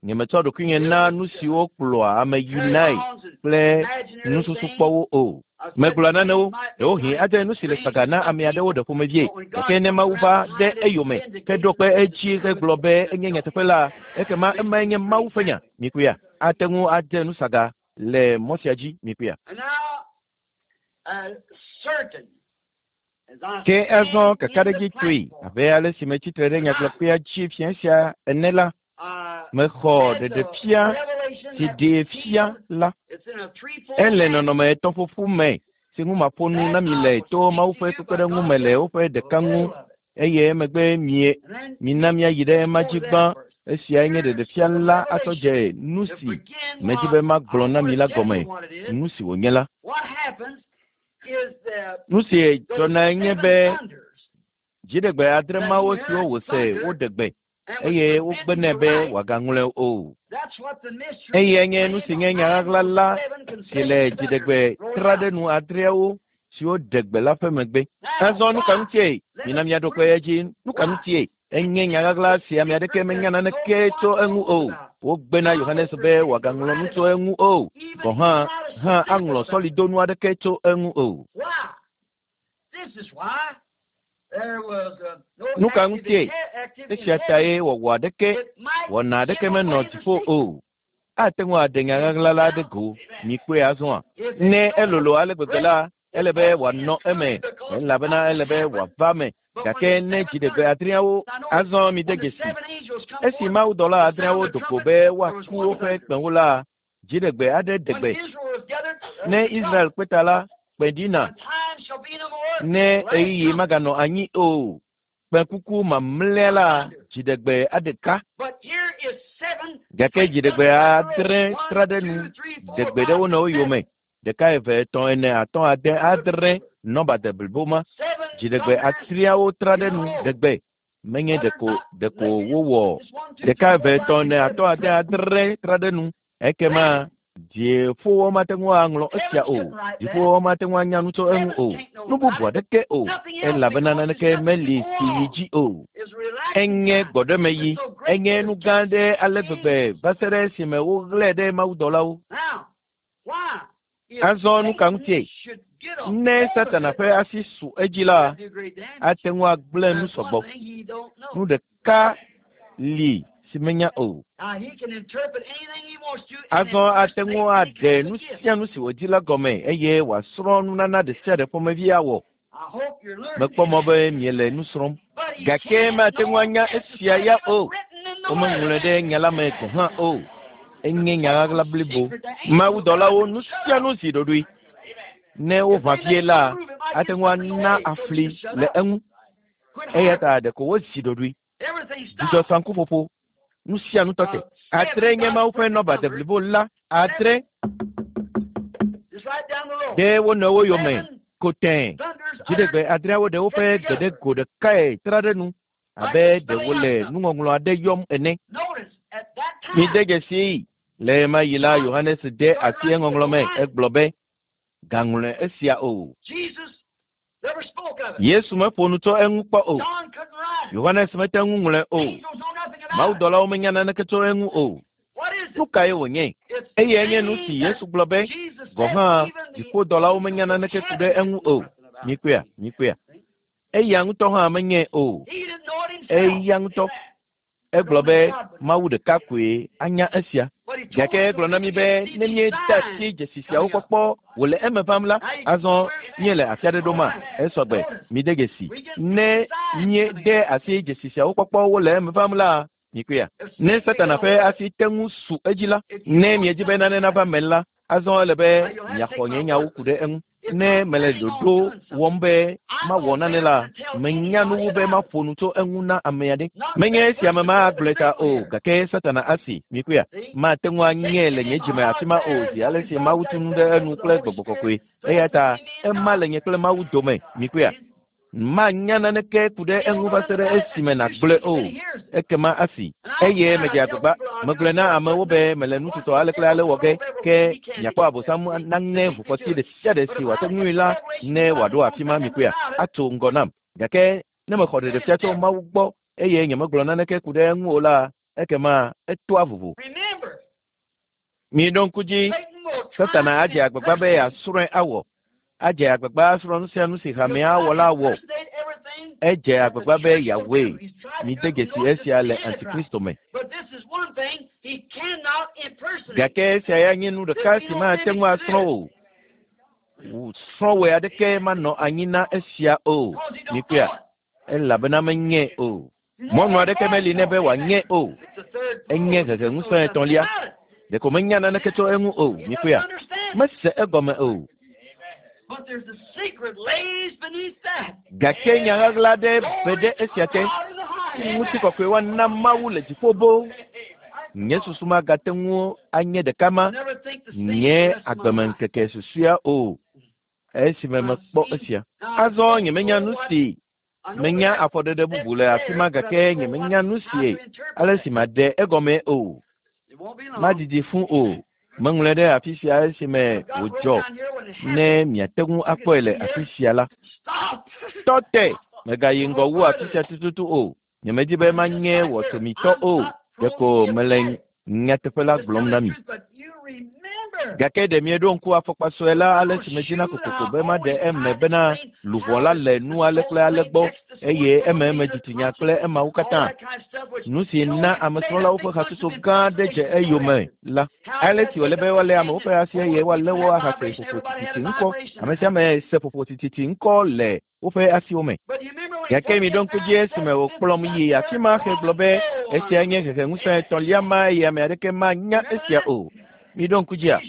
nye metsɔ ɖokuinye na nu siwo kplɔa ame yinae kple nususukpɔwo o. Megblɔa nanewo, ɖewohĩ adze nu si le saga na ame aɖewo ɖe ƒomevie. Gake ne Mawu va ɖe eyome heɖo kpe edzi hegblɔ be enye nyateƒe la, ekema emae nye Mawu ƒe nya. Mikpɔea? Ate ŋu adze nu saga le mɔ sia dzi. Mikpɔea? Ke azɔ kakaɖedzi tsoe abe ale si metsitre ɖe nyagblɔkpea dzi fia sia ene la, mexɔ ɖeɖefia si ɖee fia la. Ele nɔnɔme etɔ̃ƒoƒu me si ŋu maƒo nu na mi le to Mawu ƒe kpekpeɖeŋu me le woƒe ɖeka ŋu, eye emegbe mie mina míayi ɖe ema dzi gbã. Esiae nye ɖeɖefia la atsɔ dze nu si medzi be magblɔ na mi la gɔme, nu si wònye la. Nu si dzɔnae nye be dziɖegbe adre mawo siwo wòse woɖe gbe eye wogbe nɛ be wòagaŋlɔe o. Eyae nye nu si nye nya ɣaɣla la si le dziɖegbe tra ɖe nu adreawo siwo ɖe gbe la ƒe megbe. Azɔ nu ka ŋutie? Mina míaɖo kpe edzi. Nu ka ŋutie? Enye nya ɣaɣla si ame aɖeke menya naneke tso eŋu o. Wogbe na Yohanes be wòagaŋlɔ nu tso eŋu o, gɔ̃ hã hã aŋlɔ sɔlidonu aɖeke tso eŋu o. Nu ka ŋutie? Esia tae wɔwɔ aɖeke, wɔna aɖeke menɔ dziƒo o. Ate ŋu aɖe nya ɣaɣla la ɖe go. Mikpɔe azɔa? Ne elolo ale gbegbe la, ele be wòanɔ eme, elabena ele be wòava eme. Gake ne dziɖegbe adreawo azɔ mide dzesi, esi mawudɔla adreawo do go be woaku woƒe kpẽwo la, dziɖegbe aɖe ɖe gbe. Ne Israel kpe ta la, kpẽ ɖina. Ne ɣeyiɣi maganɔ anyi o, kpẽkuku mamlɛa la, dziɖegbe aɖe ka. Gake dziɖegbe adre tra ɖe nu, ɖe gbe ɖe wo nɔewo yome. Ɖeka, eve, etɔ̃, ene, atɔ̃, ade, adre, nɔba de blibo ma. Dziɖegbe atriawo tra ɖe nu, ɖe gbe. Menye ɖeko ɖeko wowɔ ɖeka, eve, etɔ̃, ene, atɔ̃, ade, adre tra ɖe nu. Ekema dziƒowo mate ŋu aŋlɔ esia o. Dziƒowo mate ŋu anya nu tso eŋu o. Nu bubu aɖeke o, elabena naneke meli si yi dzi o. Enye gbɔɖemeɣi. Enye nu gã aɖe ale gbegbe va se ɖe esime woɣlae ɖe mawudɔlawo. Azɔ nu ka ŋutie? Ne Satana ƒe asi su edzi la, ate ŋu agblẽ nu sɔgbɔ. Nu ɖeka li si menya o. Azɔ ate ŋu aɖe nu sia nu si wòdi la gɔme eye wòasrɔ̃ nunana ɖe sia ɖe ƒomevi awɔ. Mekpɔ mɔ be miele nu srɔ̃m, gake mate ŋu anya esia ya o. Womeŋlɔe ɖe nya la me gɔ̃ hã o. Enye nya ɣaɣla blibo. Mawudɔlawo nu sia nu zi ɖoɖoe. Ne woʋã vie la, ate ŋu ana afli le eŋu. Eya ta ɖeko wozi ɖoɖoe. Dzudzɔ saŋkuƒoƒo. Nu sia nu tɔ te. Adre nye Mawu ƒe nɔba deblibo la. Adre ɖe wo nɔewo yome ko tẽe. Dziɖegbe adreawo ɖe woƒe gbe ɖe go ɖekae tra ɖe nu abe ɖe wole nuŋɔŋlɔ aɖe yɔm ene. Mide dzesii, le ɣemaɣi la, Yohanes de asi eŋɔŋlɔ me. Egblɔ be, Gaŋlɔe esia o. Yesu meƒo nu tso eŋu kpɔ o. Yohanes mete ŋu ŋlɔe o. Mawudɔlawo menya naneke tso eŋu o. Nu kae wònye? Eyae nye nu si Yesu gblɔ be, gɔ̃ hã dziƒodɔlawo menya naneke ku ɖe eŋu o. Mikpɔea? Mikpɔea? Eya ŋutɔ hã menyae o. Eya ŋutɔ. Egblɔ be Mawu ɖeka koe anya esia. Gake egblɔ na mí be ne míede asi dzesi siawo kpɔkpɔ wòle eme vam la, azɔ míele afi aɖe ɖoma? Esɔ gbe. Mide dzesi. Ne míede asi dzesi siawo kpɔkpɔ wole eme vam la, mikpɔea? Ne Satana ƒe asi te ŋu su edzi la, ne miedi be nane nava eme la, azɔ ele be miaxɔ nye nyawo ku ɖe eŋu. Ne mele ɖoɖo wɔm be mawɔ nane la, menya nu wu be maƒo nu tso eŋu na ame aɖe. Menye esi ame ma agblɔe ta o, gake Satana asi. Mikpɔea? Mate ŋu anyee le nye dzime afi ma o zi ale si Mawu tu nu ɖe enu kple Gbɔgbɔ Kɔkɔe. Eya ta ema le nye kple Mawu dome. Mikpɔea? Manya naneke ku ɖe eŋu va se ɖe esime nàgblɔe o. Ekema asi. Eye medze agbagba. Megblɔe na amewo be mele nu tutɔ ale kple ale wɔ ge, ke miakpɔ Abosam naŋe ʋukɔti ɖe sia ɖe si wòate ŋui la ne wòaɖo afi ma mikpɔea, atso ŋgɔ nam. Gake ne mexɔ ɖeɖefia tso Mawu gbɔ eye nyemegblɔ naneke ku ɖe eŋu o la, ekema etoa vovo. Miɖo ŋku dzi, Satana adze agbagba be yeasrɔ̃e awɔ. Adze agbagba asrɔ̃ nu sia nu si hamea wɔ la wɔ. Edze agbagba be yeawɔe. Mide dzesi esia le Antikristo me. Gake esia ya nye nu ɖeka si mate ŋu asrɔ̃ o. Srɔ̃wɔe aɖeke manɔ anyi na esia o. Mikpɔea? Elabena menyae o. Mɔnu aɖeke meli nɛ be wòanyae o. Enye heheŋusẽ etɔ̃lia. Ɖeko menya naneke tso eŋu o. Mikpɔea? Mese egɔme o. Gake nya ɣaɣla aɖe be ɖe esia te. Ŋutikɔkɔe woana Mawu le dziƒo boo. Nye susu magate ŋu anye ɖeka ma nye agbemeŋkeke susɔea o. Esime mekpɔ esia. Azɔ nyemenya nu si menya afɔɖeɖe bubu le afi ma gake nyemenya nu si ale si maɖe egɔme o. Madidi fũ o. Meŋlɔe ɖe afi sia esime wòdzɔ ne miate ŋu akpɔe le afi sia la. Tɔ te! Megayi ŋgɔ wu afi sia tututu o. Nyemedi be manye wɔtsomitɔ o. Ɖeko mele nyateƒe la gblɔm na mi. Gake ɖe mieɖo ŋku afɔkpa sue la ale si medzina kokoko be maɖe eme bena luʋɔ la le nu ale kple ale gbɔ eye ememe dzitsinya kple emawo katã. Nu si na amesrɔ̃lawo ƒe hatsotso gã aɖe dze eyome la. Ale si wòle be woalé amewo ƒe asi eye woalé wo ahase ƒoƒo tititi ŋkɔ. Ame sia ame se ƒoƒo tititi ŋkɔ le woƒe asiwo me. Gake miɖo ŋku dzi esime wòkplɔm yi afi ma hegblɔ be esia nye heheŋusẽ etɔ̃lia ma eye ame aɖeke manya esia o. Miɖo ŋku dzia?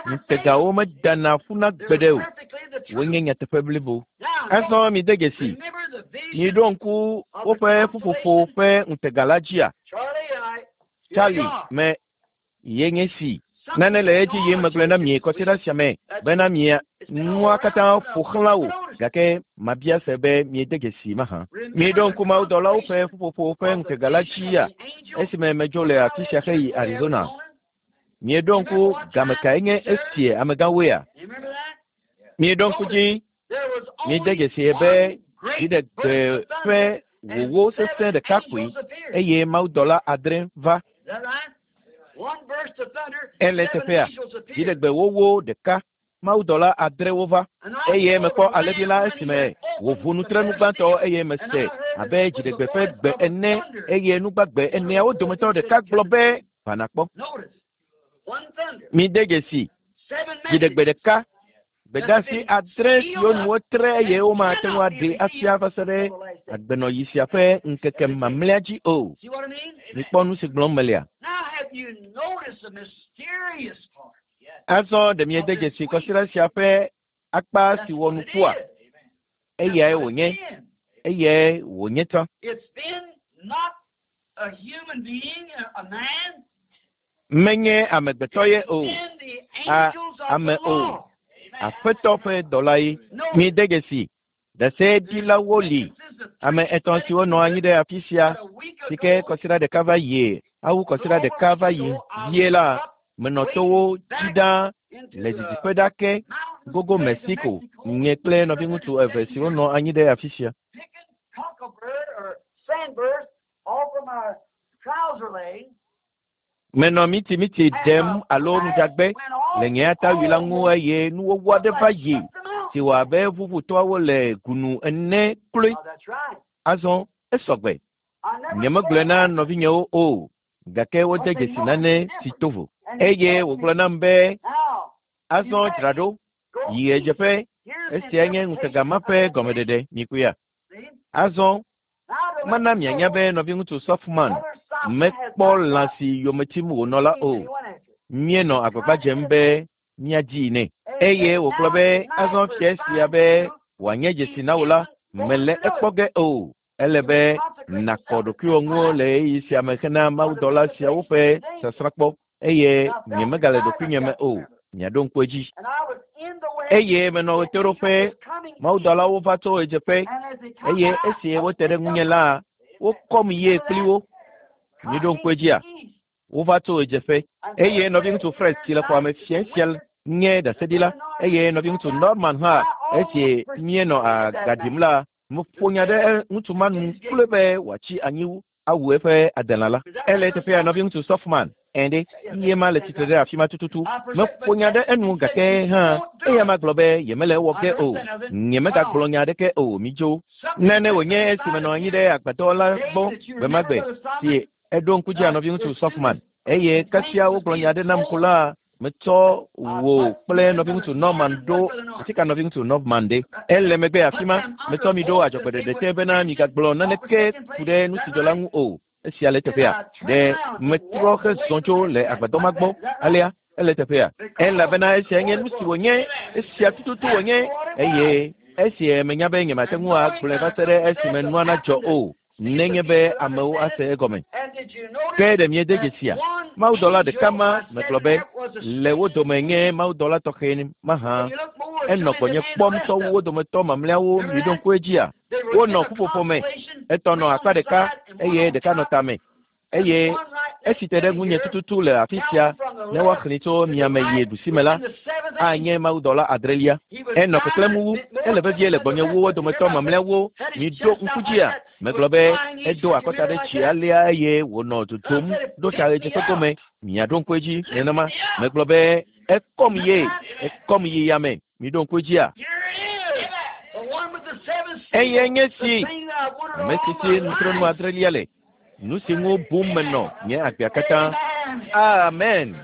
Ŋutegawo medana ƒuna gbeɖe o. Wonye nyateƒe blibo. Azɔ mide dzesi. Miɖo ŋku woƒe ƒuƒoƒo ƒe ŋutega la dzia? Charlie me ye nye si. Nane le edzi yim megblɔe na mi kɔsiɖa sia me bena mia nua katã ƒo xlã wò gake mabia se be miede dzesi mahã. Miɖo ŋku mawudɔlawo ƒe ƒuƒoƒo ƒe ŋutega la dzia esime medzo le afi sia heyi Arizona. Mieɖo ŋku game kae nye esie amegãwoea? Mieɖo ŋku dzi miede dzesi be dziɖegbe ƒe wòwó sesẽ ɖeka koe eye mawudɔla adre va. Ele teƒea dziɖegbe wòwó ɖeka mawudɔla adrewo va eye mekpɔ alẽvi la esime wòʋu nutrenu gbãtɔ eye mese abe dziɖegbe ƒe gbe ene eye nugbagbe eneawo dometɔ ɖeka gblɔ be va nakpɔ. Mide dzesi dziɖegbe ɖeka gbedeasi adre siwo nu wotre eye womate ŋu aɖee afia va se ɖe agbenɔyi sia ƒe ŋkeke mamlɛa dzi o. Mikpɔ nu si gblɔm melea. Azɔ ɖe miede dzesi kɔsiɖa sia ƒe akpa si wɔ nukua? Eyae wònye. Eyae wònye tsã. Menye amegbetɔ ye o. A ame o. Aƒetɔ ƒe dɔla ye. Mide dzesi. Ɖaseɖilawo li. Ame etɔ̃ siwo nɔ anyi ɖe afi sia si ke kɔsiɖa ɖeka va yie awu kɔsiɖa ɖeka va yi vie la menɔ towo dzi ɖaa le didiƒe ɖa ke gogo Mexico nye kple nɔviŋutsu eve siwo nɔ anyi ɖe afi sia. Menɔ mitimiti ɖem alo nudzagbe le nye atawui la ŋu eye nuwɔwɔ aɖe va yi si wɔ abe ʋuʋutɔawo le gunu ene kloe. Azɔ esɔgbe. Nyemegblɔe na nɔvinyewo o gake wode dzesi nane si to vo. Eye wògblɔ nam be azɔ dzra ɖo yi ɣedzeƒe. Esia nye ŋutega ma ƒe gɔmeɖeɖe mikuya. Azɔ mana mianya be nɔviŋutsu Softman mekpɔ lã si yome tim wònɔ la o. Míenɔ agbagba dzem be míadzii nɛ. Eye wògblɔ be azɔ fia sia be wòanye dzesi na wò la mele ekpɔ ge o. Ele be nàkɔ ɖokuiwò ŋu le ɣeyiɣi sia me hena mawudɔla siawo ƒe sasrãkpɔ eye nyemegale ɖokuinye me o. Miaɖo ŋku edzi. Eye menɔ ɣetoɖoƒe, mawudɔlawo va tso ɣedzeƒe eye esi wote ɖe ŋunye la, wokɔm yie kpli wo. Miɖo ŋku edzia? Wova tso ɣedzeƒe eye nɔviŋutsu Fred si le xɔa me fia sia nye ɖaseɖila eye nɔviŋutsu Norman hã esi míenɔ aga ɖim la, meƒo nya ɖe ŋutsu ma nu kloe be wòatsi anyi awu eƒe adelã la. Ele teƒea nɔviŋutsu Softman ene ye ma le tsitre ɖe afi ma tututu. Meƒo nya ɖe enu gake hã eya ma gblɔ be yemele ewɔ ge o. Nyemegagblɔ nya aɖeke o midzo. Nane wònye esi menɔ anyi ɖe agbadɔ la gbɔ gbe ma gbe si eɖo ŋku dzi nɔviŋutsu Softman eye kasia wogblɔ nya aɖe nam ko la metsɔ wò kple nɔviŋutsu Norman ɖo afi ka nɔviŋutsu Norman ɖe. Ele megbe afi ma metsɔ mi ɖo adzɔgbeɖeɖe te bena migagblɔ naneke ku ɖe nu si dzɔ la ŋu o. Esia le teƒea. Ɖe metrɔ hezɔ tso le agbadɔ ma gbɔ alea ele teƒea. Elabena esia nye nu si wònye, esia tututu wònye eye esi menya be nyemate ŋu agblɔe va se ɖe esime nua nadzɔ o. Nenye be amewo ase egɔme. Ke ɖe miede dzesia? Mawudɔla ɖeka ma megblɔ be le wo dome nye mawudɔla tɔxɛ mahã. Enɔ gbɔnye kpɔm tsɔ wu wo dometɔ mamlɛawo miɖo ŋku edzia? Wonɔ ƒuƒoƒo me. Etɔ̃ nɔ akpa ɖeka eye ɖeka nɔ tame. Eye esi te ɖe ŋunye tututu le afi sia ne woaxlẽe tso miame yi ɖusime la, anye mawudɔla adrelia. Enɔ keklẽm wu, ele vevie le gbɔnye wu wo dometɔ mamlɛawo. Miɖo ŋku dzia? Megblɔ be edo akɔta ɖe dzi alea eye wònɔ dodom ɖo ta ɣedzeƒe gome. Miaɖo ŋku edzi nenema. Megblɔ be ekɔm ye, ekɔm yi yame. Miɖo ŋku edzia? Eyae nye si, ame si si nutrenu adrelia le. Nu si ŋu bum menɔ nye agbea katã. Amen.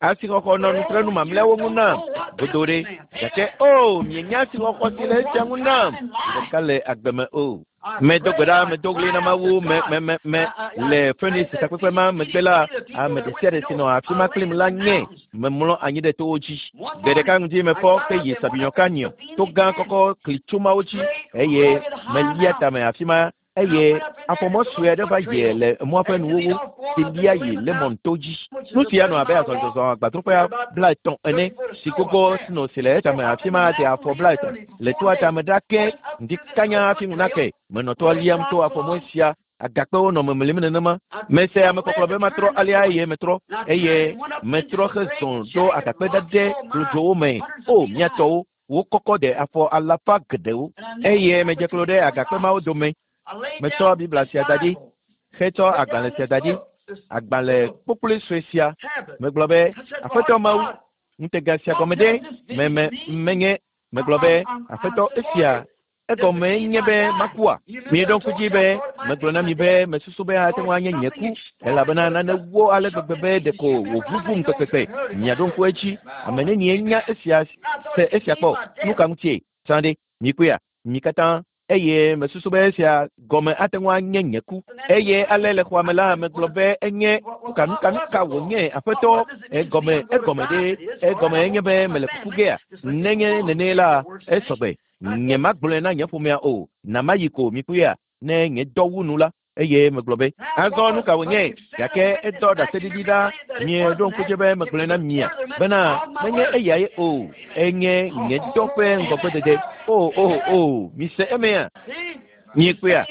Asixɔxɔ nɔ nutrenu mamlɛawo ŋu nam godoo ɖe. Gake o, oh, mienya asixɔxɔ si le esia ŋu nam ɖeka le agbe me o. Medo gbe ɖa, medo ɣli na Mawu, me, me, me, me, le Phoenix takpekpe ma megbe la, ame ɖe sia ɖe si nɔ afi ma kplim la nye. Memlɔ anyi ɖe towo dzi. Gbe ɖeka ŋdi mefɔ ke yi Sabinyo Canyon, to gã kɔkɔ klitsomawo dzi, eye melia tame afi ma eye afɔmɔ sue aɖe va yi le mɔa ƒe nuwuwu si lia yi Lemon to dzi. Nu sia nɔ abe azɔlizɔzɔ agbadroƒea 30 ene si gogo sno si le etame afi ma de afɔ 30 le toa tame ɖa ke ŋdi kanya hafi ŋu nake. Menɔ toa liam to afɔmɔ sia Agakpewo nɔ memlim nenema. Mese amekɔklɔ be matrɔ alea eye metrɔ, eye metrɔ hezɔ ɖo agakpe ɖaɖɛ klodzowo me. O, mía tɔwo, wokɔkɔ de afɔ alafa geɖewo. Eye medze klo ɖe agakpe mawo dome. Metsɔ Biblia sia da ɖi, hetsɔ agbalẽ sia da ɖi, agbalẽ kpokploe sue sia. Megblɔ be, Aƒetɔ Mawu, ŋutega sia gɔme ɖe? Me, me, menye, megblɔ be, Aƒetɔ, esia Egɔmee nye be makua? Mieɖo ŋku dzi be megblɔ na mi be mesusu be ate ŋu anye nye ku, elabena nane wó ale gbegbe be ɖeko wòʋuʋum kpekpekpe. Miaɖo ŋku edzi. Ame nenie nya esia se esia kpɔ? Nu ka ŋutie? Sã ɖe, mikpɔea? Mi katã. Eye mesusu be esia gɔme ate ŋu anye nye ku. Eye ale le xɔa me la, megblɔ be enye nuka, nuka, nuka wònye, Aƒetɔ? Egɔme, egɔme ɖe? Egɔme enye be mele kuku gea? Nenye nenee la, esɔgbe. Nyemagblɔe na nye ƒomea o. Na mayi ko, mikpɔea, ne nye dɔ wu nu la. Eye megblɔ be, Azɔ nu ka wònye? Gake edɔ ɖaseɖiɖi ɖa. Mieɖo ŋku dzi be megblɔe na mia bena menye eyae o. Enye nye dɔ ƒe ŋgɔgbedede. O, o, o, mise emea? Miekpɔea?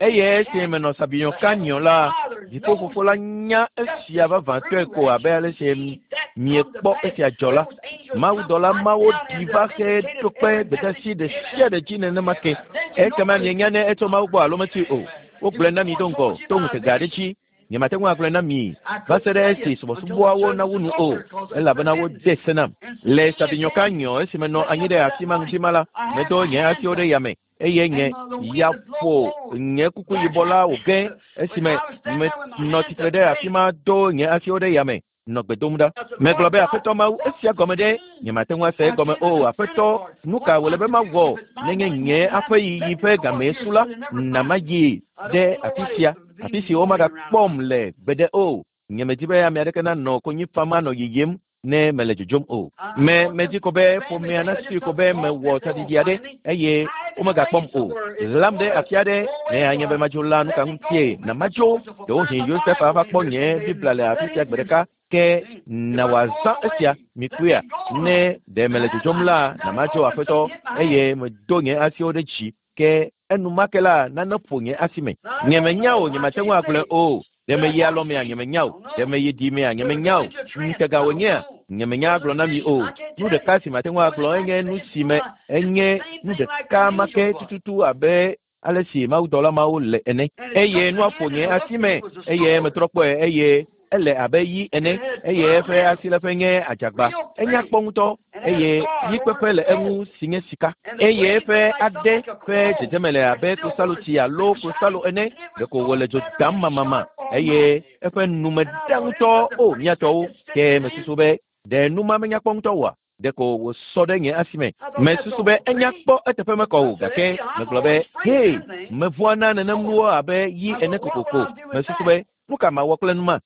Eye esi menɔ Sabinyo Canyon la, Dziƒofofo la nya esia vavãtɔe ko abe ale si miekpɔ esia dzɔ la. Mawudɔla mawo ɖi va xe ɖo kpe gbedeasi ɖe sia ɖe dzi nenema ke. Ekema mienya ne etso Mawu gbɔ alo metsoe o. Wogblɔe na mi do ŋgɔ to ŋutega aɖe dzi. Nyemate ŋu agblɔe na mi va se ɖe esi subɔsubɔawo nawu nu o, elabena wode se nam. Le Sabinyo Canyon esi menɔ anyi ɖe afi ma ŋdi ma la, medo nye asiwo ɖe yame eye nye ya ƒo nye kuku yibɔ la wòge esime menɔ tsitre ɖe afi ma do nye asiwo ɖe yame nɔ gbe dom ɖa. Megblɔ be, Aƒetɔ Mawu, esia gɔme ɖe? Nyemate ŋu ase egɔme o. Aƒetɔ, nu ka wòle be mawɔ nenye nye aƒeyiyi ƒe gamee su la? Na mayi ɖe afi sia, afi si womagakpɔm le gbeɖe o. Nyemedi be ame aɖeke nanɔ konyi fam anɔ yiyim ne mele dzodzom o. Me, medi ko be ƒomea nasui ko be mewɔ tsaɖiɖi aɖe eye womegakpɔm o. Ɣlam ɖe afi aɖe ne anye be madzo la, nu ka ŋutie na madzo? Ɖewohĩ Yosef ava kpɔ nye Biblia le afi sia gbe ɖeka, ke na wòazã esia. Mikpɔea? Ne ɖe mele dzodzom la, na madzo, Aƒetɔ, eye medo nye asiwo ɖe dzi. Ke enumake la, nane ƒo nye asi me. Nyemenya o, nyemate ŋu agblɔe o. Ɖe meyi alɔmea? Nyemenya o. Ɖe meyi ɖimea? Nyemenya o. Ŋutega wònyea? Nyemenya agblɔ na mi o. Nu ɖeka si mate ŋu agblɔ enye nu si me enye nu ɖeka ma ke tututu abe ale si mawudɔla mawo le ene. Eye nua ƒo nye asi me, eye metrɔ kpɔe, eye ele abe yi ene, eye eƒe asiléƒe nye adzagba. Enya kpɔ ŋutɔ, eye yikpeƒe le eŋu si nye sika. Eye eƒe aɖe ƒe dzedzeme le abe klosalotsi alo klosalo ene, ɖeko wòle dzo dam mamama, eye eƒe nume ɖa ŋutɔ. O, mía tɔwo, ke mesusu be ɖe nu ma menya kpɔ ŋutɔ oa? Ɖeko wòsɔ ɖe nye asi me. Mesusu be enya kpɔ eteƒe mekɔ o, gake megblɔ be, Hee, mevɔ̃a na nenem nuwo abe yi ene kokoko. Mesusu be, Nu ka mawɔ kple nu ma?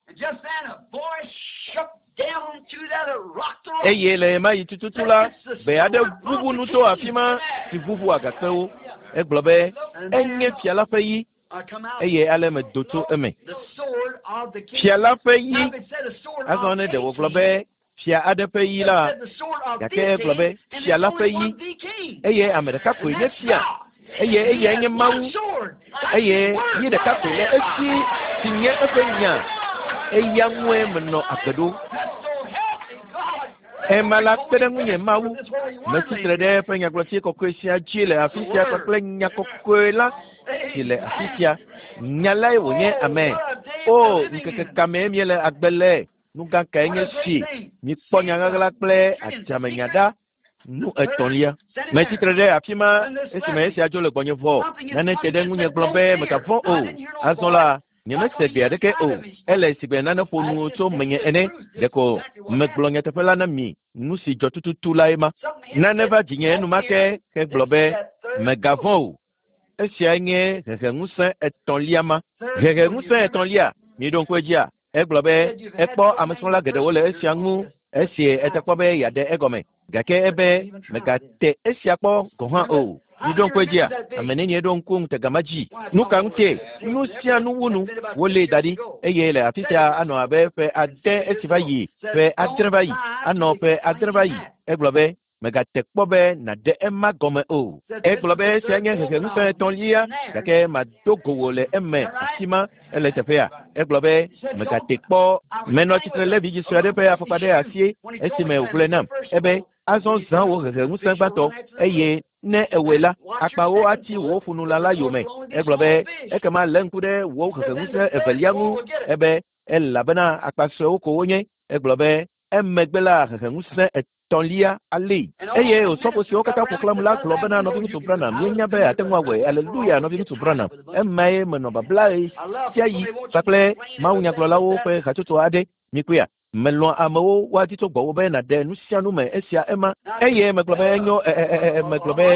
Eye le ɣemaɣi tututu la, gbe aɖe ʋuʋu nu tso afi ma si ʋuʋu agakpewo. Egblɔ be, Enye fia la ƒe yi. Eye ale medo tso eme. Fia la ƒe yi. Azɔ ne ɖe wògblɔ be, Fia aɖe ƒe yi la, gake egblɔ be fia la ƒe yi, eye ame ɖeka koe nye fia, eye eyae nye Mawu, eye yi ɖeka koe le esi si nye eƒe nya, eya ŋue menɔ agbe ɖo. Ema la kpe ɖe ŋunye Mawu, metsi tre ɖe eƒe nyagblɔti kɔkɔe sia dzi le afi sia kpakple nya kɔkɔe la si le afi sia. Nya lae wònye, amen. O, ŋkeke ka mee míele agbe le? Nu gã kae nye si! Mikpɔ nya ɣaɣla kple adzamenya ɖa. Nu etɔ̃lia. Metsi tre ɖe afi ma esime esia dzo le gbɔnye vɔ. Nane te ɖe ŋunye gblɔ be mègavɔ̃ o. Azɔ la, nyemese gbe aɖeke o. Ele sigbe nane ƒo nu tso menye ene. Ɖeko megblɔ nyateƒe la na mi. Nu si dzɔ tututu lae ma. Nane va dzinye enumake hegblɔ be, Mègavɔ̃ o. Esiae nye heheŋusẽ etɔ̃lia ma. Heheŋusẽ etɔ̃lia, miɖo ŋku edzia? Egblɔ be ekpɔ amesrɔ̃la geɖewo le esia ŋu esi ete kpɔ be yeaɖe egɔme, gake ebe megate esia kpɔ gɔ̃ hã o. Miɖo ŋku edzia? Ame nenie ɖo ŋku ŋutega ma dzi? Nu ka ŋutie? Nu sia nu wu nu. Wolée da ɖi, eye le afi sia anɔ abe ƒe ade esi va yi, ƒe adre va yi, anɔ ƒe adre va yi. Egblɔ be Mègate kpɔ be nàɖe ema gɔme o. Egblɔ be esia nye heheŋusẽ etɔ̃lia, gake mado go wò le eme afima. Ele teƒea. Egblɔ be, Mègate kpɔ. Menɔ tsitre lé vidzĩ sue aɖe ƒe afɔkpa ɖe asi esime wògblɔe nam. Ebe, Azɔ zã wò heheŋusẽ gbãtɔ, eye ne èwɔe la, akpawo ati wò ƒunulã la yome. Egblɔ be, Ekema lé ŋku ɖe wò heheŋusẽ evelia ŋu. Ebe, Elabena akpa suewo ko wonye. Egblɔ be, Emegbe la, heheŋusẽ etɔ̃lia alée. Eye osɔfo siwo katã ƒo xlãm la gblɔ bena, Nɔviŋutsu Branham, míenya be àte ŋu awɔe. Aleluya, Nɔviŋutsu Branham. Emae menɔ babla ɣesiaɣi kpakple mawunyagblɔlawo ƒe hatsotso aɖe. Mikpɔea? Melɔ̃a amewo woadi tso gbɔwò be nàɖe nusianu me, esia, ema. Eye megblɔ be, Enyo, e, e, e, e, megblɔ be,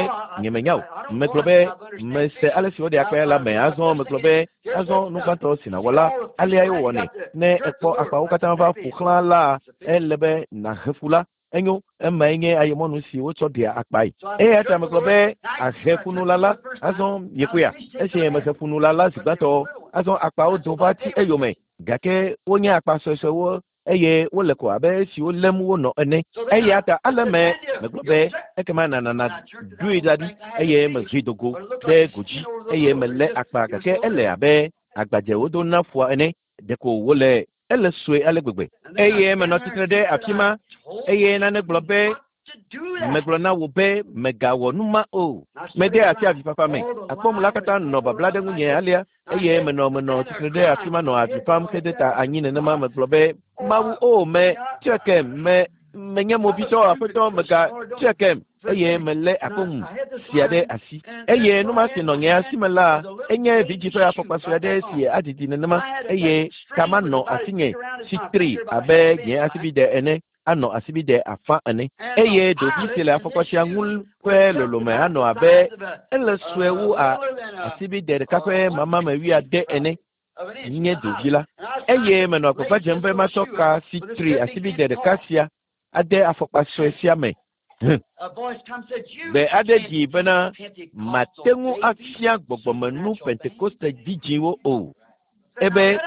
Nyemenya o. Megblɔ be, Mese ale si woɖea akpaya la me. Azɔ megblɔ be, Azɔ nu gbãtɔ si nàwɔ la, aleae wowɔnɛ. Ne èkpɔ akpawo katã va ƒo xlã la, ele be nàhe fu la. Enyo, emae nye ayemɔnu si wotsɔ ɖea akpae. Eya ta megblɔ be, Àhe ƒunula la. Azɔ miekpɔea? Esi mehe ƒunula la zi gbãtɔ, azɔ akpawo do va ti eyome, gake wonye akpa suesuewo eye wole ko abe esiwo lém wonɔ ene. Eya ta ale me megblɔ be, ekema nànana ɖoe da ɖi, eye mehee do go ɖe godzi, eye melé akpa, gake ele abe agbadze wodo na ƒua ene, ɖeko wòle, ele sue ale gbegbe. Eye menɔ tsitre ɖe afi ma, eye nane gblɔ be, Megblɔ na wò be mègawɔ nu ma o. Mede asi avifafa me. Akpɔm la katã nɔ babla ɖe ŋunye alea, eye menɔ menɔ tsitre ɖe afi ma nɔ avi fam hede ta anyi nenema. Megblɔ be, Mawu, o me, tsɔe kem, me, menye movitɔ, Aƒetɔ, mega tsɔe kem. Eye melé akɔŋu sia ɖe asi. Eye nu ma si nɔ nye asi me la, enye vidzĩ ƒe afɔkpa sue aɖe si adidi nenema, eye ka ma nɔ asinye si tri abe nye asibide ene. anɔ asibide afã ene, eye ɖovi si le afɔkpa sia ŋu ƒe lolome anɔ abe ele sue wu a asibide ɖeka ƒe mamame wuiade ene nye ɖovi la. Eye menɔ agbagba dzem be matsɔ ka si tri asibide ɖeka sia ade afɔkpa sue sia me. Hẽ. Gbe aɖe ɖi bena mate ŋu afia gbɔgbɔmenu Pentekoste vidzĩwo o. Ebe,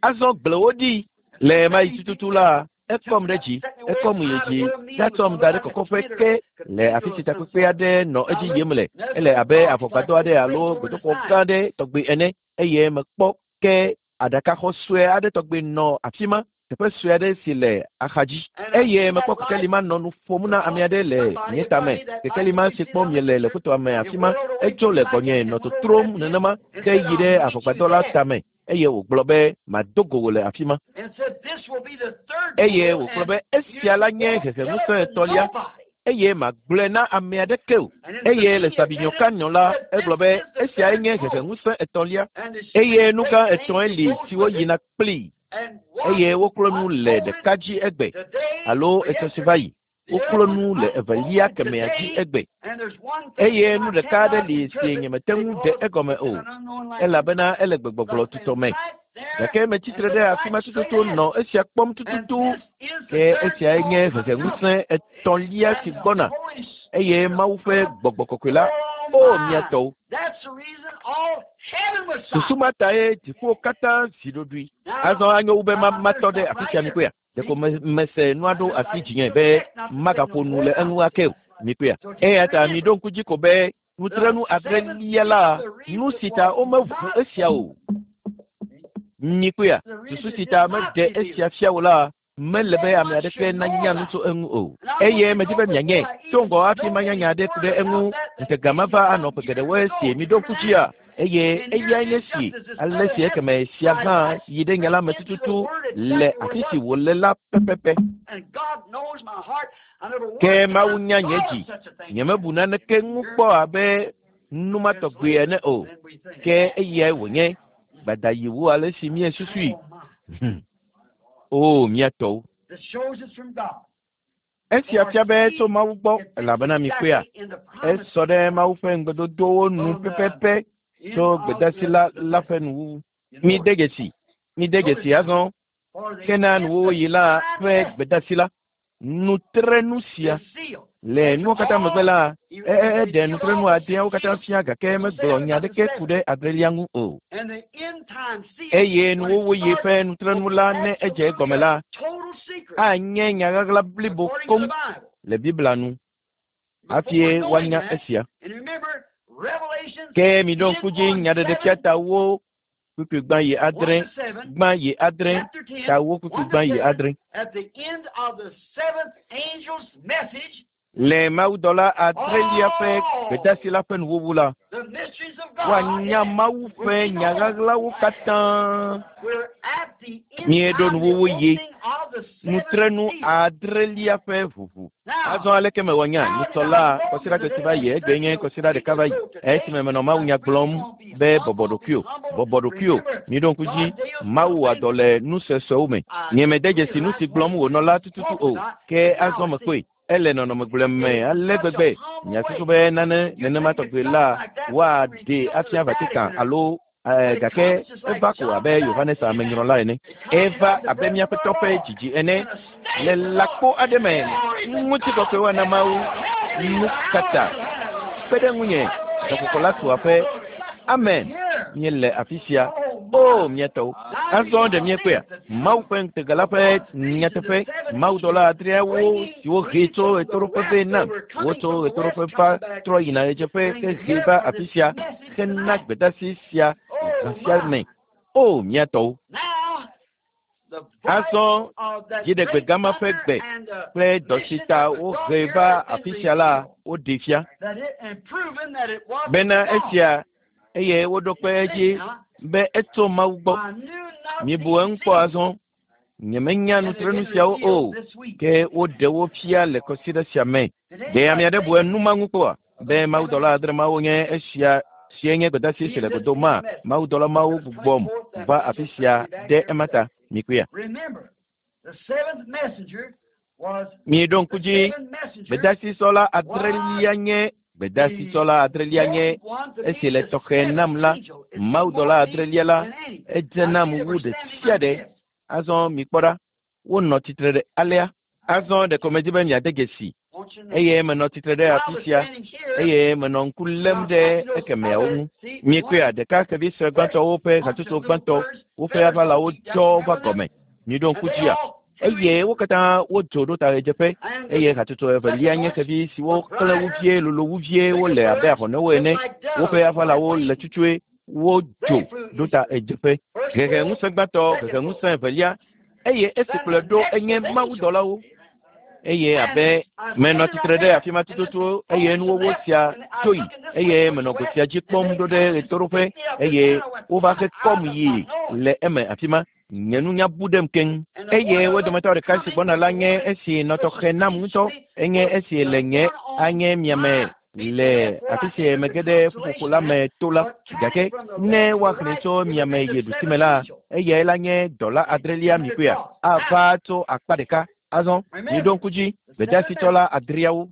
azɔ gblẽ wo ɖi. Le ɣemaɣi tututu la, ekɔm ɖe dzi, ekɔm yi dzi, ɖatsɔm da ɖe kɔkɔƒe ke le afi si takpekpe aɖe nɔ edzi yim le. Ele abe avɔgbadɔ aɖe alo gbedoxɔ gã aɖe tɔgbi ene, eye mekpɔ ke aɖakaxɔ sue aɖe tɔgbi nɔ afi ma, teƒe sue aɖe si le axadzi. Eye mekpɔ kekeli ma nɔ nu ƒom na ame aɖe le nye tame. Kekeli ma si kpɔm miele le fotoa me afi ma, etso le gbɔnye nɔ totrom nenema ke yi ɖe avɔgbadɔ la tame. Eye wògblɔ be, Mado go wò le afi ma. Eye wògblɔ be, Esia la nye heheŋusẽ etɔ̃lia, eye magblɔe na ame aɖeke o. Eye le Sabyinyo Canyon la, egblɔ be, Esiae nye heheŋusẽ etɔ̃lia, eye nu gã etɔ̃e li siwo yina kplii, eye woklo nu le ɖeka dzi egbe, alo etsɔ si va yi. Woklo nu le evelia kemɛa dzi egbe. Eye nu ɖeka aɖe li si nyemete ŋu ɖe egɔme o, elabena ele gbegbɔgblɔ tutɔ me. Gake metsi tre ɖe afi ma tututu nɔ esia kpɔm tututu. Ke esiae nye heheŋusẽ etɔ̃lia si gbɔna, eye Mawu ƒe Gbɔgbɔ Kɔkɔe la, o mía tɔwo! Susu ma tae dziƒowo katã zi ɖoɖoe. Azɔ anyo wu be matɔ ɖe afi sia mikpɔea? Ɖeko mese nua ɖo asi dzinye be magaƒo nu le eŋu ake o. Mikpɔea? Eya ta miɖo ŋku dzi ko be nutrenu adrelia la, nu si ta womeʋu esia o. Mikpɔea? Susu si ta meɖe esia fia o la, mele be ame aɖeke nanya nu tso eŋu o. Eye medi be mianye tso ŋgɔ hafi manya nya aɖe ku ɖe eŋu. Ŋutega ma va anɔ ƒe geɖewoe si miɖo ŋku dzia? Eye eyae nye si ale si ekeme sia hã yi ɖe nya la me tututu le afi si wòle la pɛpɛpɛ. Ke Mawu nya nye dzi. Nyemebu naneke ŋu kpɔ abe nu ma tɔgbi ene o. Ke eyae wònye. Gbada yi wu ale si míesusui. O, mía tɔwo. Esia fia be tso Mawu gbɔ, elabena mikpɔea, esɔ ɖe Mawu ƒe ŋugbedodowo nu pɛpɛpɛ tso gbedasi la la ƒe nuwuwu. Mide dzesi, mide dzesi azɔ, ke na nuwuwuɣi la ƒe gbedasi la, nutrenu sia. Le nuwo katã megbe la, eɖe nutrenu adeawo katã fia gake megblɔ nya aɖeke ku ɖe adrelia ŋu o. Eye nuwuwuɣi ƒe nutrenu la ne edze egɔme la, anye nya ɣaɣla blibo koŋ le Biblia nu hafi woanya esia. Ke miɖo ŋku dzi nyaɖeɖefia ta wo kpukpui gbã yi adre, gbã yi adre, ta wo kpukpui gbã yi adre. Le mawudɔla adrelia ƒe gbedasi la ƒe nuwuwu la, woanya Mawu ƒe nya ɣaɣlawo katã. Míeɖo nuwuwu yi nutrenu adrelia ƒe ʋuʋu. Azɔ aleke mewɔ nya nyitsɔ la kɔsiɖa si va yi egbe nye kɔsiɖa ɖeka va yi esime menɔ Mawu nya gblɔm be bɔbɔ ɖokuiwò, bɔbɔ ɖokuiwò. Miɖo ŋku dzi, Mawu wɔa dɔ le nu suesuewo me. Nyemede dzesi nu si gblɔm wònɔ la tututu o, ke azɔ mekpɔe. Ele nɔnɔme gblɔe me ale gbegbe. Miasusu be nane nenema tɔgbi la woaɖee afia Vatican alo gake eva ko abe Yohanes amenyrɔla ene. Eva abe míaƒe tɔ ƒe dzidzi ene le lãkpo aɖe me. Ŋutikɔkɔe woana Mawu. Nu kata kpe ɖe ŋunye. Gaƒoƒo la tu aƒe. Amen. Míele afi sia. O, mía tɔwo. Azɔ ɖe míekpɔea? Mawu ƒe ŋutega la ƒe nyateƒe. Mawudɔla adreawo siwo hee tso ɣetoɖoƒe vɛ nam. Wotso ɣetoɖoƒe va trɔ yina ɣedzeƒe hehee va afi sia hena gbedasi sia zã sia me. O, mía tɔwo. Azɔ dziɖegbe gama ƒe gbe kple dɔ si ta wohee va afi sia la, woɖee fia bena esia eye woɖo kpe edzi be etso Mawu gbɔ. Mibu eŋu kpɔ azɔ. Nyemenya nutrenu siawo o, ke woɖe wo fia le kɔsiɖa sia me. Ɖe ame aɖe bu enu ma ŋu kpɔa? Be mawudɔla adre mawo nye esia sie nye gbedasi si le godo ma. Mawudɔla mawo gbugbɔm va afi sia ɖe ema ta. Mikpɔea? Miɖo ŋku dzi, gbedasisɔla adrelia nye gbedasisɔla adrelia nye esi le tɔxɛ nam la, mawudɔla adrelia la, edze nam wu ɖe sia ɖe. Azɔ mikpɔ ɖa, wonɔ tsitre ɖe alea. Azɔ ɖeko medi be miade dzesi eye menɔ tsitre ɖe afi sia eye menɔ ŋku lém ɖe ekemeawo ŋu. Miekpɔea, ɖeka xevi sue gbãtɔwo ƒe hatsotso gbãtɔ, woƒe aʋalawo dzɔ va gɔme. Miɖo ŋku dzia? Eye wo katã wodzo ɖo ta ɣedzeƒe eye hatsotso evelia nye xevi siwo klẽ wu vie, lolo wu vie, wole abe ahɔnewo ene. Woƒe aʋalawo le tsutsuẽ, wodzo ɖo ta ɣedzeƒe. Hehe ŋusẽ gbãtɔ, hehe ŋusẽ evelia eye esi kplɔe ɖo enye mawudɔlawo. Eye abe menɔ tsitre ɖe afi ma tututu eye nuwɔwɔ sia dzo yi eye menɔ go sia dzi kpɔm ɖo ɖe ɣetoɖoƒe eye wova he kɔm yi le eme afi ma. Nye nunya bu ɖem keŋ. Eye wo dometɔ ɖeka si gbɔna la nye esi nɔ tɔxɛ nam ŋutɔ. Enye esi le nye anye miame le afi si mege ɖe ƒuƒoƒo la me to la. Gake ne woaxlẽe tso miame yi ɖusime la, eyae la nye dɔla adrelia mikpɔea? Ava tso akpa ɖeka. Azɔ, miɖo ŋku dzi, gbedasitsɔla adreawo.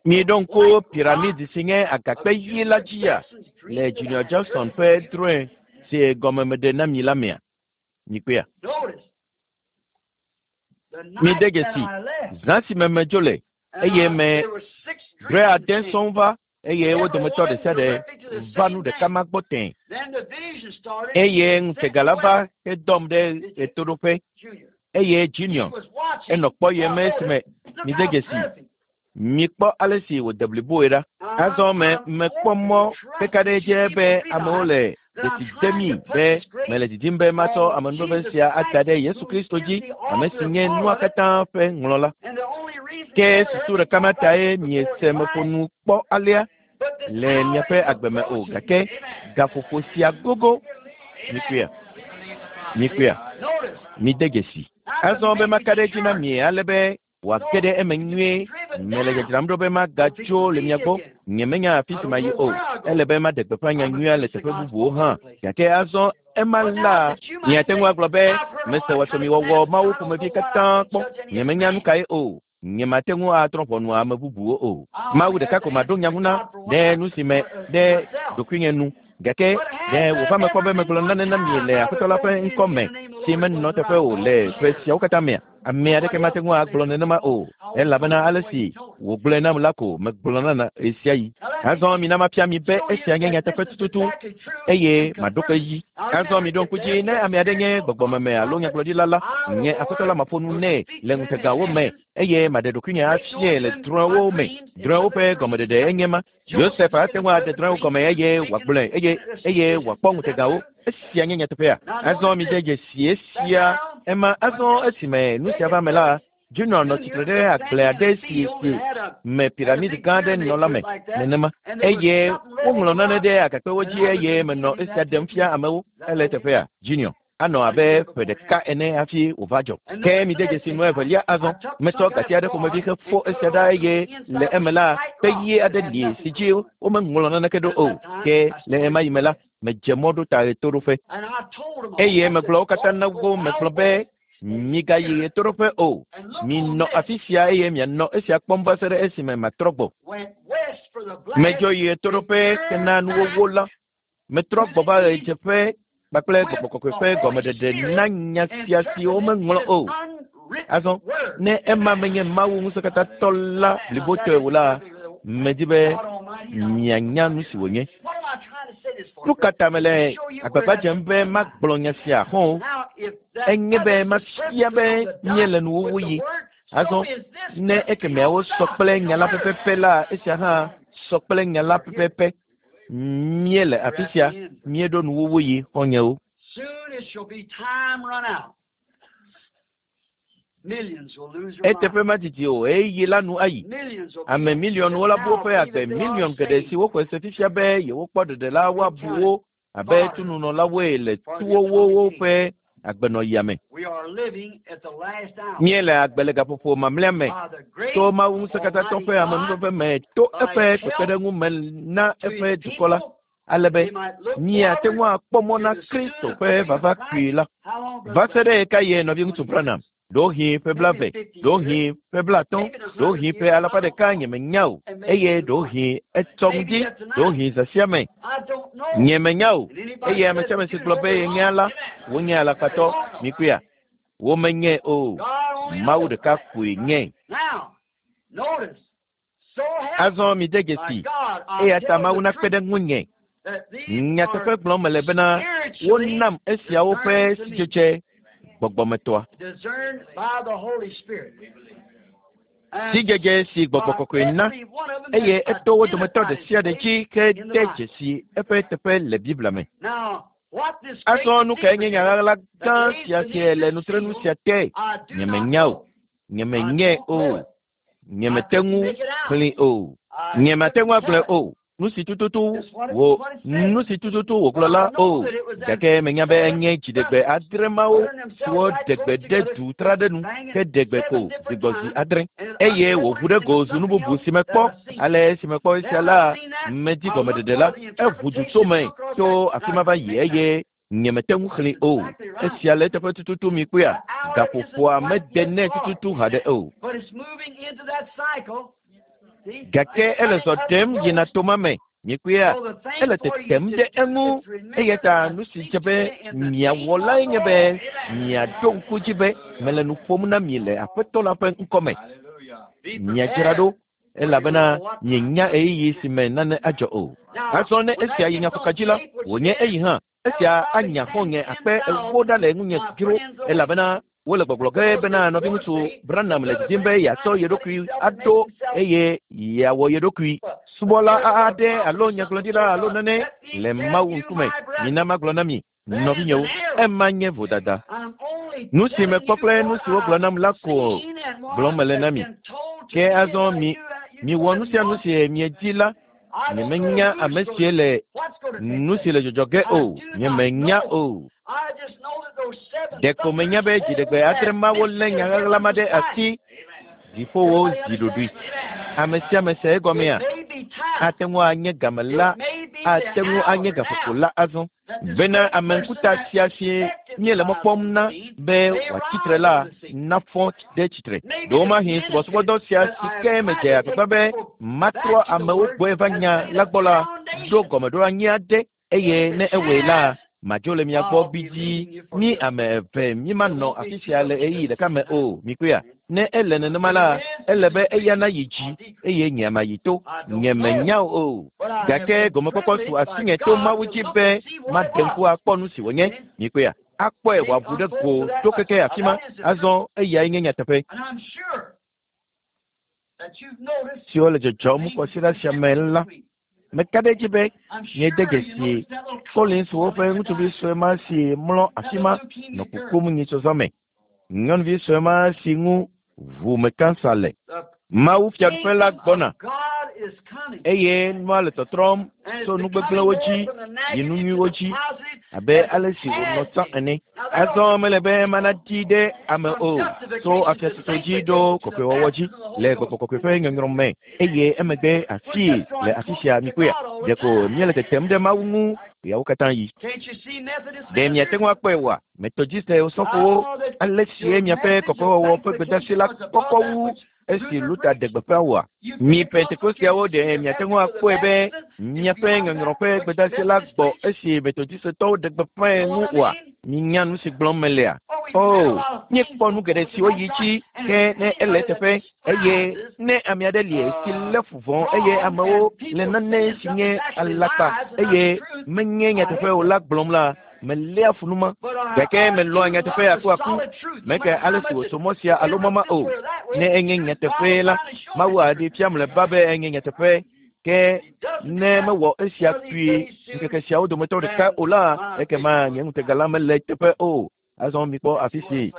Miɖo ŋku piramidi si nye agakpe ɣi la dzia le Junior Jackson ƒe drɔ̃e si gɔme meɖe na mi la mea? Mikpɔea? Mide dzesi, zã si me medzo le eye me drɔ̃e ade sɔŋ va. Eye wo dometɔ ɖe sia ɖe va nu ɖeka ma gbɔ tẽ. Eye ŋutega la va hedɔm ɖe ɣetoɖoƒe. Eye Junior enɔ kpɔyem esime mide dzesi. Mikpɔ ale si wòde bliboe ɖa. Azɔ me mekpɔ mɔ keka ɖe edzi be amewo le dzesi dem be mele didim be matsɔ amenuveve sia ada ɖe Yesu Kristo dzi, ame si nye nua katã ƒe ŋlɔla. Ke susu ɖeka ma tae miese meƒo nu kpɔ alea le miaƒe agbe me o, gake gaƒoƒo sia gogo. Mikpɔea? Mikpɔea? Mide dzesi. Azɔ be maka ɖe edzi na mi ale be wòage ɖe eme nyuie. Mele dzadzram ɖo be magatso le mia gbɔ. Nyemenya afi si mayi o. Ele be maɖe gbeƒã nya nyuia le teƒe bubuwo hã. Gake azɔ ema la, miate ŋu agblɔ be, mese wɔsɔmiwɔwɔ mawo ƒomevi katã kpɔ. Nyemenya nu kae o. Nyemate ŋu atrɔ ʋɔnu ame bubuwo o. Mawu ɖeka ko maɖo nya ŋu na ɖe nu si me ɖe ɖokuinye nu. Gake ɖe wòva me kpɔ be megblɔ nane na mi le Aƒetɔ la ƒe ŋkɔ me si menɔ teƒe o le ƒe siawo katã mea? Ame aɖeke mate ŋu agblɔ nenema o, elabena ale si wògblɔe nam la ko megblɔna na ɣesiaɣi. Azɔ mina mafia mi be esia nye nyateƒe tututu eye maɖo kpe edzi. Azɔ miɖo ŋku dzi ne ame aɖe nye gbɔgbɔmeme alo nyagblɔɖila la, nye Aƒetɔ la maƒo nu nɛ le ŋutegawo me eye maɖe ɖokuinye afiae le drɔ̃ewo me. Drɔ̃ewo ƒe gɔmeɖeɖe enye ma. Yosef ate ŋu aɖe drɔ̃ewo gɔme eye wòagblɔe eye eye wòakpɔ ŋutegawo. Esia nye nyateƒea. Azɔ mide dzesi esia. Ema azɔ esime nu sia va me la, Junior nɔ tsitre ɖe agble aɖe si si me piramidi gã aɖe nɔ la me nenema. Eye woŋlɔ nane ɖe agakpewo dzi eye menɔ esia ɖem fia amewo. Ele eteƒea, Junior. Anɔ abe ƒe ɖeka ene hafi wòva dzɔ. Ke mide dzesi nu evelia azɔ. Metsɔ gati aɖe ƒomevi hefo esia ɖa eye le eme la, kpe ɣi aɖe li si dzi womeŋlɔ naneke ɖo o. Ke le ɣemaɣi me la, medze mɔ ɖo ta ɣetoɖoƒe. Eye megblɔ wo katã na wo, megblɔ be, migayi ɣetoɖoƒe o. Minɔ afi sia eye mianɔ esia kpɔm va se ɖe esime matrɔ gbɔ. Medzo yi ɣetoɖoƒe hena nuwowó la. Metrɔ gbɔ va ɣedzeƒe kpakple gbɔgbɔ kɔkɔe ƒe gɔmeɖeɖe na nya sia si womeŋlɔ o. Azɔ, ne ema menye Mawu ŋusẽkatãtɔ la blibotɔe o la, medi be mianya nu si wònye. Nu ka ta mele agbagba dzem be magblɔ nya sia hɔ̃? Enye be mafia be míele nuwuwu yi. Azɔ, ne ekemeawo sɔ kple nya la pɛpɛpɛ la, esia hã sɔ kple nya la pɛpɛpɛ. Míele afi sia, míeɖo nuwuwu yi xɔ̃nyewo. Soon it shall be time run out. Millions will lose their Eteƒe lives. madidi o, ɣeyiɣi la nu ayi. Millions will be Ame miliɔnwo la bu woƒe now agbe, believe that they are miliɔn geɖe saved. siwo xɔe se fifia be yewokpɔ ɖeɖe la woabu wo abe tununɔlawoe le tuwowo ƒe agbenɔɣia me. We are living at the last hour. Míele agbe le gaƒoƒo mamlɛa me By the great to Mawu ŋusẽkatãtɔ ƒe Almighty amenuveve me to eƒe kpekpeɖeŋu me na to his eƒe dukɔ la people, ale be they might look míate ŋu forward akpɔ mɔ to na the Kristo soon ƒe appearing vava of kpui Christ. la. How long, Va Brother se ɖe Branham? ɣekaɣie nɔviŋutsu Branham? Ɖewohĩ ƒe blaeve, ɖewohĩ ƒe blaatɔ̃, ɖewohĩ ƒe alafa ɖeka nyemenya o eye ɖewohĩ etsɔ ŋdi, ɖewohĩ zã sia me. I don't know. Nyemenya o. And anybody Eye ame says sia ame that si you gblɔ know be they're yenyea wrong. la, wonye alakpatɔ. Mikpɔea? Womenye o. God only Mawu knows. ɖeka koe nye. Now, notice. So help Azɔ mide my dzesi. God, I Eya ta tell Mawu the nakpe truth ɖe ŋunye. that these Nyateƒe are gblɔm mele bena spiritually wonam esiawo ƒe discerned to me, sidzedze gbɔgbɔmetɔa. discerned by the Holy Spirit. And Sidzedze si gbɔgbɔ by kɔkɔe na every one of them has eye eto wo dometɔ identified ɖe sia ɖe his dzi place ke in the de Bible. dzesi eƒe teƒe le Biblia me. Now, what this great Azɔ nu kae nye secret nya is ɣaɣla that gã lays sia beneath si le this nutrenu seal, sia te? I do not Nyemenya o. know. I Nyemenyae don't know o. it. I Nyemete couldn't ŋu make it out. xlẽe o. I Nyemate ŋu couldn't agblɔe tell it. o. Nu si tututu Just what it, wò what it said. nu si tututu wògblɔ But I la know o. that it was them Gake menya be seven enye dziɖegbe trumpets adre mawo uttering themselves siwo right ɖe close gbe ɖe together, du tra ɖe nu banging ke ɖe gbe ko seven zi different gbɔ zi times, adre and it eye wòʋu ɖe unfolded go into zu nu something bubu else si that mekpɔ. I've seen. Ale esi mekpɔ esia Then la, I've seen that. medi I looked gɔmeɖeɖe for la, the eʋu du tso interpretation me across tso that, and afi I ma va couldn't yi make it out. eye nyemete ŋu xlẽe That's o. exactly right. Esia le eteƒe tututu mi kpɔea, The hour isn't gaƒoƒoa quite mede yet nɛ far, tututu haɖe o. but it's moving into that cycle. See, Gake it's ele cutting zɔ up ɖem yina close. toma me. Mikpɔea, So the thing ele for you tetem to ɖe do eŋu is to remember eya that ta I nu si speak dze to be you in the name miawɔ of lae the nye be Lord. miaɖo ŋku dzi be mele nu ƒom na mi le Aƒetɔ la ƒe ŋkɔme. Be Miadzra prepared. ɖo Elabena mienya ɣeyiɣi si me nane adzɔ o. Azɔ ne esia yi nyaƒoka dzi la, wònye eyi hã. Esia anya xɔ̃nye akpe 40 ɖa le ŋunye dzro, elabena wole gbɔgblɔ ge bena nɔviŋutsu Branham le didim be yeatsɔ ye ɖokui aɖo eye yeawɔ ye ɖokui subɔla aɖe alo nyagblɔɖila alo nane le Mawu ŋkume. Mina magblɔ na mi, nɔvinyewo, ema nye vodada. Nu si mekpɔ kple nu si wogblɔ nam la ko gblɔm mele na mi. Ke azɔ mi miwɔ nu sia nu si miedi la. Nyemenya ame si le nu si le dzɔdzɔ ge o. Nyemenya o. Ɖeko menya be dziɖegbe 7 mawo lé nya ɣaɣla ma ɖe asi. Dziƒowo zi ɖoɖoe. Ame sia ame se egɔmea? Ate ŋu anye game la, ate ŋu anye gaƒoƒo la azɔ. Bena ame ŋkuta sia si míele mɔ kpɔm na be wòatsi tre la nafɔ ɖe tsitre. Ɖewomahi subɔsubɔdɔ sia si ke medze agbagba be matrɔ amewo gbɔe va nya la gbɔ la ɖo gɔmeɖoanyi aɖe eye ne ewɔe la, madzo le mia gbɔ bidii. Mi ame eve mímanɔ afi sia le ɣeyiɣi ɖeka me o. Mikpɔea? Ne ele nenema la, ele be eya nayi dzi eye nye mayi to. Nye menya o. Gake gɔmekpɔkpɔ su asinye to Mawu dzi be maɖe ŋku akpɔ nu si wònye. Mikpɔea? Akpɔe wòaʋu ɖe go to keke afi ma. Azɔ eyae nye nyateƒe. Siwo le dzɔdzɔm kɔsiɖa sia me la, meka ɖe edzi be miede dzesi Collinswo ƒe ŋutsuvi sue ma si mlɔ afi ma nɔ kukum nyitsɔzɔ me. Nyɔnuvi sue ma si ŋu ʋume kansa le. Mawu fiaɖuƒe la gbɔna eye nua le tɔtrɔm tso nu gbegblẽwo dzi yi nu nyuiwo dzi abe ale si wònɔ tsã ene. Azɔ mele be mana ɖi ɖe ame o tso afiatsotso dzi ɖo kɔkɔewɔwɔ dzi le gbɔgbɔ kɔkɔe ƒe nyɔnyrɔ me eye emegbe afii le afi sia mikpɔea. Ɖeko míele tetem ɖe Mawu ŋu ɣeawo katã yi. Ɖe miate ŋu akpɔe oa? Metodiste osɔfowo, ale sie miaƒe kɔkɔewɔwɔ ƒe gbedeasi la kɔkɔ wu esi Luther ɖe gbeƒã oa? Mi Pentekosteawo ɖe miate ŋu akpɔe be miaƒe nyɔnyrɔ ƒe gbedeasi la gbɔ esi Metodistetɔwo ɖe gbeƒãe ŋu oa? Minya nu si gblɔm melea? O, míekpɔ nu geɖe siwo yi dzi, ke ne ele eteƒe eye ne ame aɖe li si lé fu vɔ̃ eye amewo le nane si nye alakpa eye menye nyateƒe o la gblɔm la, meléa fu nu ma. Gake melɔ̃a nyateƒe akuaku. Meke ale si wòtso mɔ sia alo mɔ ma o. Ne enye nyateƒe la, Mawu aɖee fia mlɔeba be enye nyateƒe. Ke ne mewɔ esia kpuie ŋkeke siawo dometɔ ɖeka o la, ekema nye ŋutega la mele eteƒe o. Azɔ mikpɔ afi si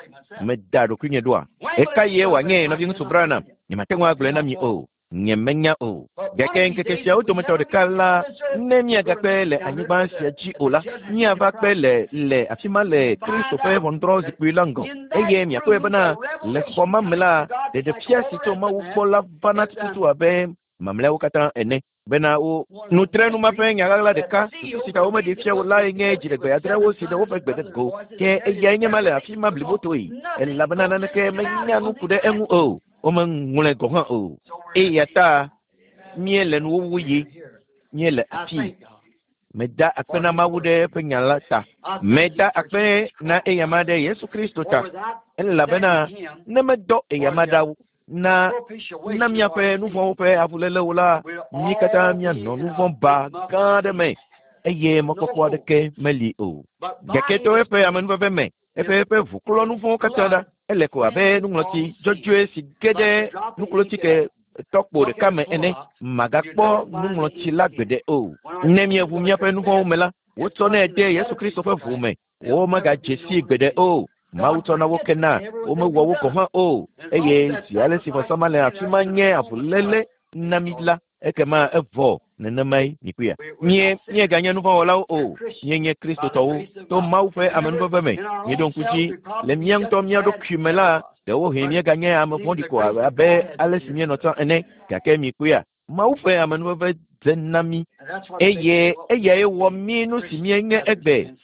meda ɖokuinye ɖoa. Ɣeka ye wòanye nɔviŋutsu Branham? Nyemate ŋu agblɔe na mi o. Nye menya o. Gake ŋkeke siawo dometɔ ɖeka la, ne míagakpe le anyigba sia dzi o la, míava kpe le le afi ma le Kristo ƒe ʋɔnudrɔ̃zikpui la ŋgɔ. Eye miakpɔe bena le xɔ ma me la, ɖeɖefia si tso Mawu gbɔ la vana tututu abe mamlɛawo katã ene. Bena wo nutrenu ma ƒe nya ɣaɣla ɖeka susu si ta womeɖe fia wo lae nye dziɖegbe 7 si ɖe woƒe gbe ɖe go. Ke eyae nye ma le afi ma blibotoe, elabena naneke menya nu ku ɖe eŋu o. Womeŋlɔe gɔ̃ hã o. Eya ta míele nuwuwu yi, míele afii. Meda akpe na Mawu ɖe eƒe nya la ta. Meda akpe na eyama ɖe Yesu Kristo ta, elabena ne medɔ eyama ɖa na na míaƒe nu vɔ̃wo ƒe avulélewo la, mí katã míanɔ nu vɔ̃ ba gã aɖe me eye mɔkpɔkpɔ aɖeke meli o. Gake to eƒe amenuveve me, eƒe eƒe ʋuklɔ nu vɔ̃wo katã ɖa. Ele ko abe nuŋlɔti dzɔdzɔe si ge ɖe nuklotike tɔkpo ɖeka me ene. Magakpɔ nuŋlɔti la gbeɖe o. Ne míeʋu míaƒe nu vɔ̃wo me la, wotsɔnɛ de Yesu Kristo ƒe ʋu me. Womegadze sii gbeɖe o. Mawu tsɔna wo kena, womewɔ wo gɔ̃ hã o. Eye zi ale si vɔsa ma le afi ma nye avuléle na mi la, ekema evɔ nenemae mikpɔea. Mie míeganye nu vɔ̃wɔlawo o, míenye Kristotɔwo to Mawu ƒe amenuveve me. Míeɖo ŋku dzi le mía ŋutɔ mía ɖokui me la, ɖewohĩ míeganye ame vɔ̃ɖi ko abe ale si míenɔ tsã ene. Gake mikpɔea, Mawu ƒe amenuveve dze na mí eye eyae wɔ mí nu si míenye egbe.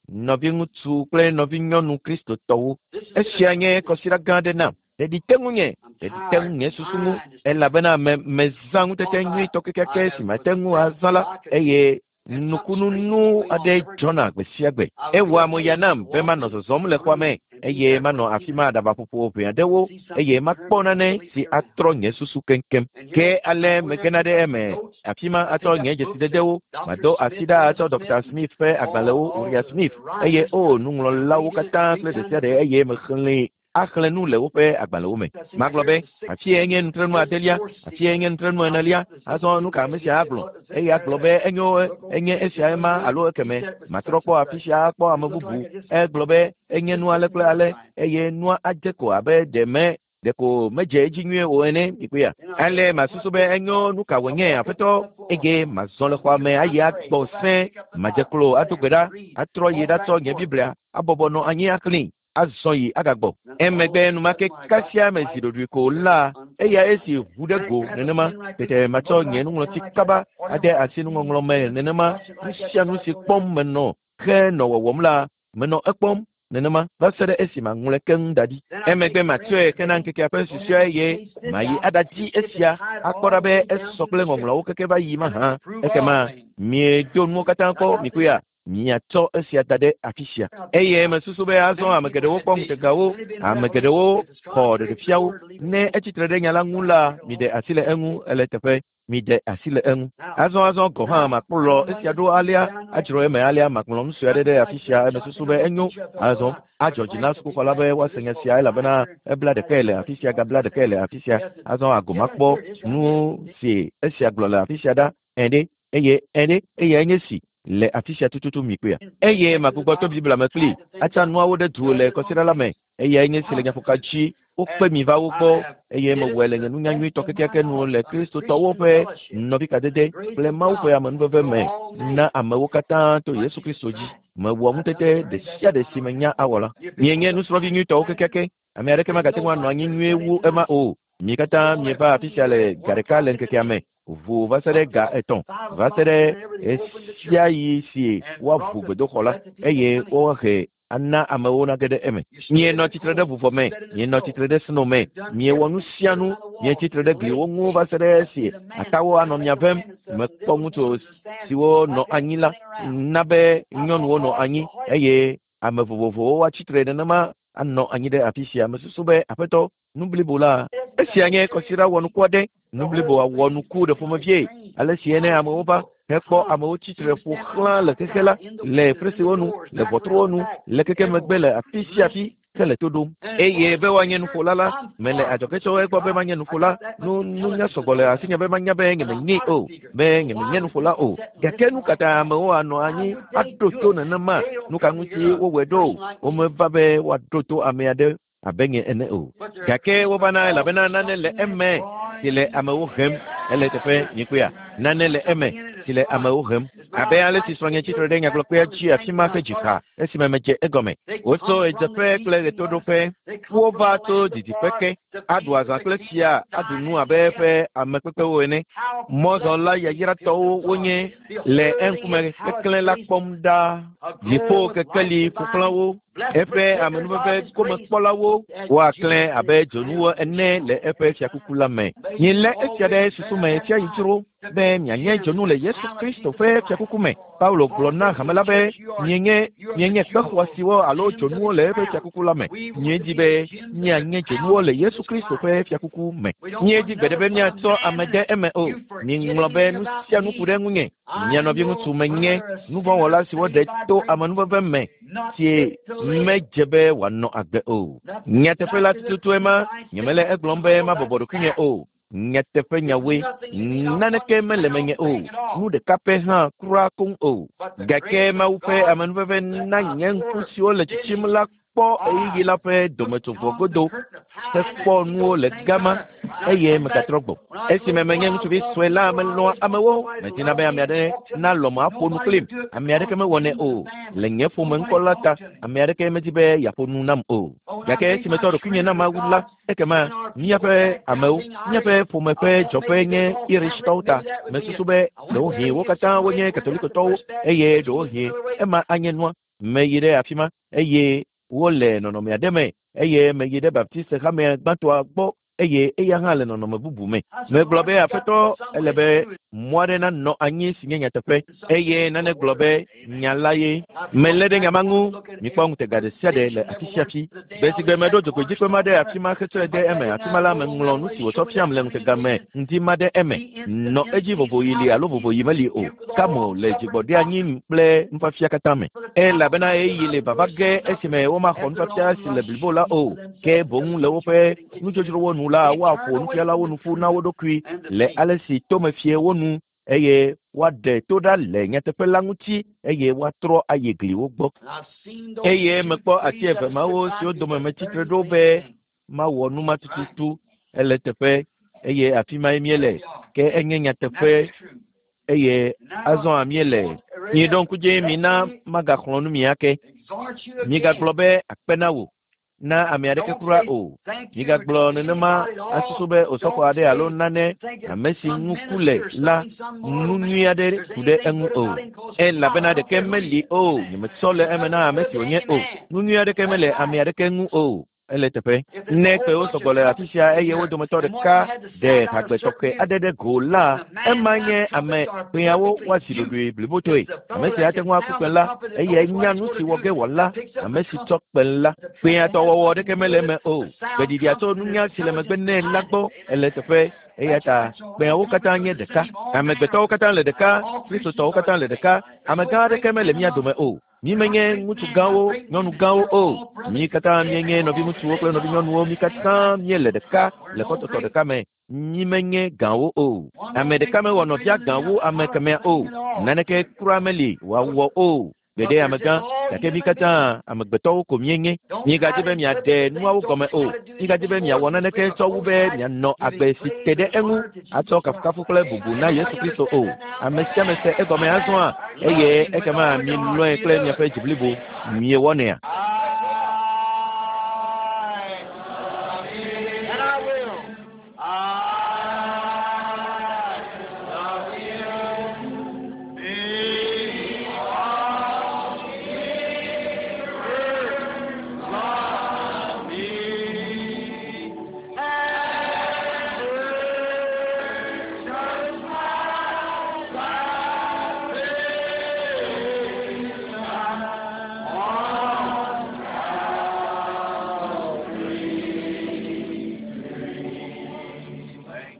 Nɔviŋutsu kple nɔvinyɔnu Kristotɔwo, esia nye kɔsiɖa gã aɖe nam. Ɖeɖi te ŋunye, ɖeɖi te ŋu nye susu ŋu, elabena me mezã ŋutete nyuitɔ kekeake si mate ŋu azã la eye Nukununu aɖe dzɔna gbe sia gbe. Ewɔa mo ya nam be manɔ zɔzɔm le xɔa me eye manɔ afi ma aɖabaƒoƒo ʋɛ aɖewo eye makpɔ nane si atrɔ nye susu keŋkeŋ. Ke ale megena ɖe eme afi ma atsɔ nye dzesidedewo, mado asi ɖa atsɔ Dr. Smith ƒe agbalẽwo, Uriah Smith, eye o nuŋlɔlawo katã kple ɖe sia ɖe eye mexlẽe axlẽ nu le woƒe agbalẽwo me. Magblɔ be, afie nye nutrenu adelia, afie nye nutrenu enelia, azɔ nu ka ame sia agblɔ? Eye agblɔ be enyo enye esia ema alo ekeme. Matrɔ kpɔ afi sia akpɔ ame bubu. Egblɔ be enye nu ale kple ale eye nua adze ko abe ɖe me ɖeko medze edzi nyuie o ene mikpɔea. Ale masusu be enyo nu ka wònye aƒetɔ eye mazɔ le xɔa me ayi agbɔ sẽ madze klo ado gbe ɖa atrɔ yi ɖatsɔ nye Biblia abɔbɔ nɔ anyi axlẽe azɔ yi agagbɔ. Emegbe enumake kasia me zi ɖoɖoe ko la eya esi ʋu ɖe go nenema tete matsɔ nye nuŋlɔti kaba ade asi nuŋɔŋlɔ me nenema nu sia nu si kpɔm menɔ henɔ wɔwɔm la menɔ ekpɔm nenema va se ɖe esi maŋlɔe keŋ da ɖi. Emegbe matsɔe hena ŋkekea ƒe susɔe eye mayi aɖadi esia akpɔ ɖa be esɔ kple ŋɔŋlɔawo keke va yi mahã. Ekema miedo nuwo katã kpɔ mikpɔea miatsɔ esia da ɖe afi sia. Eye mesusu be azɔ ame geɖewo kpɔ ŋutegawo, ame geɖewo xɔ ɖeɖefiawo. Ne etsitre ɖe nya la ŋu la, miɖe asi le eŋu ele teƒe. Miɖe asi le eŋu. Azɔ azɔ gɔ̃ hã makplɔ esia ɖo alea, adzro eme alea, magblɔ nu sue aɖe ɖe afi sia. Mesusu be enyo. Azɔ adzɔ dzi na sukuxɔ la be woase nya sia elabena ebla ɖekae le afi sia, gabla ɖekae le afi sia. Azɔ ago makpɔ nu si esia gblɔ le afi sia ɖa. Ɛ̃ ɖe, eye ɛ̃ ɖe, eyae nye si le afi sia tututu mikpɔea. Eye magbugbɔ to Biblia me kpli atsa nuawo ɖe du le kɔsiɖa la me. Eyae nye si le nyaƒoka dzi. Wokpe mi va wo gbɔ eye mewɔe le nye nunya nyuitɔ kekeake nu le Kristotɔwo ƒe nɔvikadede kple Mawu ƒe amenuveve me na amewo katã to Yesu Kristo dzi. Mewɔ ŋutete ɖe sia ɖe si menya awɔ la. Mienye nusrɔ̃vi nyuitɔwo kekeake. Ame aɖeke magate ŋu anɔ anyi nyuie wu ema o. Mi katã mieva afi sia le ga ɖeka le ŋkekea me ʋu va se ɖe ga etɔ̃ va se ɖe ɣesiaɣi si woaʋu gbedoxɔ la eye woahe ana amewo nage ɖe eme. Mienɔ tsitre ɖe vuvɔ me, mienɔ tsitre ɖe sno me, miewɔ nu sia nu, mietsitre ɖe gliwo ŋu va se ɖe esi atawo anɔ mia vem. Mekpɔ ŋutsu siwo nɔ anyi la na be nyɔnuwo nɔ anyi eye ame vovovowo woatsitre nenema anɔ anyi ɖe afi sia. Mesusu be aƒetɔ nu blibo la esia nye kɔsiɖa wɔnuku aɖe. Nu blibo wɔ nuku ɖe ƒomevie ale si ene amewo va hekpɔ amewo tsitre ƒo xlã le xexe la le fresiwo nu le ʋɔtruwo nu le keke megbe le afi sia afi hele to ɖom. Eye be woanye nuƒola la mele adzɔge tso egbɔ be manye nuƒola. Nu nunya sɔgbɔ le asinye be manya be nyemenye o be nyemenye nuƒola o. Gake nu katã amewo anɔ anyi aɖo to nenema nu ka ŋuti wowɔe ɖo? Womeva be woaɖo to ame aɖe abe nye ene o. Gake wovana elabena nane le eme si le amewo hem ele teƒe nyikpɔea. Nane le eme si le amewo hem. Abe ale si srɔ̃nye tsitre ɖe nyagblɔkpea dzi afi ma ƒe dzixa esime medze egɔme. Wotso ɣedzeƒe kple ɣetoɖoƒe. Wova tso didiƒe ke aɖu azã kple fia aɖu nu abe eƒe amekpekpewo ene. Mɔzɔla yayratɔwo wonye le eŋkume keklẽ la kpɔm ɖaa. Dziƒo kekeli ƒoxlã wo. Eƒe amenuveve gomekpɔlawo woaklẽ abe dzonuwo ene le eƒe fiakuku la me. Milé esia ɖe susu me sia yi dzro be mianye dzonu le Yesu Kristo ƒe fiakuku me. Paulo gblɔ na hame la be mienye mienye kpe xɔasiwo alo dzonuwo le eƒe fiakuku la me. Miedi be mianye dzonuwo le Yesu Kristo ƒe fiakuku me. Miedi gbeɖe be miatsɔ ame de eme o. Miŋlɔ be nu sia nu ku ɖe ŋunye. Mia nɔviŋutsu menye nuvɔ̃wɔla siwo ɖe to amenuveve me si medze be wòanɔ agbe o. Nyateƒe la tututue ma, nyemele egblɔm be mabɔbɔ ɖokuinye o. Nyateƒe nyawoe, naneke mele menye o, nu ɖeka pɛ hã kura koŋ o. Gake Mawu ƒe amenuveve na nye ŋku siwo le tsitsim la kpɔ ɣeyiɣi la ƒe dometsovɔ godo hekpɔ nuwo le gama eye megatrɔ gbɔ. Esime menye ŋutsuvi sue la, melɔ̃a amewo. Medina be ame aɖe nalɔ̃m aƒo nu kplim. Ame aɖeke mewɔnɛ o. Le nye ƒome ŋkɔ la ta, ame aɖeke medi be yeaƒo nu nam o. Gake esi metsɔ ɖokuinye na Mawu la, ekema míaƒe amewo, míaƒe ƒome ƒe dzɔƒe nye Irishtɔwo ta. Mesusu be ɖewohĩ wo katã wonye Katolikotɔwo eye ɖewohĩ ema anye nua. Meyi ɖe afi ma eye wole nɔnɔme aɖe me eye meyi ɖe Baptist hamea gbãtɔa gbɔ. eye eya hã le nɔnɔme bubu me. Megblɔ be, Aƒetɔ, ele be mɔ aɖe nanɔ anyi si nye nyateƒe, eye nane gblɔ be nya la ye. Melé ɖe nya ma ŋu. Mikpɔ ŋutega ɖe sia ɖe le afi sia afi. Gbe si gbe meɖo dzogoedzikpe ma ɖe afi ma hetsɔe de eme, afi ma la meŋlɔ nu si wòtsɔ fiam le ŋutega me ŋdi ma ɖe eme. Nɔ edzi vovoɣi li alo vovoɣi meli o. Ka mo le dzigbɔɖeanyi kple nufiafia katã me. Elabena ɣeyiɣi le vava ge esime womaxɔ nufiafia si le blibo la o, ke boŋ le woƒe nudzodzrowo nu la, woaƒo nufialawo nu ƒu na wo ɖokui le ale si tome fie wo nu, eye woaɖe to ɖa le nyateƒe la ŋuti, eye woatrɔ ayi gliwo gbɔ. Eye mekpɔ ati eve mawo siwo dome metsi tre ɖo be mawɔ nu ma tututu. Ele teƒe, eye afi mae míele, ke enye nyateƒe, eye azɔ míele. Miɖo ŋku dzi, mina magaxlɔ̃ nu mi ake. Migagblɔ be akpe na wò na ame aɖeke kura o. Migagblɔ nenema asusu be osɔfo aɖe alo nane ame si ŋu ku le la nu nyui aɖe ku ɖe eŋu o. Elabena ɖeke meli o, nyemetsɔ le eme na ame si wònye o. Nu nyui aɖeke mele ame aɖeke ŋu o. Ele teƒe. Ne kpewo sɔgbɔ le afi sia eye wo dometɔ ɖeka ɖe hagbe tɔxɛ aɖe ɖe go la, ema nye ame kpeawo woazi ɖoɖoe blibotɔe. Ame si ate ŋu aku kpẽ la, eye nya nu si wɔ ge wòala, ame si tsɔ kpẽ la. Kpẽa tɔ wɔwɔ ɖeke mele eme o. Gbeɖiɖia tso nunya si le megbe nɛ la gbɔ. Ele teƒe. Eya ta kpẽawo katã nye ɖeka. Amegbetɔwo katã le ɖeka. Kristotɔwo katã le ɖeka. Amegã aɖeke mele mía dome o. Mi menye ŋutsu gãwo, nyɔnu gãwo o. Mi katã míenye nɔviŋutsuwo kple nɔvinyɔnuwo. Mi katã míele ɖeka le kɔtɔtɔ ɖeka me. Mi menye gãwo o. Ame ɖeka mewɔ nɔvia gã wu ame kemɛa o. Naneke kura meli wòawɔ o. Gbeɖe amegã, gake mi katã amegbetɔwo ko míenye. Migadzi be miaɖe nuawo gɔme o. Migadzi be miawɔ naneke tsɔ wu be mianɔ agbe si te ɖe eŋu atsɔ kafukafu kple bubu na Yesu Kristo o. Ame sia ame se egɔme azɔa, eye ekema milɔ̃e kple miaƒe dzi blibo. Miewɔnɛa? And I will. I love him because he first loved me and purchased my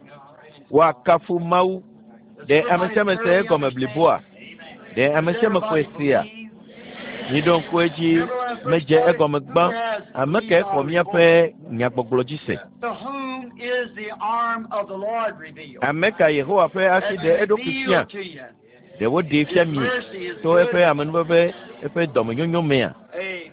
salvation on Woakafu Mawu. Ɖe ame sia ame se egɔme bliboa? Ɖe ame sia ame xɔe sea? Miɖo ŋku edzi, medze egɔme gbã. Ame kae xɔ míaƒe nyagbɔgblɔ dzi se? To whom is the arm of the Lord revealed? Ame ka Yehowa ƒe asi ɖe eɖokui fia? Revealed to you. Ɖe woɖee fia mi to eƒe amenuveve, eƒe dɔmenyonyo mea? Amen.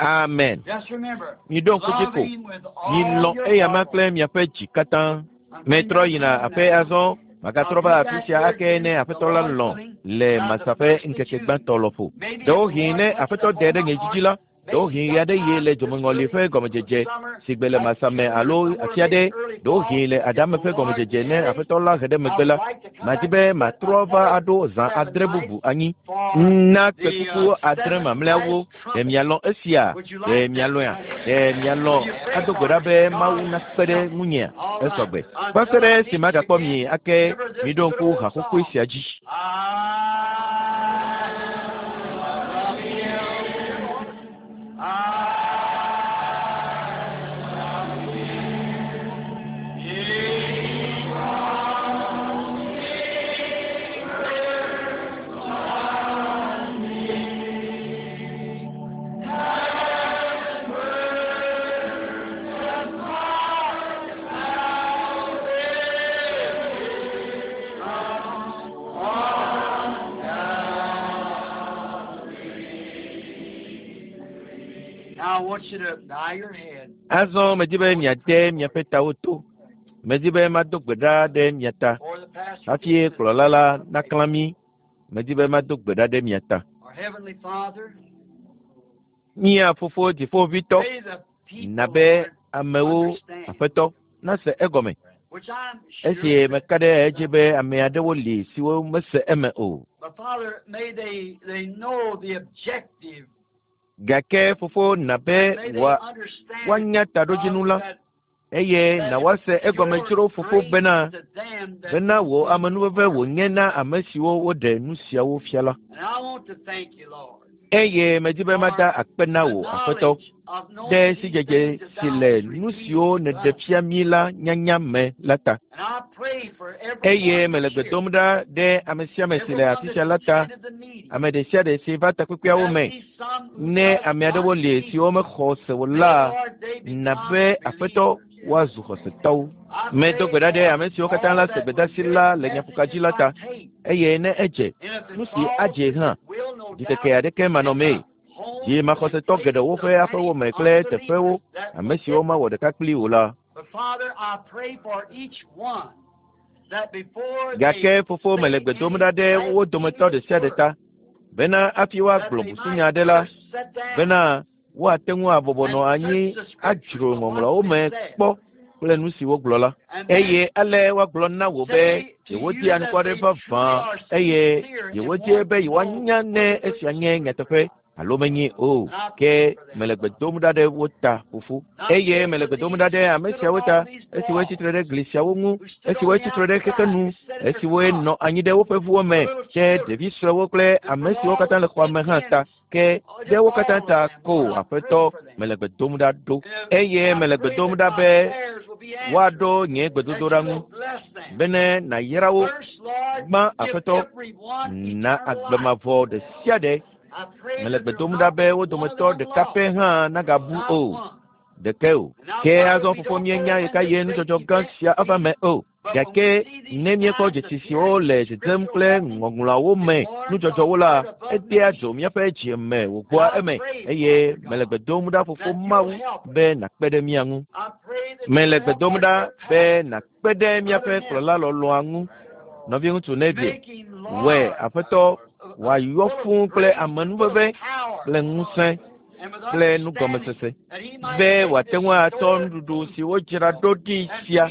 Amen. Just remember, Miɖo ŋku dzi ko. love him with all Milɔ̃ your eyama heart. kple miaƒe dzi katã. Metrɔ yina aƒe azɔ. Magatrɔ va afi sia ake ne Aƒetɔ la lɔ̃ le Masa ƒe ŋkeke gbãtɔ lɔƒo. Ɖewohĩ ne Aƒetɔ de ɖe nye dzidzi la, ɖewohĩ ɣe aɖe ɣi le dzomeŋɔli ƒe gɔmedzedze si gbe le Masa me alo afi aɖe, ɖewohĩ le Adame ƒe gɔmedzedze ne Aƒetɔ la he ɖe megbe la, madi be matrɔ va aɖo zã adre bubu anyi na kpẽkuku adre mamlɛawo. Ɖe mialɔ̃ esia? Ɖe mialɔ̃ea? Ɖe mialɔ̃ ado gbe ɖa be Mawu nakpe ɖe ŋunyea? Esɔgbe. Va se ɖe esi magakpɔ mi ake, miɖo ŋku haxoxoe sia dzi. I love him. I love him. Because he first loved me and purchased my salvation on Calvary. Now I want you to bow your head. Azɔ medi be miade miaƒe tawo to. Medi be mado gbe ɖa ɖe mia ta. Before the pastor Hafi gets to kplɔla la naklã mí, medi be mado gbe ɖa ɖe mia ta. Our Heavenly Father, Mía Fofo Dziƒoʋĩtɔ, may the people, na be Lord, amewo, understand, Aƒetɔ, nase egɔme. which I'm sure Esi meka ɖe edzi be ame aɖewo li siwo mese eme o. But Father, may they know the objective. Gake Fofo na be May they wa understand, woanya taɖodzinu la. Father, that Eye na woase egɔme dzro Fofo bena, bena wò amenuveve wònye na ame siwo woɖe nu siawo fia la. Eye medi be mada akpe na wò, Aƒetɔ, ɖe sidzedze si le nu siwo nèɖe fia mí la nyanya me la ta. Eye mele gbe dom ɖa ɖe ame sia ame si le afi sia la ta, ame ɖe sia ɖe si va takpekpeawo me. Ne ame aɖewo li siwo mexɔ se o la, na be Aƒetɔ woazu xɔsetɔwo. Medo gbe ɖa ɖe ame siwo katã la se gbedasi la le nyaƒoka dzi la ta, eye ne edze, nu si adze hã, ɖikeke aɖeke manɔmee. Yi maxɔsetɔ geɖewo ƒe aƒewo me kple teƒewo, ame siwo mawɔ ɖeka kpli o la. Gake Fofo mele gbe dom ɖa ɖe wo dometɔ ɖe sia ɖe ta, bena hafi woagblɔ busunya aɖe la, bena woate ŋu abɔbɔ nɔ anyi adzro ŋɔŋlɔawo me kpɔ kple nu si wogblɔ la. Eye ale woagblɔ na wò be yewodi anukware vavã eye yewodie be yewoanya ne esia nye nyateƒe alo menye o. Ke mele gbe dom ɖa ɖe wo ta, Fofo. Eye mele gbe dom ɖa ɖe ame siawo ta, esiwoe tsitre ɖe gli siawo ŋu, esiwoe tsitre ɖe xexe nu, esiwoe nɔ anyi ɖe woƒe ʋuwo me, ke ɖevi suewo kple ame siwo katã le xɔa me hã ta. Ke ɖe wo katã ta ko, Aƒetɔ, mele gbe dom ɖa ɖo. Eye mele gbe dom ɖa be woaɖo nye gbedodoɖa ŋu, bene nàyra wo. Gbã, Aƒetɔ, na agbe mavɔ ɖe sia ɖe. Mele gbe dom ɖa be wo dometɔ ɖeka pɛ hã nagabu o, ɖeke o. Ke azɔ, Fofo, míenya ɣekaɣie nudzɔdzɔ gã sia ava me o. Gake ne míekpɔ dzesi siwo le dzedzem kple ŋɔŋlɔawo me nudzɔdzɔwo la, edea dzo míaƒe dzi me wògbɔa eme. Eye mele gbe dom ɖa, Fofo Mawu, be nàkpe ɖe mía ŋu. Mele gbe dom ɖa be nàkpe ɖe míaƒe kplɔla lɔlɔ̃a ŋu, nɔviŋutsu Neville. Wɔe, Aƒetɔ, wòayɔ fũu kple amenuveve kple ŋusẽ kple nugɔmesese be wòate ŋu atsɔ nuɖuɖu si wodzra ɖo ɖi sia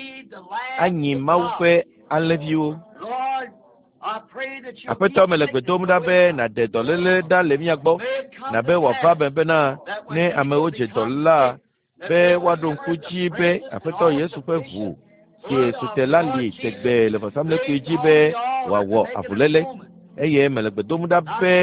anyi Mawu ƒe alẽviwo. Aƒetɔ, mele gbe dom ɖa be nàɖe dɔléle ɖa le mía gbɔ, na be wòava eme bena ne amewo dze dɔ la, be woaɖo ŋku dzi be Aƒetɔ Yesu ƒe ʋu si su te la li tegbee le vɔsamlekpui dzi be wòawɔ avuléle. Eye mele gbe dom ɖa be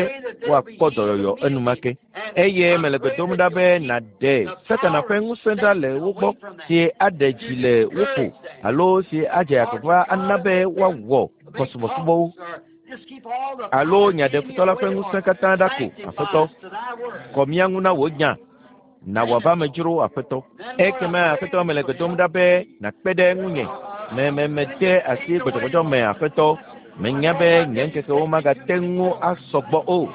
woakpɔ dɔyɔyɔ enumake. Eye mele gbe dom ɖa be nàɖe Satana ƒe ŋusẽ ɖa le wo gbɔ, si aɖe dzi le wo ƒo alo si adze agbagba ana be woawɔ kɔsubɔsubɔwo alo nya ɖe futɔ la ƒe ŋusẽ katã ɖa ko. Aƒetɔ, kɔ mía ŋu na wò nya. Na wòava me dzro, Aƒetɔ. Ekema, Aƒetɔ, mele gbe dom ɖa be nàkpe ɖe ŋunye. Me, me, mede asi gbɔdzɔgbɔdzɔ me, Aƒetɔ. Menya be nye ŋkekewo magate ŋu asɔ gbɔ o.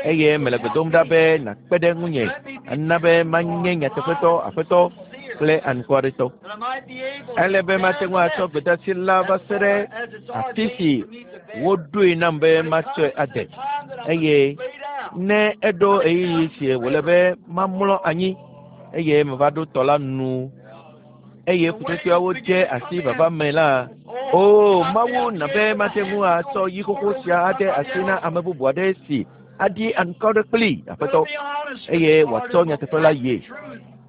Eye mele gbe dom ɖa be nàkpe ɖe ŋunye, ana be manye nyateƒetɔ, Aƒetɔ, kple anukwaretɔ. Ele be mate ŋu atsɔ gbedasi la va se ɖe afi si woɖoe nam be matsɔe ade. Eye ne eɖo ɣeyiɣi si wòle be mamlɔ anyi, eye meva ɖo tɔ la nu, eye ƒutsotsoeawo dze asi vava me la, o Mawu, na be mate ŋu atsɔ yi xoxo sia ade asi na ame bubu aɖe si aɖi anukware kplii, Aƒetɔ, eye wòatsɔ nyateƒe la yie.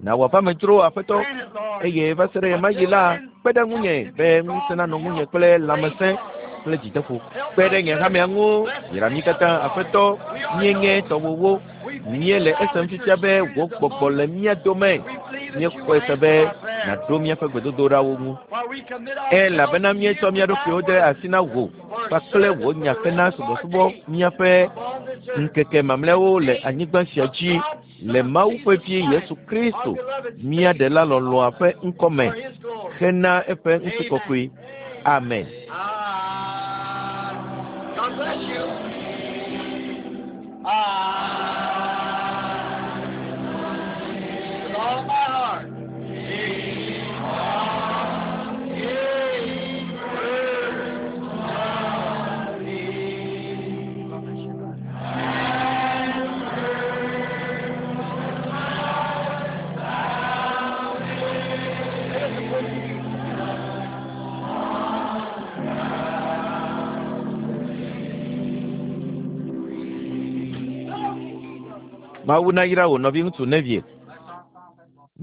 Na wòava me dzro, Aƒetɔ, eye va se ɖe ɣemaɣi la, kpe ɖe ŋunye be ŋusẽ nanɔ ŋunye kple lãmesẽ kple dzideƒo. Kpe ɖe nye hamea ŋu, yra mí katã, Aƒetɔ, míenye tɔwòwo. Míele esem fifia be wò gbɔgbɔ le mía dome. Míexɔe se be nàɖo míaƒe gbedodoɖawo ŋu. Elabena míetsɔ mía ɖokuiwo de asi na wò kpakple wò nya hena subɔsubɔ míaƒe ŋkeke mamlɛawo le anyigba sia dzi le Mawu ƒe Vi Yesu Kristo, mía Ɖela lɔlɔ̃a ƒe ŋkɔ me hena eƒe ŋutikɔkɔe. Amen. God bless you. With all my heart. God bless you, brother. Mawu nayra wò nɔviŋutsu Neville.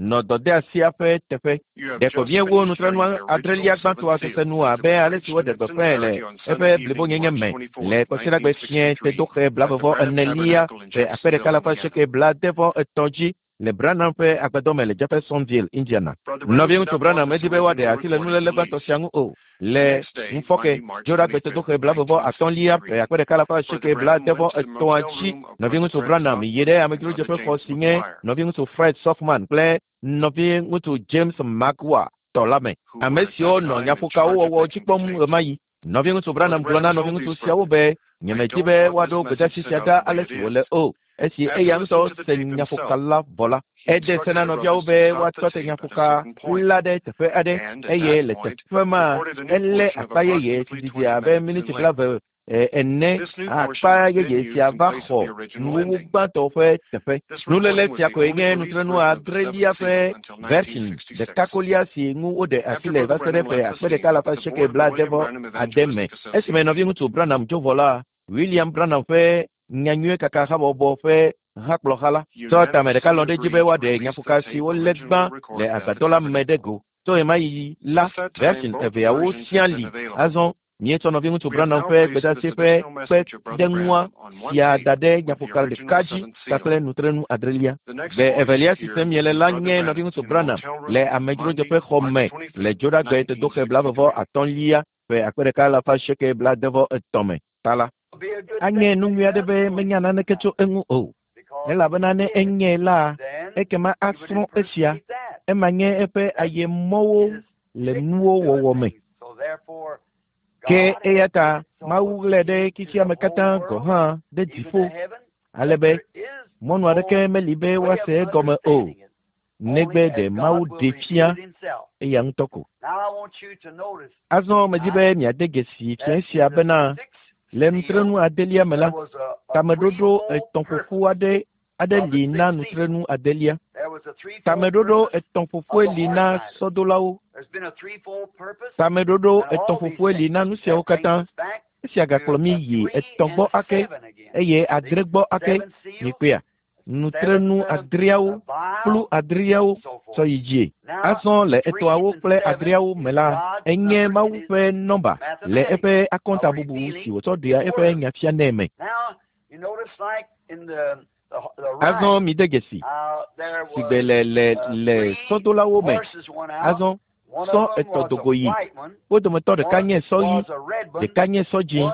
Nɔ dɔdeasia ƒe teƒe. Ɖeko míewu nutrenu adrelia gbãtɔa sese nu abe ale si woɖe gbeƒãe le eƒe blibonyenye me le Kɔsiɖagbe fiẽ tedoxe 44 ƒe 1883 dzi le Branham ƒe agbadɔ me le Jeffersonville, Indiana. Nɔviŋutsu Branham medi be woaɖe asi le nuléle gbãtɔ sia ŋu o. Le ŋufɔke, Dzoɖagbe tedoxe 33 ƒe 1883 dzi, nɔviŋutsu Branham yi ɖe amedzrodzeƒe xɔ si nye nɔviŋutsu Fred Sothmann kple nɔviŋutsu James Maguire tɔ la me, ame siwo nɔ nyaƒokawo wɔwɔ dzi kpɔm ɣemaɣi. Nɔviŋutsu Branham gblɔ na nɔviŋutsu siawo be, Nyemedi be woaɖo gbedeasi sia ɖa ale si wòle o. Esi eya ŋutɔ se nyaƒoka la vɔ la, ede se na nɔviawo be woatɔ te nyaƒoka la ɖe teƒe aɖe, eye le teƒe ma elé akpa yeye si didi abe miniti 20 ene. Akpa yeye sia va xɔ nuwuwu gbãtɔ ƒe teƒe. Nuléle sia koe nye nutrenu adrelia ƒe version ɖeka kolia si ŋu woɖe asi le va se ɖe ƒe 1886 me. Esime nɔviŋutsu Branham dzo vɔ la, William Branham ƒe Nyanyuie Kaka Habɔbɔ ƒe hakplɔha la tsɔ tame ɖeka lɔ̃ ɖe edzi be woaɖe nyaƒoka si wolé gbã le agbadɔ la me ɖe go. Tso ɣemaɣi la, version eveawo siaa li. Azɔ míetsɔ nɔviŋutsu Branham ƒe gbedeasi ƒe kpeɖeŋua sia da ɖe nyaƒoka ɖeka dzi kpakple nutrenu adrelia. Gbe evelia si sem miele la nye nɔviŋutsu Branham le amedzrodzeƒe xɔ me le Dzoɖagbe tedoxe 33 ƒe 1883 me ta la. Anye nu nyui aɖe be menya naneke tso eŋu o, elabena ne enyae la, ekema asrɔ̃ esia. Ema nye eƒe ayemɔwo le nuwo wɔwɔ me. Ke eya ta Mawu ɣlae ɖe xexeame katã gɔ̃ hã ɖe dziƒo, ale be mɔnu aɖeke meli be woase egɔme o, negbe ɖe Mawu ɖee fia eya ŋutɔ ko. Azɔ medi be miade dzesi fiẽ sia bena le nutrenu adelia me la, tameɖoɖo etɔ̃ ƒoƒu aɖe aɖe li na nutrenu adelia. Tameɖoɖo etɔ̃ ƒoƒue li na sɔdolawo. Tameɖoɖo etɔ̃ ƒoƒue li na nu siawo katã. Esia gakplɔ mí yi etɔ̃ gbɔ ake eye adre gbɔ ake. Mikpɔea? Nutrenu adreawo, kplu adreawo sɔ yi dzie. Azɔ le etɔ̃awo kple adreawo me la, enye Mawu ƒe nɔmba le eƒe akɔntabubu si wòtsɔ ɖea eƒe nya fianɛ me. Azɔ mide dzesi, sigbe le le le sɔdolawo me. Azɔ sɔ etɔ̃ do go yi. Wo dometɔ ɖeka nye sɔ ɣi, ɖeka nye sɔ dzĩ,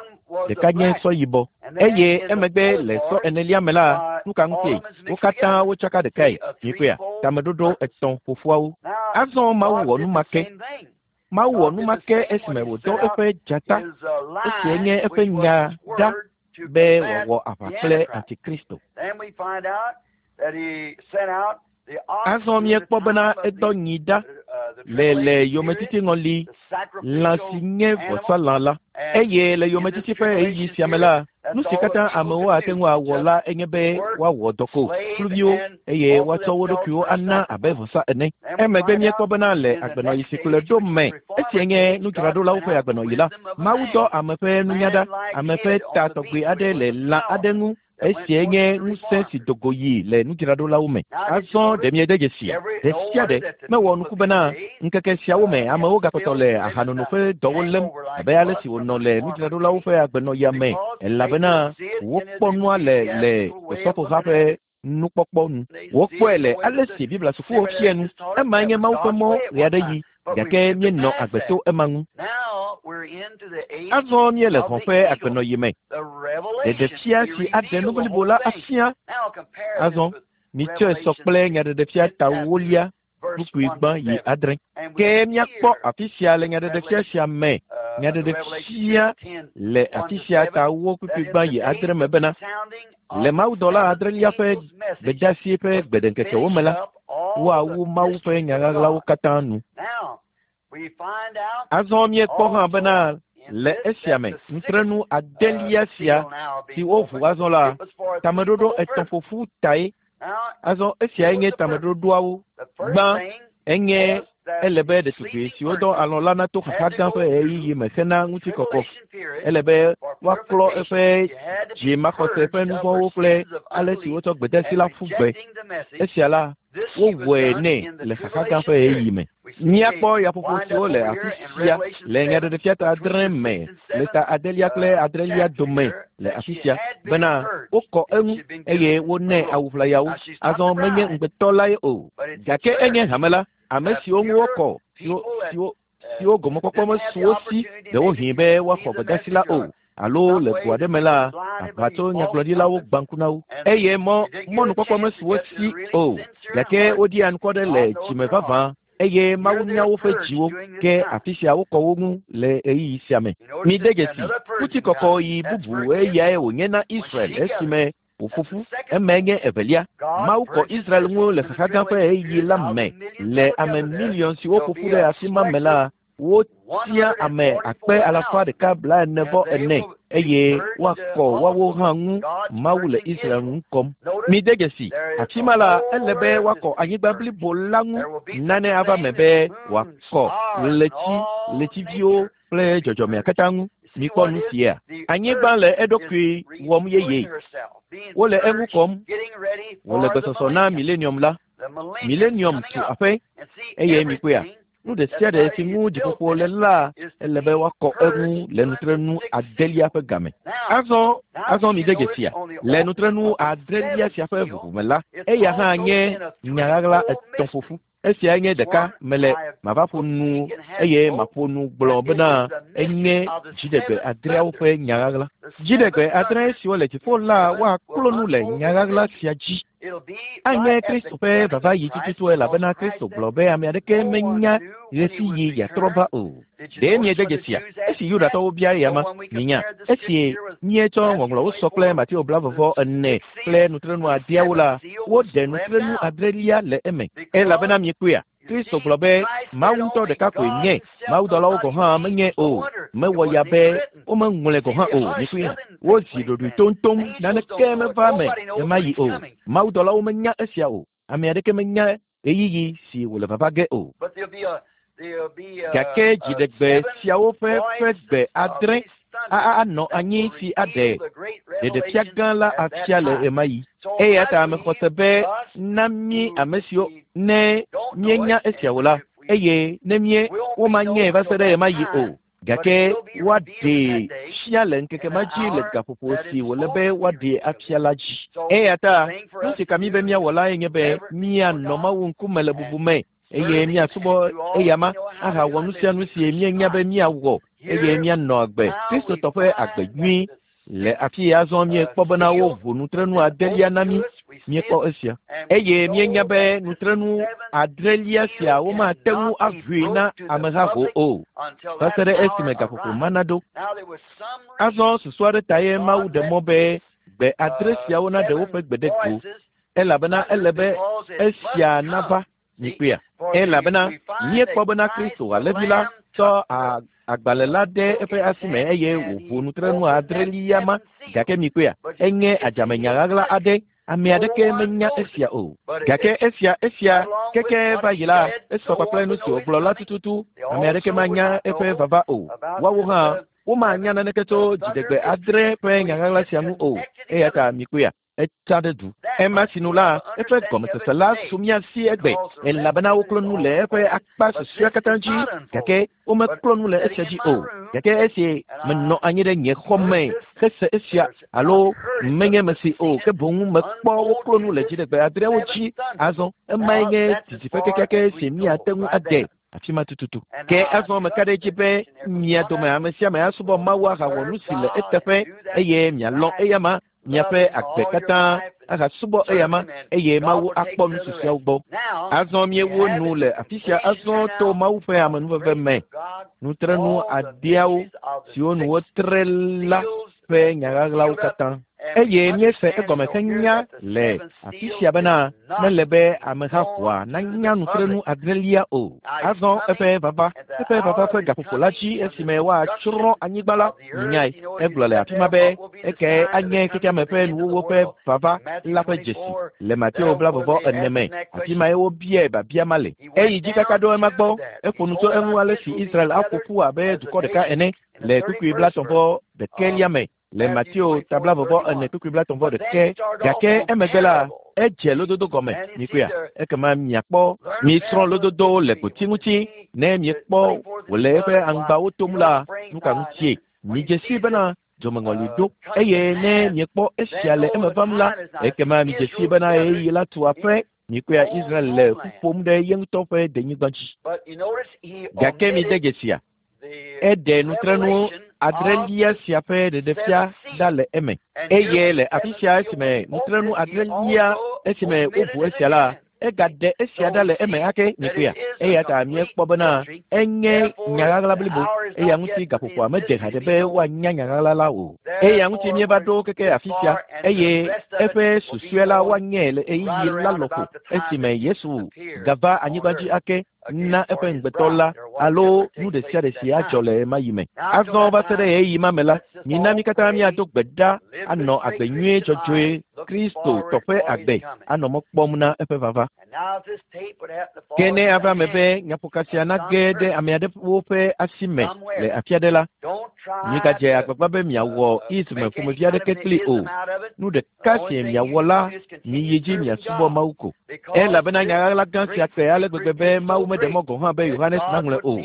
ɖeka nye sɔ yibɔ. Eye emegbe le sɔ enelia me la, nu ka ŋutie? Wo katã wotsaka ɖekae. Mikpɔea? Tameɖoɖo etɔ̃ ƒoƒuawo. Azɔ Mawu wɔ nu ma ke. Mawu wɔ nu ma ke esime wòdɔ eƒe dzata, esiae nye eƒe nya ɖa be wòawɔ aʋa kple Antikristo. Azɔ míekpɔ bena edɔ nyi ɖa le le yometiti ŋɔli, lã si nye vɔsalã la. Eye le yometiti ƒe ɣeyiɣi sia me la, nu si katã amewo ate ŋu awɔ la enye be woawɔ dɔ ko, kluviwo, eye woatsɔ wo ɖokuiwo ana abe vɔsa ene. Emegbe míekpɔ bena le agbenɔɣi si kplɔe ɖo me, esia nye nudzraɖolawo ƒe agbenɔɣi la, Mawu dɔ ame ƒe nunya ɖa, ame ƒe ta tɔgbi aɖe le lã aɖe ŋu. Esiae nye ŋusẽ si do go yi le nudzraɖolawo me. Azɔ ɖe miede dzesia? Ɖe sia ɖe mewɔ nuku bena ŋkeke siawo me amewo gakpɔtɔ le ahanono ƒe dɔwo lém abe ale si wònɔ le nudzraɖolawo ƒe agbenɔɣia me, elabena wokpɔ nua le le osɔfoha ƒe nukpɔkpɔ nu. Wokpɔe le ale si Biblia sukuwo fia nu. Emae nye Mawu ƒe mɔ ɣeaɖeɣi, gake míenɔ agbe to ema ŋu. Azɔ míele hɔ̃ ƒe agbenɔɣi me. Ɖeɖefia si aɖe nu blibo la afia. Azɔ mitsɔe sɔ kple Nyaɖeɖefia ta ewolia kpukpui gbã yi adre. Ke míakpɔ afi sia le Nyaɖeɖefia sia me, Nyaɖeɖefia le afi sia ta ewo kpukpui gbã yi adre me bena, le mawudɔla adrelia ƒe gbedeasi ƒe gbeɖeŋkekewo me la, woawu Mawu ƒe nya ɣaɣlawo katã nu. Azɔ míekpɔ hã bena le esia me, nutrenu adelia sia si woʋu azɔ la, tameɖoɖo etɔ̃ ƒoƒu tae. Azɔ esiae nye tameɖoɖoawo. Gbã, enye Ele be ɖetugbui siwo dɔ alɔ̃ la nato xaxa gã ƒe ɣeyiɣi me hena ŋutikɔkɔ. Ele be woaklɔ eƒe dzimaxɔse ƒe nu vɔ̃wo kple ale si wotsɔ gbedeasi la ƒu gbe. Esia la, wowɔe nɛ le xaxa gã ƒe ɣeyiɣi me. Míakpɔ yaƒoƒo siwo le afi sia le Nyaɖeɖefia ta adre me le ta adelia kple adrelia dome le afi sia bena wokɔ eŋu eye wonɛ awu ʋlayawo. Azɔ menye ŋugbetɔ lae o, gake enye hame la, ame siwo ŋu wokɔ, siwo, siwo, siwo gɔmekpɔkpɔ mesu wo si ɖewohĩ be woaxɔ gbedeasi la o, alo le go aɖe me la, aʋatsonyagblɔɖilawo gbã ŋku na wo, eye mɔ, mɔnukpɔkpɔ mesu wo si o, gake woɖi anukware le dzime vavã, eye Mawu nya woƒe dziwo, ke afi sia wokɔ wo ŋu le ɣeyiɣi sia me. Mide dzesi, ŋutikɔkɔ yi bubu eyae wònye na Israel esime wòƒo ƒu. Emae nye evelia. Mawu kɔ Israel ŋu le xaxa gã ƒe ɣeyiɣi la me. Le ame miliɔn siwo ƒo ƒu ɖe afi ma me la, wotia ame 144,000 eye woakɔ woawo hã ŋu. Mawu le Israel ŋu kɔm. Mide dzesi, afi ma la, ele be woakɔ anyigba blibo la ŋu. Nane ava eme be wòakɔ ɣleti, ɣletiviwo kple dzɔdzɔmea katã ŋu. Mikpɔ nu sia. Anyigba le eɖokui wɔm yeye. Wole eŋu kɔm. Wòle gbesɔsɔ na milenium la. Milenium tu aƒe eye mikpɔea, nu ɖe sia ɖe si ŋu dziƒoƒo le la, ele be woakɔ eŋu le nutrenu adelia ƒe game. Azɔ, azɔ mide dzesia, le nutrenu adrelia sia ƒe ʋuʋu me la, eya hã nye nya ɣaɣla etɔ̃ ƒoƒu. Esiae nye ɖeka mele mava ƒo nu eye maƒo nu gblɔ bena enye dziɖegbe adreawo ƒe nya ɣaɣla. Dziɖegbe adre siwo le dziƒo la woaklo nu le nya ɣaɣla sia dzi. Anye Kristo ƒe vava yi tututu elabena Kristo gblɔ be ame aɖeke menya ɣesiɣi yeatrɔ va o. Ɖe miede dzesia? Esi Yudatɔwo bia eyama, minya, esi míetsɔ Ŋɔŋlɔwo sɔ kple Mateo blaeve-vɔ ene kple nutrenu adeawo la, woɖe nutrenu adrelia le eme. Elabena miekpɔea? Kristo gblɔ be Mawu ŋutɔ ɖeka koe nye, mawudɔlawo gɔ̃ hã menye o. Mewɔ ya be womeŋlɔe gɔ̃ hã o. Mikpɔea? Wozi ɖoɖoe toŋtoŋ, naneke meva eme ɣemaɣi o. Mawudɔlawo menya esia o. Ame aɖeke menya ɣeyiɣi si wòle vava ge o. Gake dziɖegbe siawo ƒe ƒe gbe adre anɔ anyi si aɖe ɖeɖefia gã la afia le ɣemaɣi. Eya ta mexɔ se be na mí ame siwo ne míenya esia o la, eye ne mí womanyae va se ɖe ɣemaɣi o, gake woaɖee fia le ŋkeke ma dzi le gaƒoƒo si wòle be woaɖee afia la dzi. Eya ta nu si ka mí be míawɔ lae nye be míanɔ Mawu ŋkume le bubu me eye míasubɔ eyama ahawɔ nu sia nu si míenya be míawɔ eye míanɔ agbe Kristotɔ ƒe agbe nyui. Le afi ya azɔ míekpɔ bena woʋu nutrenu adelia na mí. Míekpɔ esia. Eye míenya be nutrenu adrelia sia womate ŋu aʋui na amehaho o, va se ɖe esime gaƒoƒo ma naɖo. Azɔ susu aɖe tae Mawu ɖe mɔ be gbe adre siawo naɖe woƒe gbe ɖe go, elabena ele be esia nava. Mikpɔea? Elabena míekpɔ bena Kristo, Alẽvi la, tsɔ agbalẽ la de eƒe asi me eye wòʋu nutrenu adrelia ma. Gake mikpɔea? Enye adzamenya ɣaɣla aɖe. Ame aɖeke menya esia o. Gake esia, esia keke va yi la, esɔ kpakple nu si wògblɔ la tututu. Ame aɖeke manya eƒe vava o. Woawo hã womanya naneke tso dziɖegbe adre ƒe nya ɣaɣla sia ŋu o. Eya ta mikpɔea? Etsa ɖe du. Ema sinu la, eƒe gɔmesese la su mía si egbe, elabena woklɔ nu le eƒe akpa susɔea katã dzi, gake womeklɔ nu le esia dzi o. Gake esi menɔ anyi ɖe nye xɔ me hese esia, alo menye mesi o, ke boŋ mekpɔ woklɔ nu le dziɖegbe adreawo dzi azɔ, emae nye didiƒe kekeake si míate ŋu ade. Afi ma tututu. Ke azɔ meka ɖe edzi be mia dome ame sia ame asubɔ Mawu ahawɔ nu si le eteƒe, eye mialɔ̃ eyama miaƒe agbe katã ahasubɔ eyama, eye Mawu akpɔ nu susɔeawo gbɔ. Azɔ míewu nu le afi sia azɔ to Mawu ƒe amenuveve me. Nutrenu adeawo siwo nu wotre la ƒe nya ɣaɣlawo katã. Eye míese egɔme henya le afi sia bena mele be ameha ʋɔa nanya nutrenu adrelia o. Azɔ eƒe vava, eƒe vava ƒe gaƒoƒo la dzi esime woatsrɔ̃ anyigba la, minyae. Egblɔ le afi ma be ekae anye xexeame ƒe nuwuwu ƒe vava la ƒe dzesi le Mateo 24 me. Afi mae wobiae biabia ma le. Eyi dzi kaka ɖo ema gbɔ. Eƒo nu tso eŋu ale si Israel aƒo ƒu abe dukɔ ɖeka ene le kpukpui 31 me le Mateo ta 24 kpukpui 31. Gake emegbe la, edze lododo gɔme. Mikpɔea? Ekema miakpɔ, misrɔ̃ lododowo le gboti ŋuti. Ne miekpɔ wòle eƒe aŋgbawo tom la, nu ka ŋutie? Midze sii bena dzomeŋɔli ɖo, eye ne miekpɔ esia le eme vam la, ekema midze sii bena ɣeyiɣi la tu aƒe. Mikpɔea, Israel le ƒu ƒom ɖe ye ŋutɔ ƒe denyigba dzi. Gake mide dzesia, eɖe nutrenu adrelia sia ƒe ɖeɖefia ɖa le eme. Eye le afi sia esime nutrenu adrelia, esime woʋu esia la, egaɖe esia ɖa le eme ake. Mikpɔea? Eya ta míekpɔ bena enye nyaɣaɣla blibo. Eya ŋuti gaƒoƒoa mede haɖe be woanya nyaɣaɣla la o. Eya ŋuti míeva ɖo keke afi sia, eye eƒe susɔe la woanyɛ le ɣeyiɣi la lɔƒo esime Yesu gava anyigba dzi ake na eƒe ŋugbetɔ la alo nu ɖe sia ɖe si adzɔ le ɣemaɣi me. Azɔ va se ɖe ɣeyiɣi ma me la, mina mí katã míado gbe ɖa anɔ agbe nyuie dzɔdzɔe, Kristo tɔ ƒe agbe anɔ mɔ kpɔm na eƒe vava. Ke ne ava eme be nyaƒoka sia nage ɖe ame aɖewo ƒe asi me le afi aɖe la, migadze agbagba be miawɔ ism ƒomevi aɖeke kplii o. Nu ɖeka si miawɔ la, miyi dzi miasubɔ Mawu ko. Elabena nya ɣaɣla gã sia kpe ale gbegbe be Mawu meɖe mɔ gɔ̃ hã be Yohanes naŋlɔe o.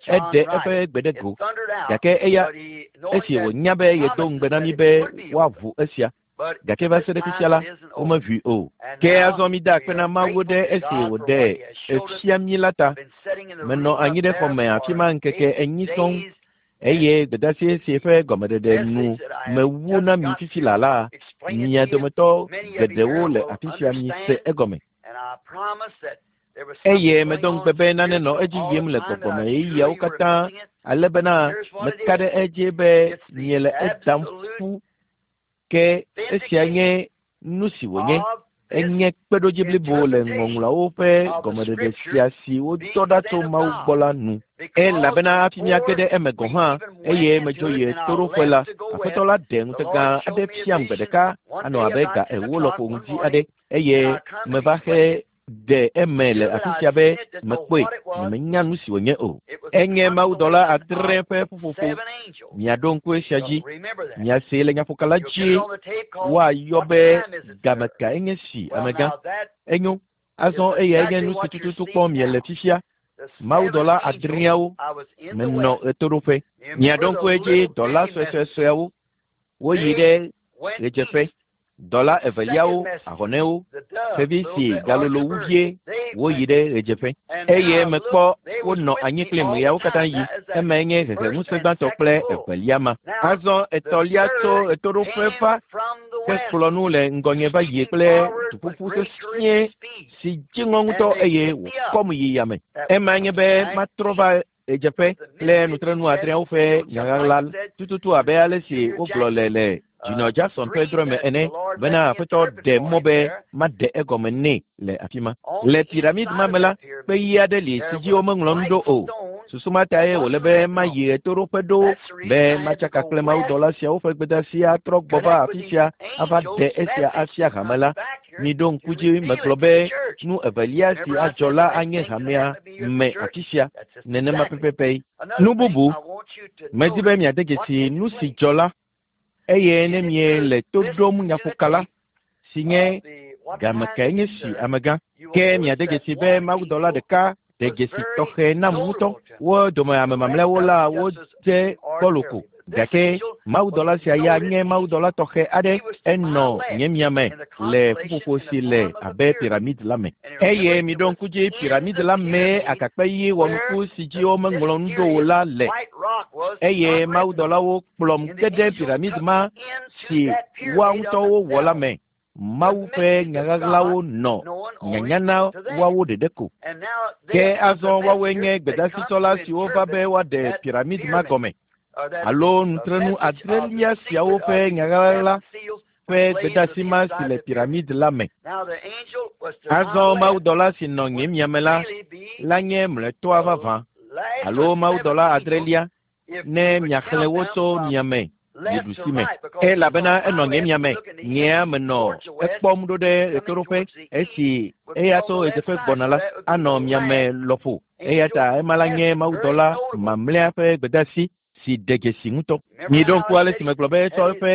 Eɖe eƒe gbe ɖe go. Gake eya, esi wònya be yedo ŋugbe na mí be woaʋu esia, gake va se ɖe fifia la, womeʋui o. Ke azɔ mida akpe na Mawu ɖe esi wòɖe efia mí la ta. Menɔ anyi ɖe xɔ me afi ma ŋkeke 4 sɔŋ, eye gbedeasi si ƒe gɔmeɖeɖe nu mewu na mi fifi laa la, mia dometɔ geɖewo le afi sia mise egɔme. Eye medo ŋugbe be nane nɔ edzi yim le gbɔgbɔme ɣeyiɣiawo katã, ale bena meka ɖe edzi be miele edam ƒu. Ke esia nye nu si wònye. Enye kpeɖodzi blibo le ŋɔŋlɔawo ƒe gɔmeɖeɖe sia si wodɔ ɖa tso Mawu gbɔ la nu. Elabena hafi míage ɖe eme gɔ̃ hã, eye medzo yi ɣetoɖoƒe la, Aƒetɔ la ɖe ŋutega aɖe fiam gbe ɖeka, anɔ abe ga 4 lɔƒo ŋdi aɖe, eye meva he ɖe eme le afi sia be mekpɔe, nyemenya nu si wònye o. Enye mawudɔla 7 ƒe ƒuƒoƒo. Miaɖo ŋku esia dzi. Miasee le nyaƒoka la dzi woayɔ be game ka enye si, amegã. Enyo. Azɔ eyae nye nu si tututu kpɔm miele fifia. Mawudɔla 7 menɔ ɣetoɖoƒe. Miaɖo ŋku edzi dɔla suesuesueawo. Woyi ɖe ɣedzeƒe. Dɔla eveliawo, ahɔnɛwo, xevi si galolo wu vie, woyi ɖe ɣedzeƒe. Eye mekpɔ wonɔ anyi kplim ɣeawo katã yi. Emae nye heheŋusẽ gbãtɔ kple evelia ma. Azɔ etɔ̃lia tso ɣetoɖoƒe va hekplɔ nu le ŋgɔnye va yi kple duƒuƒu sesĩe si dziŋɔ ŋutɔ eye wòkɔm yi yame. Emae nye be matrɔ va ɣedzeƒe kple nutrenu 7 ƒe nyaɣaɣla tututu abe ale si wogblɔ le le Junior Jackson ƒe drɔ̃e me ene bena Aƒetɔ ɖe mɔ be maɖe egɔme nɛ le afi ma. Le piramid ma me la, kpe ɣi aɖe li si dzi womeŋlɔ nu ɖo o. Susu ma tae wòle be mayi ɣetoɖoƒe ɖo be matsaka kple mawudɔla siawo ƒe gbedeasi atrɔ gbɔ va afi sia ava ɖe esia afia hame la. Miɖo ŋku dzi megblɔ be nu evelia si adzɔ la anye hamea me afi sia nenema pɛpɛpɛ. Nu bubu, medi be miade dzesi nu si dzɔ la, eye ne miele to ɖom nyaƒoka la, si nye game kae nye si amegã, ke miade dzesi be mawudɔla ɖeka ɖe dzesi tɔxɛ nam ŋutɔ. Wo dome ame mamlɛawo la wodze gbɔlo ko. Gake mawudɔla sia ya nye mawudɔla tɔxɛ aɖe, enɔ nye miame le ƒuƒoƒo si le abe piramid la me. Eye miɖo ŋku dzi piramid la mee agakpe ɣi wɔnuku si dzi womeŋlɔ nu ɖo o la le. Eye mawudɔlawo kplɔm ge ɖe piramid ma si woa ŋutɔwo wɔ la me. Mawu ƒe nyaɣaɣlawo nɔ nyanya na woawo ɖeɖe ko. Ke azɔ woawoe nye gbedasitsɔla siwo va be woaɖe piramid ma gɔme alo nutrenu 7 siawo ƒe nyaɣaɣla ƒe gbedeasi ma si le piramid la me. Azɔ mawudɔla si nɔ nye miame la la nye mlɔetɔa vavã alo mawudɔla adrelia ne miaxlẽ wo tso miame yi ɖusi me. Elabena enɔ nye miame, nyea menɔ ekpɔm ɖo ɖe ɣetoɖoƒe esi eya tso ɣedzeƒe gbɔna la anɔ miame lɔƒo. Eya ta ema la nye mawudɔla mamlɛa ƒe gbedeasi si ɖe dzesi ŋutɔ. Miɖo ŋku ale si megblɔ be etsɔ eƒe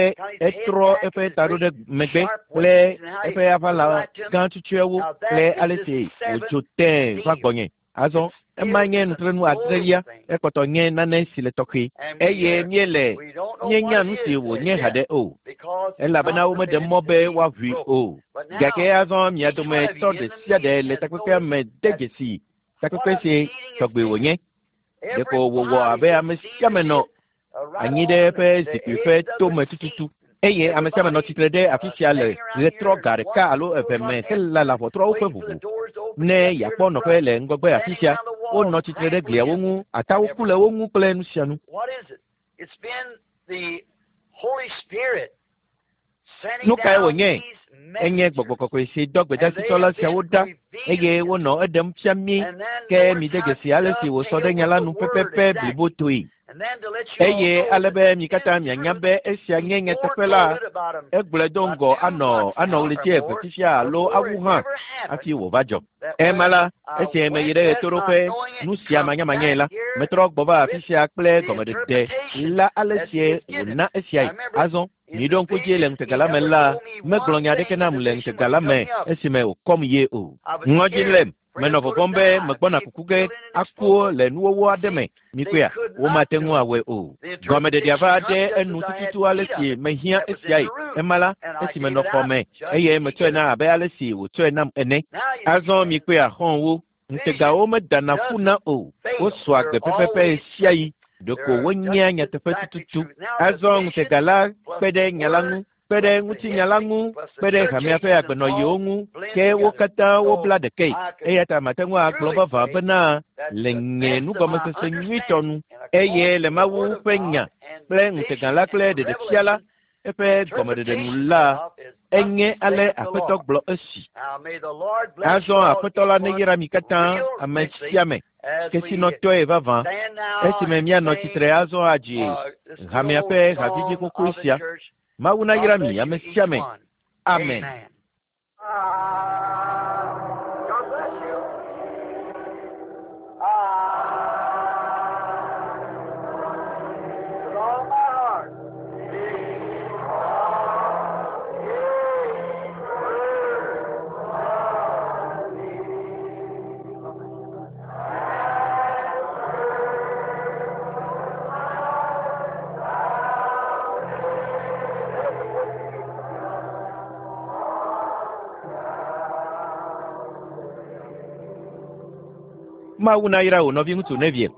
etrɔ eƒe ta ɖo ɖe megbe kple eƒe aʋala gã tutuewo kple ale si wòdzo tẽe va gbɔnye. Azɔ ema nye nutrenu adrelia, ekpɔtɔ nye nane si le tɔxɛ eye míele míenya nu si wònye haɖe o, elabena womeɖe mɔ be woaʋui o. Gake azɔ mia dometɔ ɖe sia ɖe le takpekpea me de dzesi takpekpe si tɔgbe wònye. Ɖeko wòwɔ abe ame sia ame nɔ anyi ɖe eƒe zikpui ƒe tome tututu eye ame sia ame nɔ tsitre ɖe afi sia le ɣetrɔ ga ɖeka alo eve me helala ʋɔtruawo ƒe ʋuʋu ne yeakpɔ nɔƒe le ŋgɔgbe afi sia. Wonɔ tsitre ɖe gliawo ŋu, atawo ku le wo ŋu kple nu sia nu. What is it? It's been the Holy Spirit sending Nu kae down wònye? these Enye messengers. gbɔgbɔ kɔkɔe si dɔ gbedasitsɔla siawo ɖa eye wonɔ eɖem fia mí And then ke notice mide how dzesi ale si wòsɔ ɖe nya la nu dovetailed with the word pɛpɛpɛ exactly. blibotoe. And then to let you all Eye know ale that be mi this katã mianya truth be esia nye he nyateƒe la, foretold about him egblɔe do about ŋgɔ 2 anɔ months anɔ now or ɣleti eve more fifia alo before awu it hã ever happened hafi wòva dzɔ. that Ema when la, I esi meyi went ɖe west not ɣetoɖoƒe knowing it, nu sia come manyamanyae la, back here metrɔ gbɔ va afi with sia kple the gɔmeɖeɖe interpretation la ale that he sie has given. wòna I esiae. remember Azɔ in miɖo the ŋku dzi le vision, he ŋutega la me never la, told me megblɔ one nya aɖeke thing in nam the le vision ŋutega was la me coming up. esime wòkɔm ye o. I was Ŋɔdzi scared lém, for him menɔ to put vɔvɔ̃m be die, megbɔna be kuku ge killed in an aku explosion. le nuwɔwɔ aɖe me. See, they Mikpɔea, could not womate do ŋu it. awɔe o. The Gɔmeɖeɖea interpretation va come ɖe just enu as I had tututu ale need of si it. mehiã That was in esiae. the room, Ema la, and I esi gave menɔ it xɔ out me just eye as he metsɔe gave na it. abe ale si wòtsɔe nam ene. Now you see, Azɔ friends, mikpɔea xɔ̃wo, ŋutegawo vision medana doesn't ƒuna o. fail. Wosɔa They're gbe pɛpɛpɛ always ɣesiaɣi. Ɖeko they're wonyea just nyateƒe exactly tututu. true. Now the Azɔ vision ŋutega la plus kpe the ɖe nya la ŋu, word kpe ɖe plus the ŋutinya la history ŋu, plus the kpe ɖe church hamea ƒe ages and agbenɔɣiwo all ŋu, blend ke wo together. katã So wobla ɖekae. I could Eya ta mate ŋu agblɔ truly vavã say bena that's le the nye best of my nugɔmesese nyuitɔ understanding nu and eye according le to the Mawu Word of ƒe God nya and kple the ŋutega vision la and kple the ɖeɖefia la revelation, eƒe the gɔmeɖeɖe nu interpretation la, thereof is thus enye ale saith the Aƒetɔ Lord. gblɔ esi. Now may the Lord bless Azɔ you all, Aƒetɔ la each one, neyra mi katã, real ame richly, sia ame, as we kesinɔtɔe vavã. stand now Esime and míanɔ sing tsitre azɔ adzi this good hamea old ƒe hadzidzi song xoxoe of the sia. church. Mawu God nayra bless mi you ame each sia ame. one. Amen. Amen. God bless you. With all my heart. Mawu nayra wò nɔviŋutsu Neville.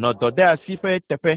Nɔ dɔdeasi ƒe teƒe.